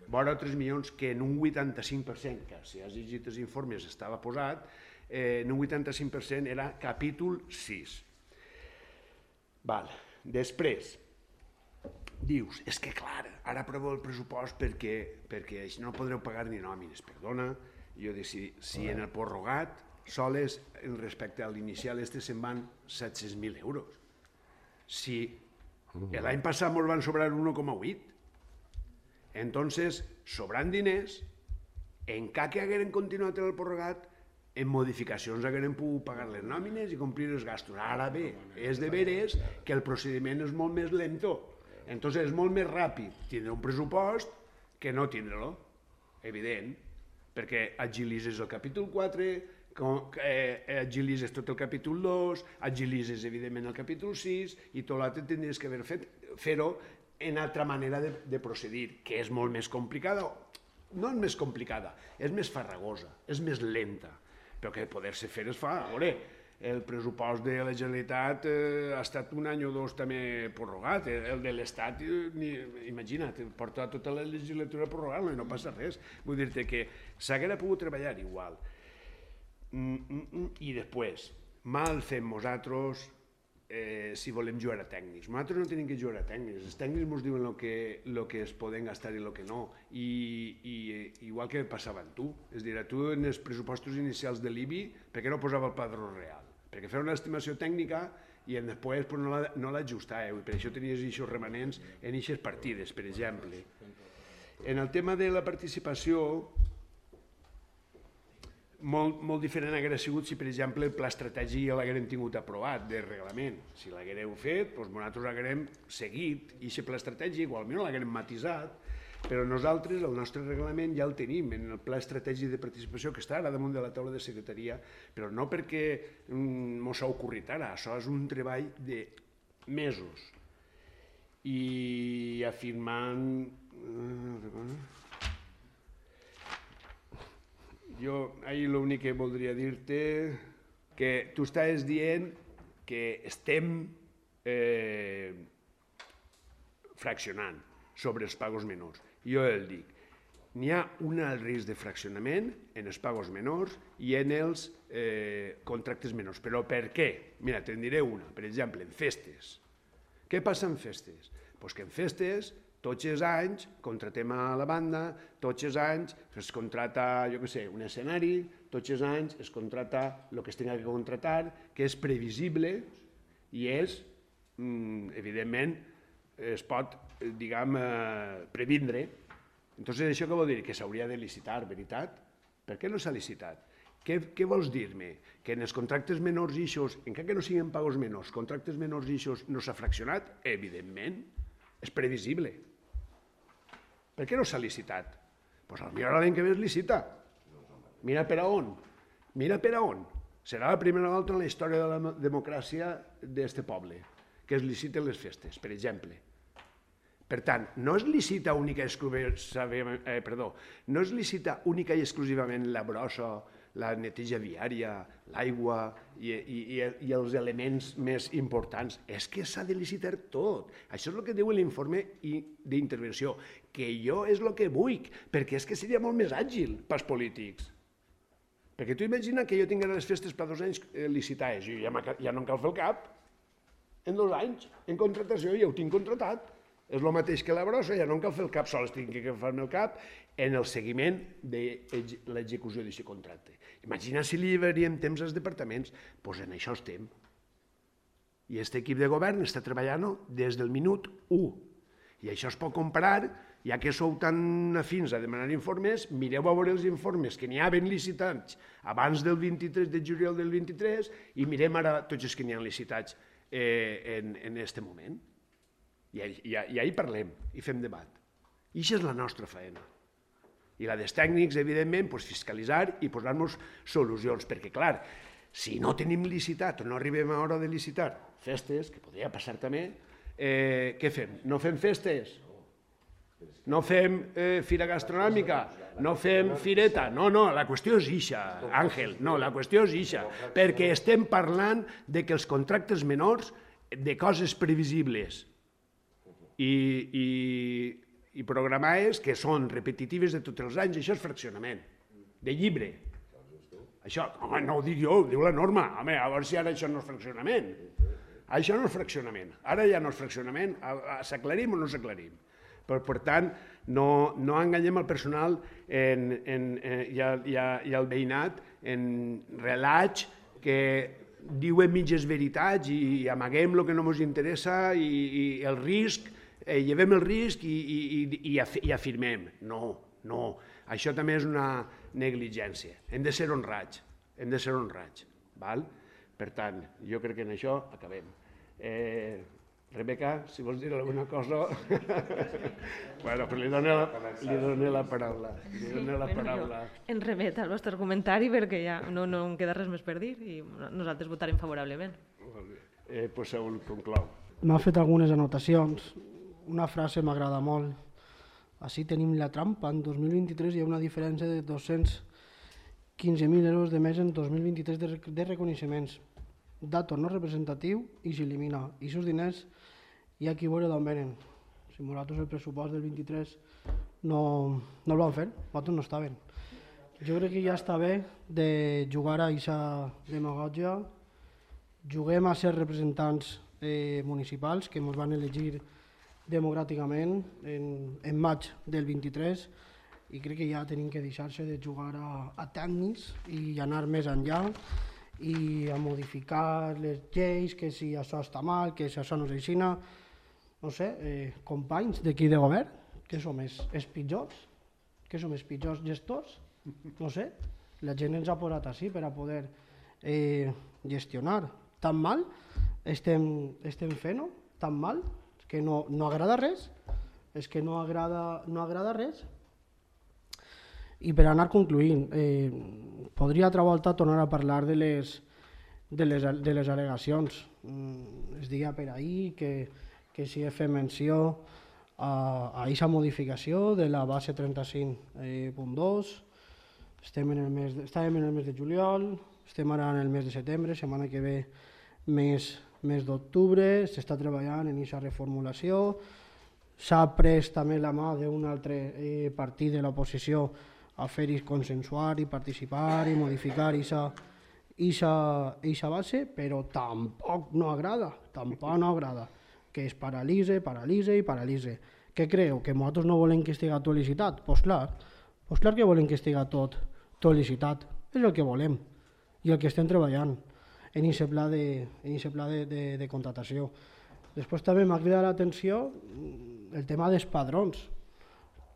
vora tres milions que en un vuitanta-cinc per cent, que si has llegit els informes estava posat, eh, en un vuitanta-cinc per cent era capítol sis. Val. Després, dius, és que clar, ara aprovo el pressupost perquè, perquè així no podreu pagar ni nòmines. Perdona, jo dic, si, si en el prorrogat soles respecte a l'inicial este se'n van set-cents mil euros. Si l'any passat ens van sobrar un un coma vuit, entonces, sobrant diners, en cas que hagueren continuat en el prorrogat, en modificacions hagueren pogut pagar les nòmines i complir els gastos. Ara bé, és de veres que el procediment és molt més lento. Entonces és molt més ràpid tindre un pressupost que no tindre-lo, evident, perquè agilitzes el capítol quatre, eh, agilitzes tot el capítol dos, agilitzes evidentment el capítol sis i tot l'altre tindries que haver fet fer-ho en altra manera de, de procedir, que és molt més complicada, no és més complicada, és més farragosa, és més lenta, però que poder-se fer es fa. A veure, el pressupost de la Generalitat eh, ha estat un any o dos també prorrogat, el de l'Estat, eh, imagina't, porta tota la legislatura prorrogant-lo i no passa res. Vull dir-te que s'haguera pogut treballar igual. Mm, mm, mm. I després, mal fem nosaltres eh, si volem jugar a tècnics. Nosaltres no tenim que jugar a tècnics, els tècnics ens diuen el que, lo que es poden gastar i el que no, I, i igual que passava amb tu. És a dir, a tu en els pressupostos inicials de l'I B I, per què no posava el padró real? Perquè feia una estimació tècnica i després pues, no l'ajustàveu, i per això tenies aquests remanents en aquestes partides, per exemple. En el tema de la participació, molt, molt diferent hauria sigut si, per exemple, el pla estratègic ja l'haguem tingut aprovat de reglament. Si l'haguereu fet, doncs nosaltres l'haguerem seguit, i aquest pla estratègic, o almenys l'haguerem matisat, però nosaltres el nostre reglament ja el tenim en el pla estratègic de participació que està ara damunt de la taula de secretaria, però no perquè mos ha ocorrit ara, això és un treball de mesos. I afirmant... Jo ahir l'únic que voldria dir-te que tu estàs dient que estem eh, fraccionant sobre els pagos menors. Jo el dic, n'hi ha un alt risc de fraccionament en els pagos menors i en els eh, contractes menors. Però per què? Mira, te'n diré una. Per exemple, en festes. Què passa en festes? Pues que en festes tots els anys contratem a la banda, tots els anys es contrata, jo què sé, un escenari, tots els anys es contrata el que es tingui que contratar, que és previsible i és, evidentment, es pot, diguem, previndre. Entonces, això què vol dir? Que s'hauria de licitar, veritat? Per què no s'ha licitat? Què, què vols dir-me? Que en els contractes menors i eixos, encara que no siguin pagos menors, contractes menors i eixos no s'ha fraccionat? Evidentment, és previsible. Per què no s'ha licitat? Doncs potser l'any que ve es licita. Mira per a on. Mira per a on. Serà la primera volta en la història de la democràcia d'aquest poble que es liciten les festes, per exemple. Per tant, no es licita única i exclusivament, eh, perdó, no es licita única i exclusivament la brossa, la neteja viària, l'aigua i, i, i els elements més importants. És que s'ha de licitar tot. Això és el que diu l'informe d'intervenció, que jo és el que vull, perquè és que seria molt més àgil pels polítics. Perquè tu imagina que jo tingués les festes per dos anys licitades, i ja, ja no em cal fer el cap, en dos anys, en contratació, ja ho tinc contratat. És el mateix que la brossa, ja no em cal fer el cap, sols tinc que fer-me el cap en el seguiment de l'execució d'aquest contracte. Imagina si li llevaríem temps als departaments, doncs en això estem. I aquest equip de govern està treballant des del minut u. I això es pot comparar, ja que sou tan afins a demanar informes, mireu a veure els informes que n'hi ha ben licitats abans del vint-i-tres de juliol del vint-i-tres i mirem ara tots els que n'hi ha licitats en aquest moment. I ahir parlem i fem debat. I això és la nostra feina. I la dels tècnics, evidentment, fiscalitzar i posar-nos solucions, perquè, clar, si no tenim licitat o no arribem a hora de licitar festes, que podria passar també, què fem? No fem festes? No fem fira gastronòmica? No fem fireta? No, no, la qüestió és ixa, Àngel, no, la qüestió és ixa, perquè estem parlant de que els contractes menors, de coses previsibles, I, i, i programades que són repetitives de tots els anys, això és fraccionament, de llibre. Això, home, no ho dic jo, ho diu la norma, home, a veure si ara això no és fraccionament. Això no és fraccionament, ara ja no és fraccionament, s'aclarim o no s'aclarim. Per, per tant, no, no enganyem el personal en, en, en, i, el, i, el, i el veïnat en relats que diuen mitges veritats i amaguem el que no ens interessa i, i el risc, eh, llevem el risc i, i, i, i afirmem. No, no, això també és una negligència. Hem de ser honrats, hem de ser honrats. Val? Per tant, jo crec que en això acabem. Eh, Rebeca, si vols dir alguna cosa... bueno, però li dono la, li dono la paraula. Li dono la paraula. En remet al vostre comentari perquè ja no, no em queda res més per dir i nosaltres votarem favorablement. Eh, pues Saúl, conclou. M'ha fet algunes anotacions. Una frase m'agrada molt. Així tenim la trampa. En dos mil vint-i-tres hi ha una diferència de dos-cents quinze mil euros de més en dos mil vint-i-tres de, de reconeixements. Dato no representatiu i s'elimina. I aquests diners hi ha qui veure d'on venen. Si nosaltres el pressupost del vint-i-tres no, no el van fer, nosaltres no estaven. Jo crec que ja està bé de jugar a aquesta demagògia. Juguem a ser representants eh, municipals que ens van elegir democràticament en, en maig del vint-i-tres i crec que ja tenim que deixar-se de jugar a, a tècnics i anar més enllà i a modificar les lleis, que si això està mal, que si això no és així. No sé, eh, companys d'aquí de govern, que som els, els pitjors, que som els pitjors gestors, no sé, la gent ens ha posat així per a poder eh, gestionar. Tan mal estem, estem fent-ho, tan mal, que no, no agrada res, és que no agrada, no agrada res. I per anar concluint, eh, podria altra volta tornar a parlar de les, de les, de les al·legacions. Mm, es deia per ahir que, que si he fet menció a aquesta modificació de la base trenta-cinc punt dos, estem en el mes de, estàvem en el mes de juliol, estem ara en el mes de setembre, setmana que ve mes, mes d'octubre, s'està treballant en aquesta reformulació, s'ha pres també la mà d'un altre eh, partit de l'oposició a fer-hi consensuar i participar i modificar aquesta base, però tampoc no agrada, tampoc no agrada, que es paralitze, paralitze i paralitze, Què creu? Que nosaltres no volem que estigui tot licitat? Doncs clar, doncs clar que volem que estigui tot, tot licitat. És el que volem i el que estem treballant en aquest pla de, en aquest pla de, de, de contratació. Després també m'ha cridat l'atenció el tema dels padrons,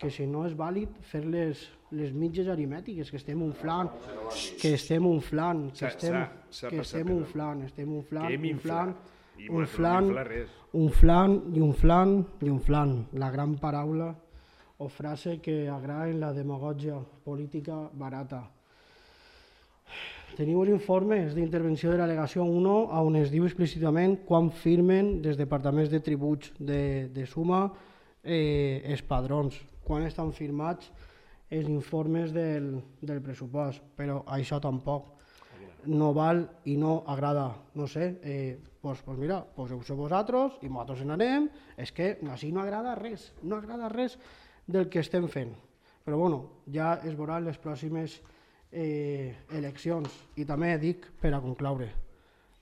que si no és vàlid fer les, les mitges aritmètiques, que estem inflant, que estem inflant, que estem, que estem inflant, estem inflant, inflant, inflant, inflant i inflant i inflant. La gran paraula o frase que agrada en la demagògia política barata. Teniu els informes d'intervenció de l'al·legació un on es diu explícitament quan firmen des departaments de tributs de, de suma eh, els padrons, quan estan firmats els informes del, del pressupost, però això tampoc no val i no agrada. No sé, eh, doncs, doncs mira, poseu-se vosaltres i nosaltres n'anem, és que així no agrada res, no agrada res del que estem fent. Però bueno, ja es veuran les pròximes Eh, eleccions. I també dic, per a concloure,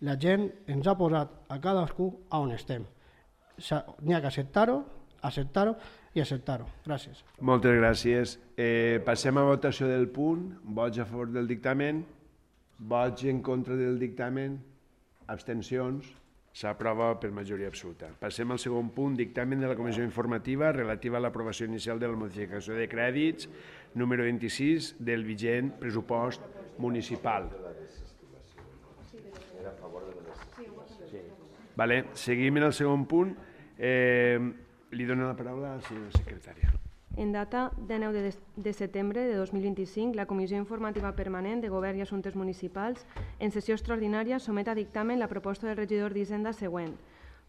la gent ens ha posat a cadascú a on estem. N'hi ha que acceptar-ho, acceptar-ho i acceptar-ho. Gràcies. Moltes gràcies. Eh, passem a votació del punt. Vots a favor del dictamen, vots en contra del dictamen, abstencions. S'aprova per majoria absoluta. Passem al segon punt, dictamen de la Comissió Informativa relativa a l'aprovació inicial de la modificació de crèdits número vint-i-sis del vigent pressupost municipal. Vale, seguim en el segon punt. Eh, li dono la paraula a la senyora secretària. En data de nou de setembre de dos mil vint-i-cinc, la Comissió Informativa Permanent de Govern i Assumptes Municipals, en sessió extraordinària, somet a dictamen la proposta del regidor d'Hisenda següent.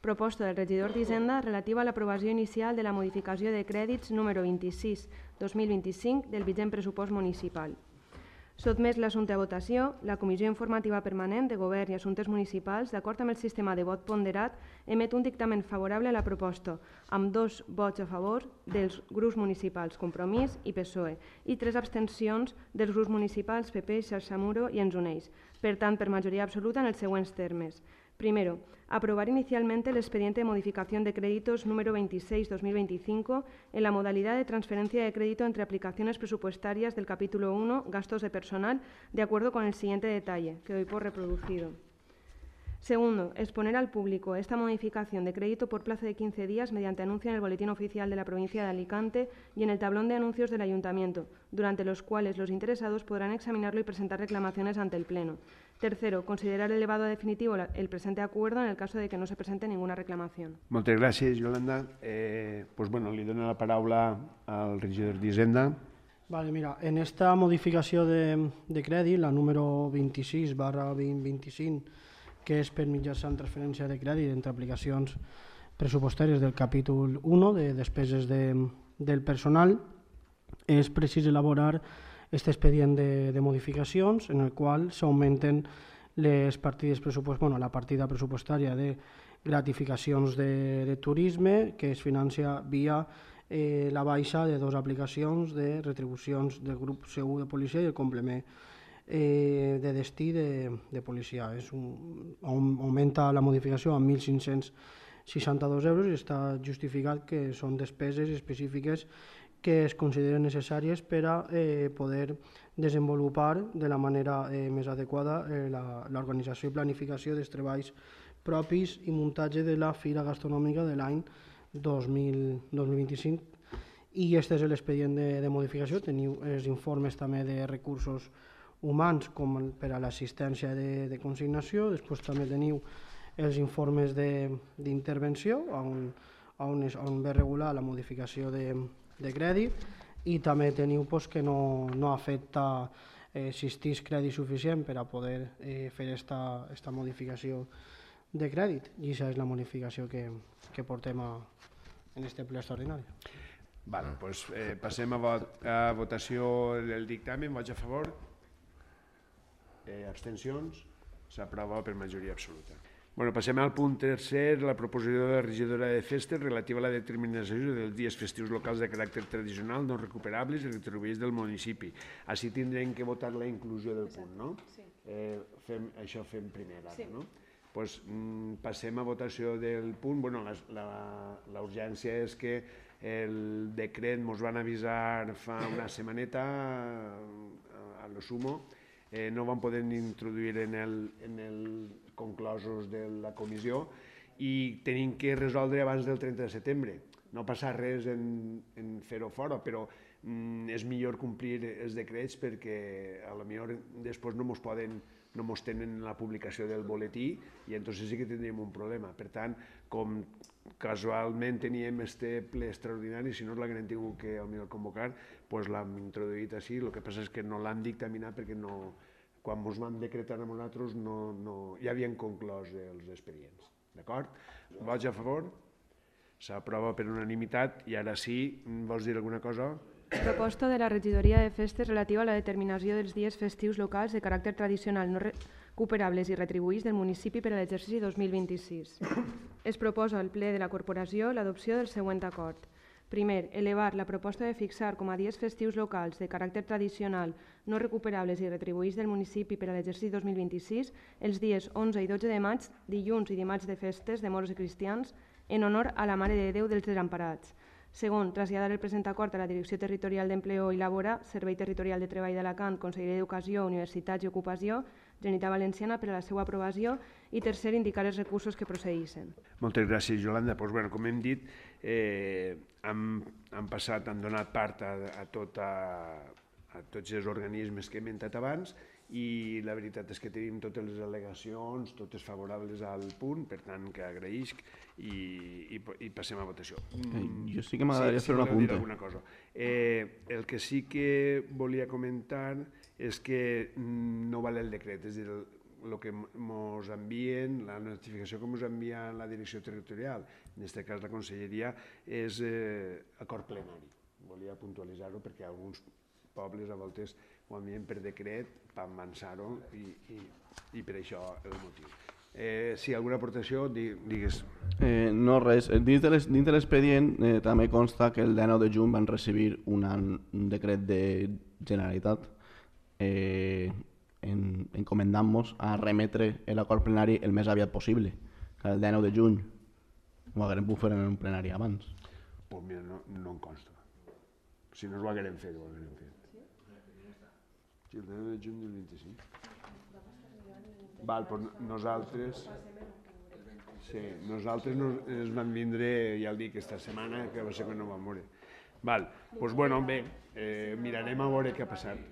Proposta del regidor d'Hisenda relativa a l'aprovació inicial de la modificació de crèdits número vint-i-sis dos mil vint-i-cinc del vigent pressupost municipal. Sotmès l'assumpte a votació, la Comissió Informativa Permanent de Govern i Assumptes Municipals, d'acord amb el sistema de vot ponderat, emet un dictamen favorable a la proposta, amb dos vots a favor dels grups municipals Compromís i P S O E i tres abstencions dels grups municipals P P, Xarxa Muro i Ens Uneix, per tant, per majoria absoluta en els següents termes. Primero, aprobar inicialmente el expediente de modificación de créditos número veintiséis barra dos mil veinticinco en la modalidad de transferencia de crédito entre aplicaciones presupuestarias del capítulo uno, gastos de personal, de acuerdo con el siguiente detalle, que doy por reproducido. Segundo, exponer al público esta modificación de crédito por plazo de quince días mediante anuncio en el Boletín Oficial de la Provincia de Alicante y en el tablón de anuncios del Ayuntamiento, durante los cuales los interesados podrán examinarlo y presentar reclamaciones ante el Pleno. Tercero, considerar elevado a definitivo el presente acuerdo en el caso de que no se presente ninguna reclamación. Moltes gràcies, Yolanda. Eh, pues bueno, li dono la paraula al regidor d'Hisenda. Vale, mira, en esta modificació de, de crèdit, la número vint-i-sis barra vint vint-i-cinc, que és per mitjançant transferència de crèdit entre aplicacions pressupostàries del capítol u de despeses de, del personal, és precís elaborar aquest expedient de, de modificacions en el qual s'augmenten les partides pressupost, bueno, la partida pressupostària de gratificacions de, de turisme que es financia via eh, la baixa de dues aplicacions de retribucions del grup C u de policia i el complement eh, de destí de, de policia. És un, augmenta la modificació a mil cinc-cents seixanta-dos euros i està justificat que són despeses específiques que es consideren necessàries per a eh, poder desenvolupar de la manera eh, més adequada eh, l'organització i planificació dels treballs propis i muntatge de la Fira Gastronòmica de l'any dos mil vint-i-cinc. I aquest és l'expedient de, de modificació. Teniu els informes també de recursos humans com per a l'assistència de, de consignació. Després també teniu els informes d'intervenció on, on, es, on ve regular la modificació de, de crèdit i també teniu pues, que no, no afecta eh, si existís crèdit suficient per a poder eh, fer aquesta modificació de crèdit i aquesta és la modificació que, que portem a, en aquest ple extraordinari. Vale, pues, eh, passem a, vot, a votació del dictamen. Vots a favor? Eh, abstencions? S'aprova per majoria absoluta. Bueno, passem al punt tercer, la proposició de la regidora de Festes relativa a la determinació dels dies festius locals de caràcter tradicional no recuperables i retribuïts del municipi. Així tindrem que votar la inclusió del punt, no? Sí. Eh, fem, això fem primer ara, sí. no? Pues, mm, passem a votació del punt. Bueno, la, la, la urgència és que el decret ens van avisar fa una setmaneta a, a lo sumo, eh, no van poder introduir en el, en el conclosos de la comissió i tenim que resoldre abans del trenta de setembre. No passa res en, en fer-ho fora, però mm, és millor complir els decrets perquè a lo millor després no mos poden no mos tenen la publicació del boletí i entonces sí que tindríem un problema. Per tant, com casualment teníem este ple extraordinari, si no l'haguem tingut que al millor convocar, doncs l'hem introduït així. El que passa és que no l'han dictaminat perquè no, quan ens vam decretar amb nosaltres no, no, ja havien conclòs els expedients. D'acord? Vots a favor? S'aprova per unanimitat i ara sí, vols dir alguna cosa? Proposta de la regidoria de festes relativa a la determinació dels dies festius locals de caràcter tradicional no recuperables i retribuïts del municipi per a l'exercici dos mil vint-i-sis. Es proposa al ple de la corporació l'adopció del següent acord. Primer, elevar la proposta de fixar com a dies festius locals de caràcter tradicional no recuperables i retribuïts del municipi per a l'exercici dos mil vint-i-sis els dies onze i dotze de maig, dilluns i dimarts de festes de moros i cristians en honor a la Mare de Déu dels Desemparats. Segon, traslladar el present acord a la Direcció Territorial d'Empleo i Labora, Servei Territorial de Treball d'Alacant, Conselleria d'Educació, Universitats i Ocupació, Generalitat Valenciana, per a la seva aprovació. I tercer, indicar els recursos que procedeixen. Moltes gràcies, Yolanda. Pues, bueno, com hem dit, eh, hem, hem passat, hem donat part a, a, tot a, a tots els organismes que he mentat abans i la veritat és que tenim totes les al·legacions, totes favorables al punt, per tant que agraïsc i, i, i passem a votació. Eh, jo sí que m'agradaria sí, fer un apunte. Cosa. Eh, el que sí que volia comentar és que no val el decret, és a dir, el que ens envien, la notificació que ens envia la direcció territorial, en aquest cas la conselleria, és eh, acord plenari. Volia puntualitzar-ho perquè alguns pobles a voltes ho envien per decret per avançar-ho i, i, i per això el motiu. Eh, si alguna aportació, digues. Eh, no, res. Dins de l'expedient eh, també consta que el dinou de juny van recibir una, un decret de Generalitat eh, en, encomendant-nos a remetre l'acord plenari el més aviat possible, que el dinou de juny. Ho haguem pogut fer en un plenari abans. Pues mira, no, no em consta. Si no ho haguem fet, ho haguem fet. Sí, el dinou de juny del vint-i-cinc. Val, doncs nosaltres... Sí, nosaltres nos, ens vam vindre, ja el dic, aquesta setmana, que va ser quan no vam veure. Val, doncs bueno, bé, eh, mirarem a veure què ha passat.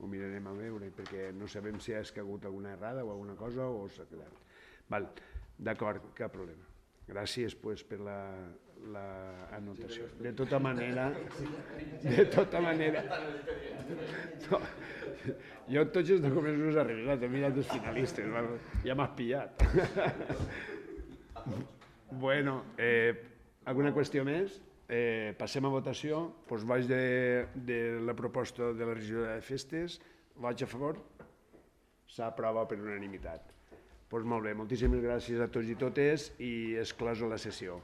Ho mirarem a veure, perquè no sabem si ha hagut alguna errada o alguna cosa o s'ha quedat. Val, d'acord, cap problema. Gràcies pues, per la, la anotació. De tota manera, de tota manera, no, jo tots els documents no us arreglat, he mirat els finalistes, ja m'has pillat. Bueno, eh, alguna qüestió més? Eh, passem a votació. Doncs vaig de, de la proposta de la regidora de festes. Vaig a favor? S'aprova per unanimitat. Doncs molt bé, moltíssimes gràcies a tots i totes i és closa la sessió.